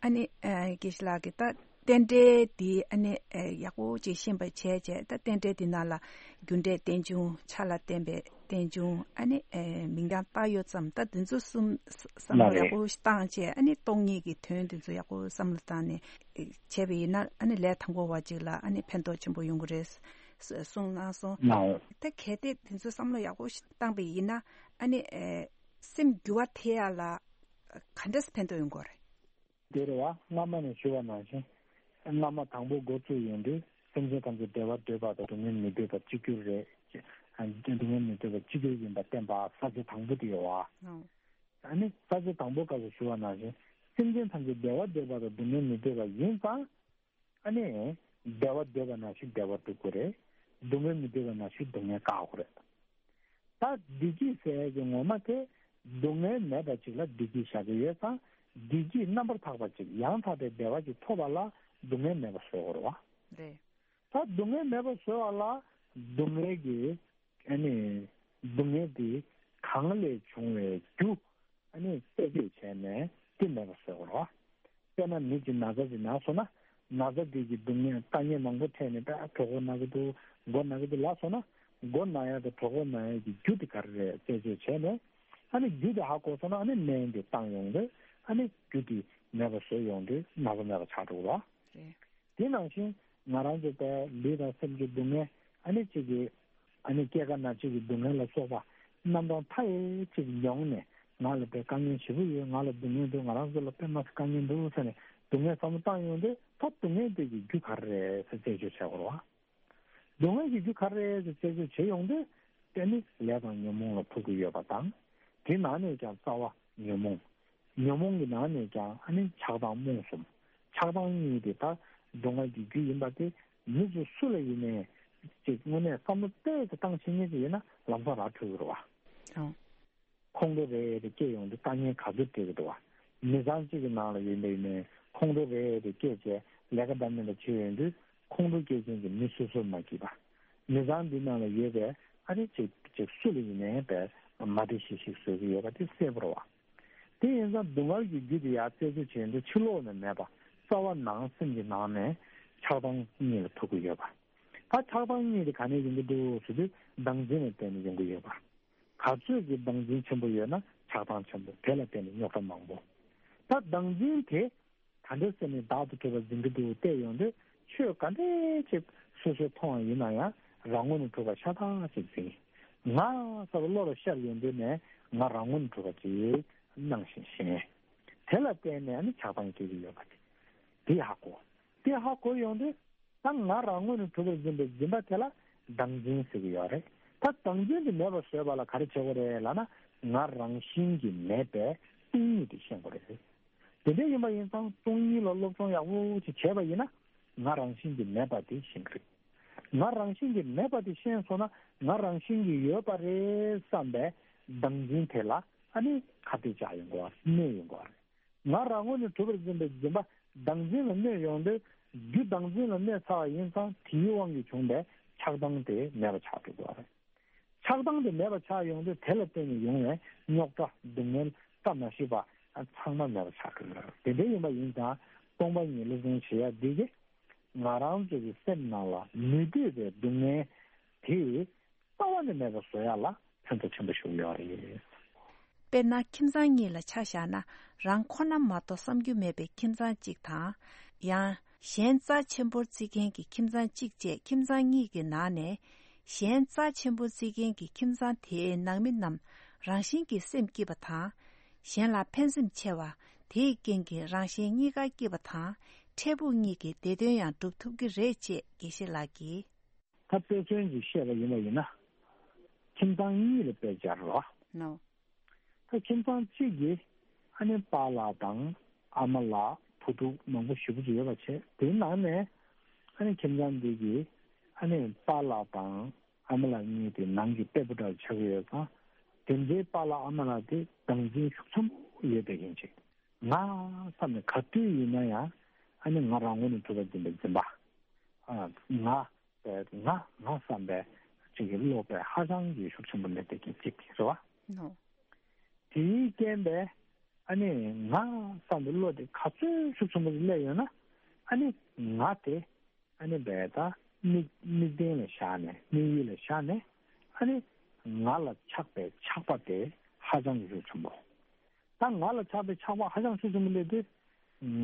ཨ་ནི་ཨ་དགེ་བཤེས་ལགས་ཀྱིས་ད་རྟེན་འབྲེལ་འདི་ཨ་ནི་ཨ་ཡག་པོ་ཅིག་ཤེས་པ་བྱས་བྱས། ད་རྟེན་འབྲེལ་འདི་ནང་ལ་རྒྱུ་འབྲས་རྟེན་འབྱུང་། ཆ་ལ་བརྟེན་པའི་རྟེན་འབྱུང་། ཨ་ནི་ཨེ་མིང་རྐྱང་བཏགས་ཡོད་ཙམ། ད་འདི་ཚོ་གསུམ་བསམ་བློ་ལགས་ཡག་པོ་ཞིག་བཏང་བྱས། ཨ་ནི་སྟོང་ཉིད་ཀྱི་དོན་འདི་ཚོ་ཡག་པོ་བསམ་བློ་བཏང་ནས་ཨེ་བྱས་པ་ཡིན་ན། ཨ་ནི་ལས་དང་པོ་བ་གཅིག་ལ་ཨ་ནི་ཕན་ཐོགས་ཆེན་པོ་ཡོང་གི་རེད་གསུངས་གནང་སོང་། ལགས། ད་གལ་ཏེ་འདི་ཚོ་བསམ་བློ་ཡག་པོ་ཞིག་བཏང་པ་ཡིན་ན། ཨ་ནི་ཨེ་སེམས་འགྱུར་བ་ཐེབས་ཡ་ལ་ག་འདྲས་ཕན་ཐོགས་ཡོང་གི་རེད། དེ་རེད་བ། སྔ་མ་ནས་ཞུ་བ་ནང་བཞིན། སྔ་མ་དང་པོ་འགོ་བཙུགས་ཡོང་དུས་སེམས་ཅན་ཐམས་ཅད་བདེ་བ་འདོད་པ་དང་སྡུག་བསྔལ་མི་འདོད་པ་གཅིག་གྱུར་རེད། སྡུག་བསྔལ་མི་འདོད་པ་གཅིག་གྱུར་ཡིན་པ་བསྟན་པ་ས་བཅད་དང་པོ་དེ་ཡོད་བ། ཨ་ནི་ས་བཅད་དང་པོ་སྐབས་སུ་ཞུ་བ་ནང་བཞིན། སེམས་ཅན་ཐམས་ཅད་བདེ་བ་འདོད་པ་དང་སྡུག་བསྔལ་མི་འདོད་པ་ཡིན་ཙང་། ཨ་ནི་བདེ་བ་འདོད་པ་ནང་བཞིན་བདེ་བ་སྒྲུབ་དགོས་རེད། སྡུག་བསྔལ་མི་འདོད་པ་ནང་བཞིན་སྡུག་བསྔལ་བཀག་དགོས་རེད། ད་བདེ་སྐྱིད་ཟེར་ཡས་ཀྱི་ངོ་མ་དེ་སྡུག་བསྔལ་མེད་པ་ཅིག་ལ་བདེ་སྐྱིད་བཞག་གི་ཡོད་ཙང་། བདེ་སྐྱིད་རྣམ་པར་དག་པ་ཅིག་ཡང་དག་པའི་བདེ་བ་ཅིག་ཐོབ་པ་ལ་སྡུག་བསྔལ་མེད་པ་བཟོ་དགོས་རེད་བ། རེད། ད་སྡུག་བསྔལ་མེད་པ་བཟོ་བ་ལ་སྡུག་བསྔལ་གྱི་ཨ་ནི་སྡུག་བསྔལ་དེ་གང་ལས་བྱུང་བའི་རྒྱུ་ཨ་ནི་རྩད་གཅོད་བྱས་ནས་དེ་མེད་པ་བཟོ་དགོས་རེད་བ། དཔེར་ན་མི་གཅིག་ན་ཚ་ཅིག་ན་སོང་ན། ན་ཚ་དེ་གི་སྡུག་བསྔལ་ལྟ་ངན་མང་པོ་འཕྲད་ནས་ད་གྲོད་ཁོག་ན་གི་འདུག་མགོ་ན་གི་འདུག་ལབ་སོང་ན། མགོ་ན་ཡ་དང་གྲོད་ཁོག་ན་ཡ་གི་རྒྱུ་དེ་ག་རེ་རེད་རྩད་གཅོད་བྱས་ནས། ཨ་ནི་རྒྱུ་དེ་ཧ་གོ་སོང་ན་ཨ་ནི་སྨན་དེ་བཏང་ཡོང་དུས་ཨ་ནི་རྒྱུ་དེ་མེད་པ་བཟོས་ཡོང་དུས་ན་ཚ་མེད་པ་ཆགས་འགྲོ་གི་རེད། རེད། དེ་ནང་བཞིན་ང་རང་ཚོ་དཔེ་ལུས་དང་སེམས་ཀྱི་སྡུག་བསྔལ། ཨ་ནི་གཅིག་གི་ཨ་ནི་སྐྱེ་རྒ་ན་འཆི་གི་སྡུག་བསྔལ་ལ་སོགས་པ་རྣམ་གྲངས་མཐའ་ཡས་གཅིག་མྱོང་ནས། ང་ལ་དཔེ་དཀའ་ངལ་ཞེ་པོ་ཡོད། ང་ལ་སྡུག་བསྔལ་འདུག་ང་རང་ཚོ་ལ་དཔེ་མ་སྲིད་དཀའ་ངལ་འདུག་ཟེར་ནས་སྡུག་བསྔལ་བསམ་བློ་བཏང་ཡོང་དུས། ད་སྡུག་བསྔལ་དེ་གི་རྒྱུ་ག་རེ་རེད་ཟེར་རྩད་གཅོད་བྱེད་དགོས་རེད་བ། སྡུག་བསྔལ་གྱི་རྒྱུ་ག་རེ་རེད་ཟེར་རྩད་གཅོད་བྱེད་ཡོང་དུས། དེ་ནི་ལས་དང་ཉོན་མོངས་ལ་ཐུག་གི་ཡོད་པ་དང་། དེ་ནང་ནས་ཀྱང་རྩ་བ་ཉོན་མོངས། ཉོན་མོངས་ཀྱི་ནང་ནས་ཀྱང་ཨ་ནི་ཆགས་སྡང་རྨོངས་གསུམ། ཆགས་སྡང་གཉིས་དེ་ད་སྡུག་བསྔལ་གྱི་རྒྱུ་ཡིན་པ་དེ་མི་ཚོ་སུ་ལ་ཡིན་ནའི་ཅིག་དངོས་གནས་བསམ་བློ་གཏད་དེ་བཏང་ཤེས་མཁན་ཅིག་ཡིན་ན་ལམ་སང་ར་འཕྲོད་ཀྱི་རེད་བ། ཨང་། ཁོང་ཁྲོ་རེ་རེ་སྐྱེ་ཡོང་དུས་དཀའ་ངལ་ག་ཚོད་འཕྲད་ཀྱི་འདུག་བ། མི་ཚང་གཅིག་གི་ནང་ལ་ཡོད་པ་ཡིན་ནའི་ཁོང་ཁྲོ་རེ་རེ་སྐྱེས་བྱས་ལས་ཀ་འདྲ་མིན་འདྲ་བྱེད་ཡོང་དུས། ཁོང་ཁྲོ་སྐྱེད་མཁན་གྱི་མི་སོ་སོར་མ་གྱིས་པ། མི་ཚང་འདི་ནང་ལ་ཡོད་པའི་ཨ་རི་ཅིག་ཅིག་སུ་ལ་ཡིན་ནའི་བས་མ་བདེ་ཤིག་ཤིག་བཟོ་གི་ཡོད་པ་དེ་གསལ་པོ་རེད་བ། དེ་ཡིན་ཙང་སྡུག་བསྔལ་གྱི་རྒྱུ་དེ་ཡར་རྩད་གཅོད་བྱེད་དུས་ཕྱི་ལོགས་ནས་མེད་པ། རྩ་བ་ནང་སེམས་ཀྱི་ནང་ནས་ཆགས་སྡང་གཉིས་ལ་ཐུག་གི་ཡོད་པ། ད་ཆགས་སྡང་གཉིས་དེ་ག་ནས་ཡོང་གི་འདུག་ཟེར་དུས་བདག་འཛིན་ལ་བརྟེན་ནས་ཡོང་གི་ཡོད་པ། ག་ཚོད་ཀྱི་བདག་འཛིན་ཆེན་པོ་ཡོད་ན་ཆགས་སྡང་ཆེན་པོ། དེ་ལ་བརྟེན་ནས་རྙོག་དྲ་མང་པོ། ད་བདག་འཛིན་དེ་ག་འདྲ་ཟེར་ནས་བདག་ཏུ་གྲུབ་པར་འཛིན་གྱི་འདུག་བལྟས་ཡོང་དུས། ཆོས་ག་འདྲས་ཅིག་སོ་སོས་མཐོང་བ་ཡིན་ན་ཡང་རང་ངོས་ནས་གྲུབ་པ་ཤ་སྟག་ཅིག་འཛིན། ང་ཟེར་བ་བློ་ལ་ཤར་ཡོང་དུས་ནས་ང་རང་ངོས་ནས་གྲུབ་པ་ཅིག་སྣང་ཞིང་ཞེན། དེ་ལ་བརྟེན་ནས་ཨ་ནི་ཆགས་སྡང་སྐྱེ་གི་ཡོད་པ་དེ་དེ་ཧ་གོ། དེ་ཧ་གོ་ཡོང་དུས། ད་ང་རང་ངོས་ནས་གྲུབ་པར་འཛིན་པའི་འཛིན་པ་དེ་ལ་བདག་འཛིན་ཟེར་གྱི་ཡོད་རེད། ད་བདག་འཛིན་དེ་མེད་པར་བཟོས་པ་ལ་ག་རེ་བྱེད་དགོས་རེད་ལབ་ན། ང་རང་བཞིན་གྱིས་མེད་པའི་སྟོང་ཉིད་དེ་ཤེས་དགོས་རེད། དེ་འདྲ་ཡིན་པ་ཡིན་ཙང་སྟོང་ཉིད་ལ་སློབ་སྦྱོང་ཡག་པོ་ཅིག་བྱས་པ་ཡིན་ན། ང་རང་བཞིན་གྱིས་མེད་པ་དེ་ཤེས་ཀྱི་རེད། ང་རང་བཞིན་གྱིས་མེད་པ་དེ་ཤེས་སོང་ན། ང་རང་བཞིན་གྱིས་ཡོད་པ་རེད་བསམ་པའི་བདག་འཛིན་དེ་ལ་ཨ་ནི་ཁ་གཏད་བཅག་ཡོང་དགོས་པ་རེད། གནས་ཡོང་དགོས་པ་རེད། ང་རང་ངོས་ནས་གྲུབ་པར་འཛིན་པའི་འཛིན་པ་བདག་འཛིན་ལ་གནས་ཡོང་དུས། རྒྱུ་བདག་འཛིན་ལ་གནས་ཚར་བ་ཡིན་ཙང་དེའི་དབང་གིས་བྱུང་བའི་ཆགས་སྡང་དེ་མེད་པ་ཆགས་འགྲོ་དགོས་པ་རེད། ཆགས་སྡང་དེ་མེད་པ་ཆགས་ཡོང་དུས། དེ་ལ་བརྟེན་ནས་ཡོང་བའི་རྙོག་དྲ་སྡུག་བསྔལ་བཀྲ་མ་ཤིས་པ་ཚང་མ་མེད་པ་ཆགས་འགྲོ་གི་རེད། དེ་འདྲ་ཡིན་པ་ཡིན་ཙང་སྟོང་པ་ཉིད་སློབ་སྦྱོང་བྱེད་ཡ་འདི་གིས་ང་རང་ཚོ་གི་སེམས་ནང་ལ་མི་འདོད་པའི་སྡུག་བསྔལ་དེ། རྩ་བ་ནས་མེད་པ་བཟོ་ཡག་ལ་ཕན་ཐོགས་ཆེན་པོ་ཞིག་ཡོད་རེད། དཔེར་ན་ཁྱིམ་ཚང་གཉིས་ལ་ཆ་བཞག་ན། རང་ཁོ་ན་མ་གཏོགས་བསམ་རྒྱུ་མེད་པའི་ཁྱིམ་ཚང་གཅིག་དང་། ཡང་གཞན་རྩ་ཆེན་པོར་བརྩི་མཁན་གྱི་ཁྱིམ་ཚང་གཅིག་བཅས་ཁྱིམ་ཚང་གཉིས་ཀྱི་ནང་ནས། གཞན་རྩ་ཆེན་པོར་བརྩི་མཁན་གྱི་ཁྱིམ་ཚང་དེའི་ནང་མི་རྣམས་རང་བཞིན་གྱིས་སེམས་སྐྱིད་པ་དང་། གཞན་ལ་ཕན་སེམས་ཆེ་བ། དེའི་རྐྱེན་གྱིས་རང་གཞན་གཉིས་ཀ་སྐྱིད་པ་དང་། འཕྲལ་ཕུགས་གཉིས་ཀྱི་བདེ་དོན་ཡང་སྒྲུབ་ཐུབ་ཀྱི་རེད་ཅེས་དགེ་བཤེས་ལགས་ཀྱིས། ད་དཔེ་མཚོན་ཅིག་བཤད་པ་ཡིན་པ་ཡིན་ན། ཁྱིམ་ཚང་གཉིས་ལ་དཔེ་སྦྱར་རོགས། ནོ། ད་ཁྱིམ་ཚང་གཅིག་གིས་ཨ་ནི་པཱ་ལགས་དང་ ཨ་མ་ལགས་བུ་ཕྲུག་མང་པོ་ཞེ་པོ་ཅིག་ཡོད་པ་བྱས། དེའི་ནང་ནས་ཨ་ནི་ཁྱིམ་ཚང་འདི་གི་ཨ་ནི་པཱ་ལགས་དང་ཨ་མ་ལགས་གཉིས་དེ་ནང་གི་སྤྲད་པོ་འདྲ་ཆགས་ཀྱི་ཡོད་ཙང་། དེ་འདྲའི་པཱ་ལགས་ཨ་མ་ལགས་དེ་སྡང་འཛིན་ཤུགས་ཆེན་པོ་ཡོད་པའི་རྐྱེན་གྱིས། ང་བསམ་ནས་ག་དུས་ཡིན་ན་ཡང་ཨ་ནི་ང་རང་ངོས་ནས་གྲུབ་པ་འཛིན་པའི་འཛིན་པ། ཨ་ང་བས་ང་ང་བསམ་པའི་ཅིག་གི་བློ་བས་ཧ་ཅང་གི་ཤུགས་ཆེན་པོ་སླེབས་པའི་རྐྱེན་གཅིག་རེད་བ། ནོ། དེའི་རྐྱེན་པས་ཨ་ནི་ང་བསམ་པའི་བློ་དེ་ག་ཚོད་ཤུགས་ཆེན་པོ་སླེབས་ཡོད་ན། ཨ་ནི་ང་དེ་ཨ་ནི་བས་ད་དམིགས་དམིགས་རྟེན་ལ་བཞག་ནས། དམིགས་ཡུལ་ལ་བཞག་ནས། ཨ་ནི་ང་ལ་ཆགས་པའི་ཆགས་པ་དེ་ཧ་ཅང་གི་ཤུགས་ཆེན་པོ། ད་ང་ལ་ཆགས་པའི་ཆགས་པ་ཧ་ཅང་ཤུགས་ཆེན་པོ་སླེབས་དུས།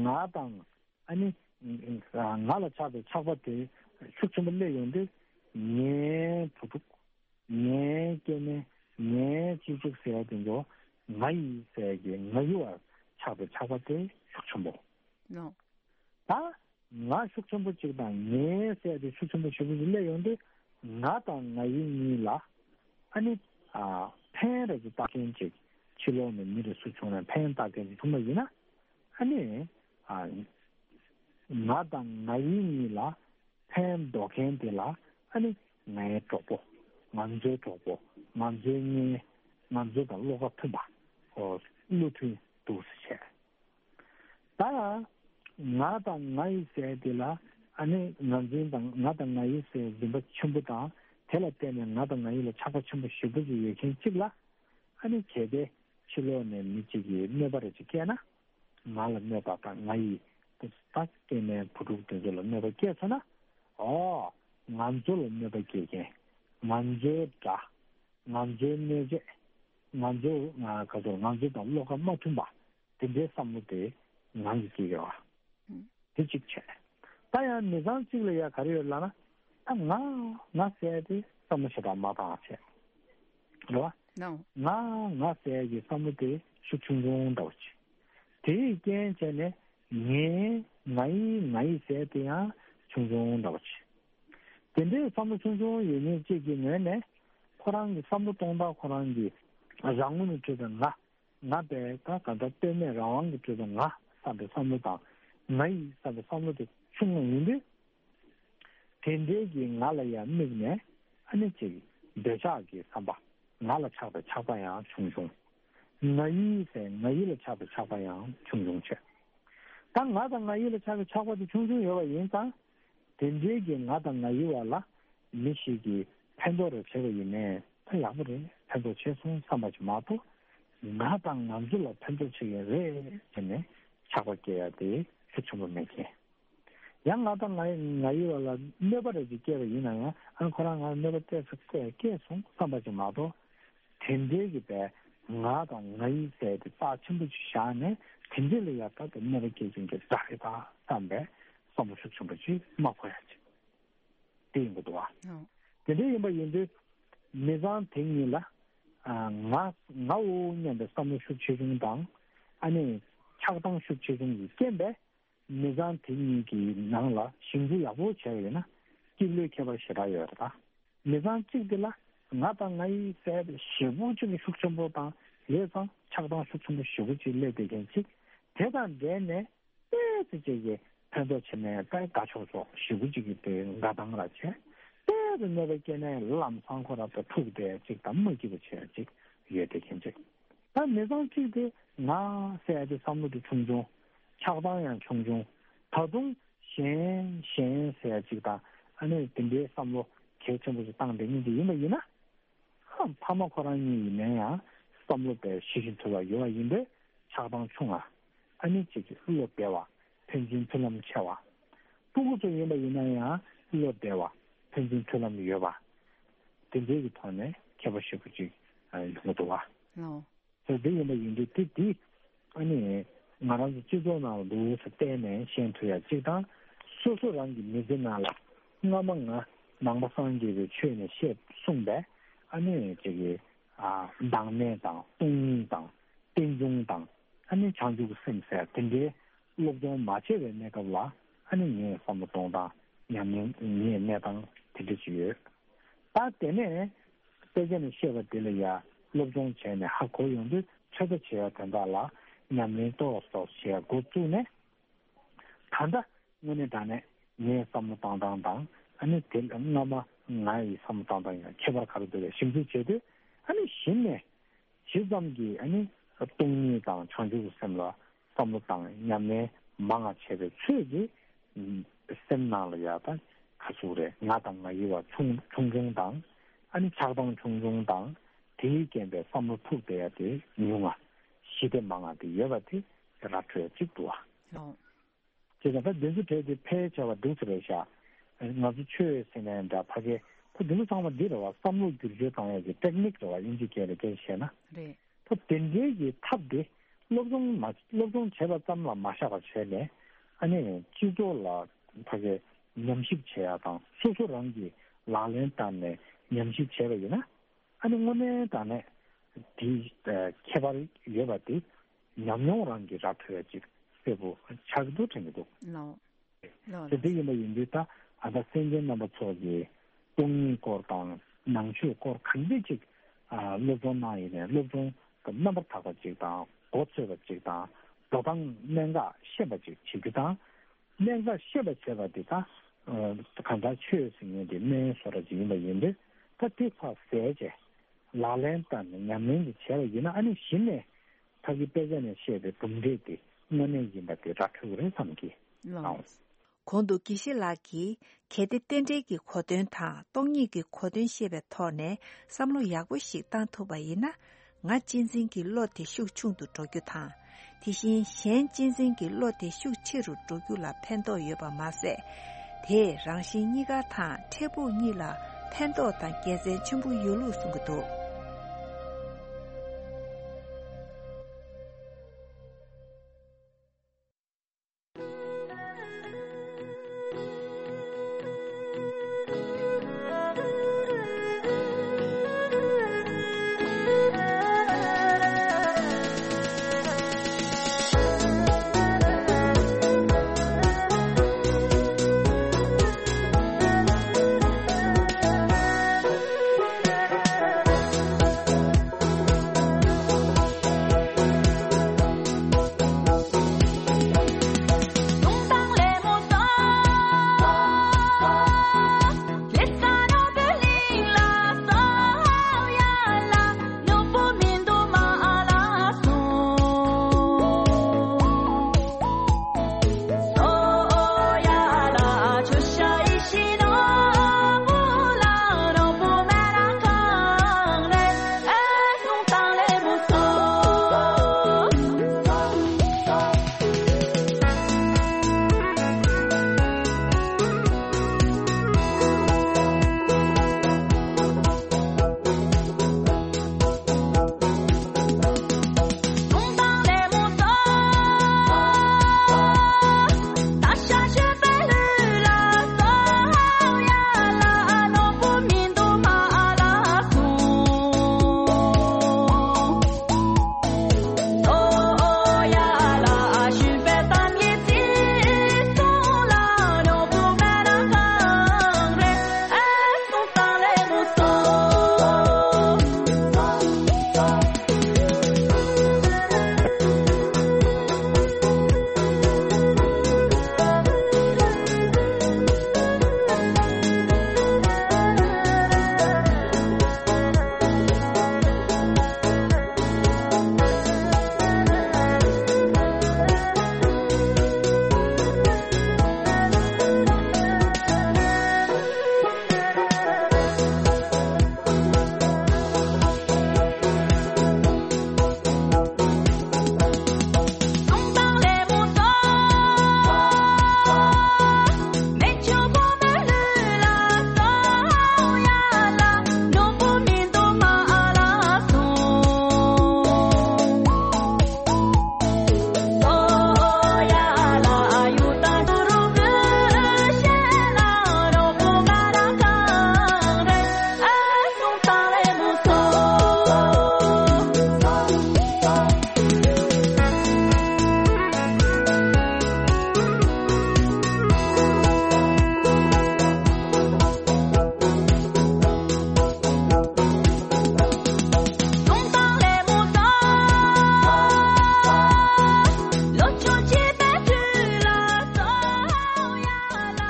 ང་དང་ཨ་ནི་ང་ལ་ཆགས་པའི་ཆགས་པ་དེ་ཤུགས་ཆེན་པོ་སླེབས་ཡོང་དུས། ངའི་བུ་ཕྲུག་ངའི་སྐྱེ་དམན། ངའི་གཅེས་ཕྲུག་ཟེར་ཡ་དེ་ཚོ་ང་ཡི་ཟེར་གྱི་ང་ཡི་བར་ཆགས་པའི་ཆགས་པ་དེ་ཤུགས་ཆེན་པོ། ནོ། ད་ང་ཤུགས་ཆེན་པོ་གཅིག་དང་ངའི་ཟེར་དེ་ཤུགས་ཆེན་པོ་ཞེ་པོ་ཞིག་སླེབས་ཡོང་དུས། ང་དང་ང་ཡི་གཉིས་ལ་ཨ་ནི་ཨ་ཕན་རེ་ཅིག་བཏགས་མཁན་ཅིག་ཕྱི་ལོགས་ནས་མི་རེ་སུ་བྱུང་ན་ཕན་བཏགས་མཁན་ཅིག་བྱུང་བ་ཡིན་ན། ཨ་ནི་ཨ་ང་དང་ང་ཡི་གཉིས་ལ་ཕན་འདོགས་མཁན་དེ་ལ་ཨ་ནི་ངའི་གྲོགས་པོ། ང་ཚོའི་གྲོགས་པོ། ང་ཚོའི་གཉེན། ང་ཚོ་དང་བློ་ཁ་མཐུན་པ། ཨོ། བློ་མཐུན་འདུག་ཟེར་བྱས། ད་ང་དང་ང་ཡི་ཟེར་དེ་ལ་ཨ་ནི་ངར་འཛིན་དང་། ང་དང་ང་ཡི་ཟེར་འཛིན་པ་ཆེན་པོ་དང་། དེ་ལ་བརྟེན་ནས་ང་དང་ང་ཡི་ལ་ཆགས་པ་ཆེན་པོ་ཞེ་པོ་ཅིག་ཡོད་མཁན་གཅིག་ལ། ཨ་ནི་གལ་ཏེ་ཕྱི་ལོགས་ནས་མི་གཅིག་གིས་གནོད་པ་རེ་ཅིག་བསྐྱལ་ན། ང་ལ་གནོད་པ་དང་ང་ཡི་ད་སྐྱེ་དམན་བུ་ཕྲུག་དེ་ཚོ་ལ་གནོད་པ་བསྐྱལ་སོང་ན། ཨོ། ང་ཚོ་ལ་གནོད་པ་སྐྱེལ་མཁན། ང་ཚོའི་དགྲ། ང་ཚོའི་གནོད་བྱེད། ང་ཚོ་ང་ག་ཚོད་ང་ཚོ་དང་བློ་ཁ་མ་མཐུན་པ། དེ་འདྲའི་བསམ་བློ་དེ་ངང་གིས་སྐྱེ་གི་རེད་བ། ཨང་། དེ་གཅིག་བྱས། ད་ཡང་མི་ཚང་གཅིག་ལ་ཡ་ག་རེ་ཡོད་ལབ་ན། ད་ང་ང་ཟེར་དེ་བསམ་བློ་ཞེ་དྲག་མ་བཏང་བྱས། རེད་བ། ནོ། ང་ང་ཟེར་གྱི་བསམ་བློ་དེ་ཤུགས་ཆུང་ཆུང་འདྲ་བོ་བྱས། དེའི་རྐྱེན་བྱས་ནས་ངའི་ང་ཡི་ང་ཡི་ཟེར་དེ་ཡང་ཆུང་ཆུང་འདྲ་བོ་བྱས། དེ་འདྲའི་བསམ་བློ་ཆུང་ཆུང་ཡོད་མཁན་གཅིག་གི་ངོས་ནས། ཁོ་རང་གི་བསམ་བློ་གཏོང་སྟངས། ཁོ་རང་གི་རང་ངོས་ནས་བརྗོད་པའི་ང་། ང་བས་ད་གང་ལྟར་ལྟོས་མེད་རང་དབང་གིས་གྲུབ་པའི་ང་བསམ་པའི་བསམ་བློ་དང་། ང་ཡི་བསམ་པའི་བསམ་བློ་དེ་ཆུང་ངུ་ཡིན་དུས། དེ་འདྲའི་གི་ང་ལ་ཡང་དམིགས་ནས་ཨ་ནི་ཅིག་འདོད་ཆགས་ཀྱི་བསམ་པ། ང་ལ་ཆགས་པའི་ཆགས་པ་ཡང་ཆུང་ཆུང་། ང་ཡི་ཟེར་ང་ཡི་ལ་ཆགས་པའི་ཆགས་པ་ཡང་ཆུང་ཆུང་བྱས། ད་ང་དང་ང་ཡི་ལ་ཆགས་པའི་ཆགས་པ་དེ་ཆུང་ཆུང་ཡོད་པ་ཡིན་ཙང་། དེ་འདྲའི་གི་ང་དང་ང་ཡི་བར་ལ་མི་ཞིག་གིས་ཕན་ཐོགས་རེ་བྱས་པ་ཡིན་ནའི་ད་ཡག་པོ་རེད། ཕན་ཐོགས་བྱས་སོང་བསམ་པ་ཅིག་མ་གཏོགས། ང་དང་ང་ཚོ་ལ་ཕན་ཐོགས་བྱེད་ཀྱི་རེད་ཟེར་ནས་ཆགས་པ་སྐྱེ་ཡ་དེ་ཤུགས་ཆེན་པོ་མེད་མཁན། ཡང་ང་དང་ང་ཡི་ང་ཡི་བར་ལ་གནོད་པ་རེ་ཅིག་སྐྱེས་པ་ཡིན་ན་ཡང་། ཨ་ཁོ་རང་ང་ལ་གནོད་པ་སྐྱེས་སོང་སྐྱེས་སོང་བསམ་པ་ཅིག་མ་གཏོགས། དེ་འདྲའི་གི་བས་ང་དང་ང་ཡི་ཟེར་དེ་རྩ་ཆེན་པོ་ཅིག་བཞག་ནས། དེ་འདྲའི་ལ་ཡ་ད་དེ་གནོད་པ་སྐྱེལ་མཁན་གྱི་དགྲ་རེད་པ་བསམ་པའི་བསམ་བློ་ཤུགས་ཆེན་པོ་ཅིག་མ་འཁོར་ཡ་ཅིག་དེ་ཡིན་པ་འདུག་བ། ཨོ། དེ་འདྲ་ཡིན་པ་ཡིན་དུས། མི་ཚང་དེ་གཉིས་ལ་ཨ་ང་ངའོ་སྙམ་པའི་བསམ་བློ་ཤུགས་ཆེ་ཆུང་དང་། ཨ་ནི་ཆགས་སྡང་ཤུགས་ཆེ་ཆུང་གི་རྐྱེན་པས། མི་ཚང་དེ་གཉིས་ཀྱི་ནང་ལ་ཞིབ་འཇུག་ཡག་པོ་བྱས་པ་ཡིན་ན། སྐྱིད་ལོས་ཁྱད་པར་ཞེ་དྲག་ཡོད་རེད་ད། མི་ཚང་གཅིག་དེ་ལ་ང་དང་ང་ཡི་ཟེར་དེ་ཞེ་པོ་ཅིག་གི་ཤུགས་ཆེན་པོ་དང་། ཡོད་ཙང་ཆགས་སྡང་ཤུགས་ཆེན་པོ་ཞེ་པོ་ཅིག་སླེབས་བསྡད་མཁན་ཅིག་དེ་དང་འབྲེལ་ནས་ཏོག་ཙམ་ཅིག་གི་ཕན་ཐོགས་བྱས་ནས་དཔེ་དགའ་ཆོག་ཆོག་ཞེ་པོ་ཅིག་གི་དེ་དགའ་སྡང་ར་བྱས། ཏོག་ཙམ་གནོད་པ་སྐྱེལ་ནས་ལམ་སང་ཁོ་ར་དང་འཁྲུག་བསྡད་ཅིག་དང་མ་སྐྱིད་པ་བྱས་ཅིག་ཡོད་བསྡད་མཁན་ཅིག་ད་མི་ཚང་གཅིག་དེ་ང་ཟེར་དེ་བསམ་བློ་དེ་ཆུང་ཆུང་། ཆགས་སྡང་ཡང་ཆུང་ཆུང་། ད་དུང་གཞན་གཞན་ཟེར་ཅིག་དང་། ཨ་ནི་དེ་འདྲའི་བསམ་བློ་གལ་ཆེན་པོ་ཞིག་བཏང་བསྡད་མཁན་དེ་ཡིན་པ་ཡིན་ན། ཧ། ཕ་མ་ཁོ་རང་གཉིས་ཡིན་ན་ཡང་བསམ་བློ་དཔེ་ཤེས་བཞིན་ཐུབ་པ་ཡོད་པ་ཡིན་པས་ཆགས་སྡང་ཆུང་བ། ཨ་ནི་གཅིག་གི་བློ་བདེ་བ། ཕན་ཚུན་མཐུན་ལམ་ཆེ་བ། སྤུ་གུ་ཚོ་ཡིན་པ་ཡིན་ན་ཡང་བློ་བདེ་བ། ཕན་ཚུན་མཐུན་ལམ་ཡོད་པ། དེ་འདྲའི་གི་ཐོག་ནས་ཁྱད་པར་ཞེ་པོ་ཅིག་ཡོང་གི་འདུག་བ། ལོ། ཟེར་དེ་ཡིན་པ་ཡིན་དུས་དེ་དེ་ཨ་ནི་ང་རང་ཚོ་སྤྱི་ཚོགས་ནང་ལ་འདུག་ཟེར་བལྟས་ནས་ཤེས་ཐུབ་ཡ་གཅིག་དང་། སོ་སོ་རང་གི་མི་ཚེ་ནང་ལ་སྔ་མ་ང་ནང་པ་སངས་རྒྱས་པའི་ཆོས་ནས་བཤད་གསུངས་པའི་ཨ་ནི་ཅིག་གི་ཨ་བདག་མེད་དང་སྟོང་ཉིད་དང་རྟེན་འབྱུང་དང་། ཨ་ནི་བྱང་ཆུབ་ཀྱི་སེམས་ཟེར་དེ་འདྲའི་སློབ་སྦྱོང་མ་བྱས་པའི་གནས་སྐབས་ལ་ཨ་ནི་ངའི་བསམ་བློ་གཏོང་སྟངས། ཉམས་ལེན། ངའི་གནས་སྟངས་དེ་འདྲ་ཅིག་ཡོད། ད་དེ་ནས་དཔེ་ཆ་ནས་བཤད་པ་དེ་ལ་ཡ་སློབ་སྦྱོང་བྱས་ནས་ཧ་གོ་ཡོང་དུས། ཚོད་ལྟ་བྱེད་ཡ་དོན་དག་ལ་ ཉམས་ལེན་ཏོག་ཙམ་བྱེད་འགོ་བཙུགས་ནས། ད་ལྟ་དངོས་གནས་དྲང་གནས་ངའི་བསམ་བློ་བཏང་སྟངས་དང་། ཨ་ནི་དེ་སྔ་མ་ང་ཡི་བསམ་བློ་བཏང་སྟངས་ཡང་ཁྱད་པར་ག་རེ་འདུག་ལ་ཞིབ་འཇུག་བྱས་དུས། ཨ་ནི་གཞི་ནས་ཇི་ཙམ་གྱིས་ཨ་ནི་སྟོང་ཉིད་དང་བྱང་ཆུབ་ཀྱི་སེམས་ལ་བསམ་བློ་དང་ཉམས་ལེན་མང་བ་བྱས་པའི་ཚོད་ཀྱིས། སེམས་ནང་ལ་ཡ་ད་ག་ཚོད་རེད། ང་དང་ང་ཡི་བ་ཆུང་ཆུང་ཆུང་དང་། ཨ་ནི་ཆགས་སྡང་ཆུང་ཆུང་དང་། དེའི་རྐྱེན་པས་བསམ་བློ་འཁྲུག་བསྡད་ཡ་དེ་ཉུང་ང་། ཞི་བདེ་མང་ང་དེ་ཡོད་པ་དེ་ར་འཕྲོད་ཅིག་འདུག་བ། ལགས། བྱས་ཙང་ད་འདི་ཚོ་གྲས་དེ་ཕལ་ཆེ་བ་འདུག་ཚེ་རེད་ཤག་ང་ཚོ་ཆོས་ཟེར་ནའི་འདྲ། ཕ་གི་ཁོ་འདི་ཚོ་ཚང་མ་འདི་རེད་བ། བསམ་བློ་བསྒྱུར་བཅོས་བཏང་ཡ་གི་ཊེག་ནིག་རེད་བ། དབྱིན་ཇི་སྐད་ལ་སྐད་ཆ་བཤད་ན། རེད། ད་དེ་འདྲའི་གི་ཐབས་དེ་སློབ་སྦྱོང་མ་སློབ་སྦྱོང་བྱས་པ་ཙམ་ལ་མ་བཞག་པ་བྱས་ནས། ཨ་ནི་སྤྱི་ཚོགས་ལ་ཕ་གི་ཉམས་ཞིབ་བྱེད་ཡ་དང་། སོ་སོ་རང་གིས་ལག་ལེན་བསྟར་ནས་ཉམས་ཞིབ་བྱས་པ་ཡིན་ན། ཨ་ནི་དངོས་གནས་དྲང་གནས་དེའི་ཨ་ཁྱད་པར་ཡོད་པ་དེ་ཉམས་མྱོང་རང་གིས་ར་འཕྲོད་ཡ་ཅིག་གསལ་པོ་ཆགས་ཀྱི་འདུག་དྲན་གྱི་འདུག་ལགས། ལགས། དེ་འདི་ཡིན་པ་ཡིན་དུས། ད་ཨ་ད་སེམས་ཅན་རྣམ་པ་ཚོ་གི་སྟོང་ཉིད་སྐོར་དང་ནང་ཆོས་སྐོར་གང་འདྲ་ཅིག་ཨ་སློབ་སྦྱོང་གནང་ཡིན་ནའི། སློབ་སྦྱོང་རྣམ་པར་དག་པ་ཅིག་དང་། མགོ་ཚོས་པ་ཅིག་དང་། འགྲོ་སྟངས་གནད་འགག་ཤེས་པ་ཅིག་བྱེད་རྒྱུ་དང་། གནད་འགག་ཤེས་པ་བྱས་པ་འདི་ད་ཨ་གང་ལྟར་ཆོས་ཟེར་མཁན་དེ་སྨན་བཟོ་འདྲ་ཅིག་ཡིན་པ་ཡིན་དུས། ད་དེ་ཚོ་ཟས་བྱས། ལག་ལེན་བསྟར་ནས་ཉམས་ལེན་དེ་བྱས་པ་ཡིན་ན། ཨ་ནི་གཞི་ནས་ཕ་གི་དཔེ་ཆ་ནས་བཤད་པའི་གྲུབ་འབྲས་དེ་དངོས་གནས་ཡིན་པ་དེ་ར་འཕྲོད་ཀྱི་རེད་བསམ་གྱི། ལགས། གོང་དུ་དགེ་བཤེས་ལགས་ཀྱིས་གལ་ཏེ་རྟེན་འབྲེལ་གྱི་གོ་དོན་དང་སྟོང་ཉིད་ཀྱི་གོ་དོན་ཤེས་པའི་ཐོག་ནས་བསམ་བློ་ཡག་པོ་ཞིག་བཏང་ཐུབ་པ་ཡིན་ན། ང་གཅེས་འཛིན་གྱི་བློ་དེ་ཤུགས་ཆུང་དུ་འགྲོ་རྒྱུ་དང་། དེ་བཞིན་གཞན་གཅེས་འཛིན་གྱི་བློ་དེ་ཤུགས་ཆེ་རུ་འགྲོ་རྒྱུ་ལ་ཕན་ཐོགས་ཡོད་པ་མ་ཟད། དེས་རང་གཞན་གཉིས་ཀ་དང་འཕྲལ་ཕུགས་གཉིས་ལ་ཕན་ཐོགས་དང་དགེ་མཚན་ཆེན་པོ་ཡོད་ལུགས་གསུང་གི་འདུག་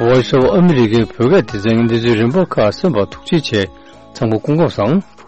ཝོ་ཡི་སི་ཨོཕ་ཨ་མི་རི་ཀའི་བོད་སྐད་སྡེ་ཚན་གྱི་གནས་ཚུལ་རིམ་པ་ཁག་གསན་པར་ཐུགས་རྗེ་ཆེ། ཚང་མ་སྐུ་ཁམས་བཟང་།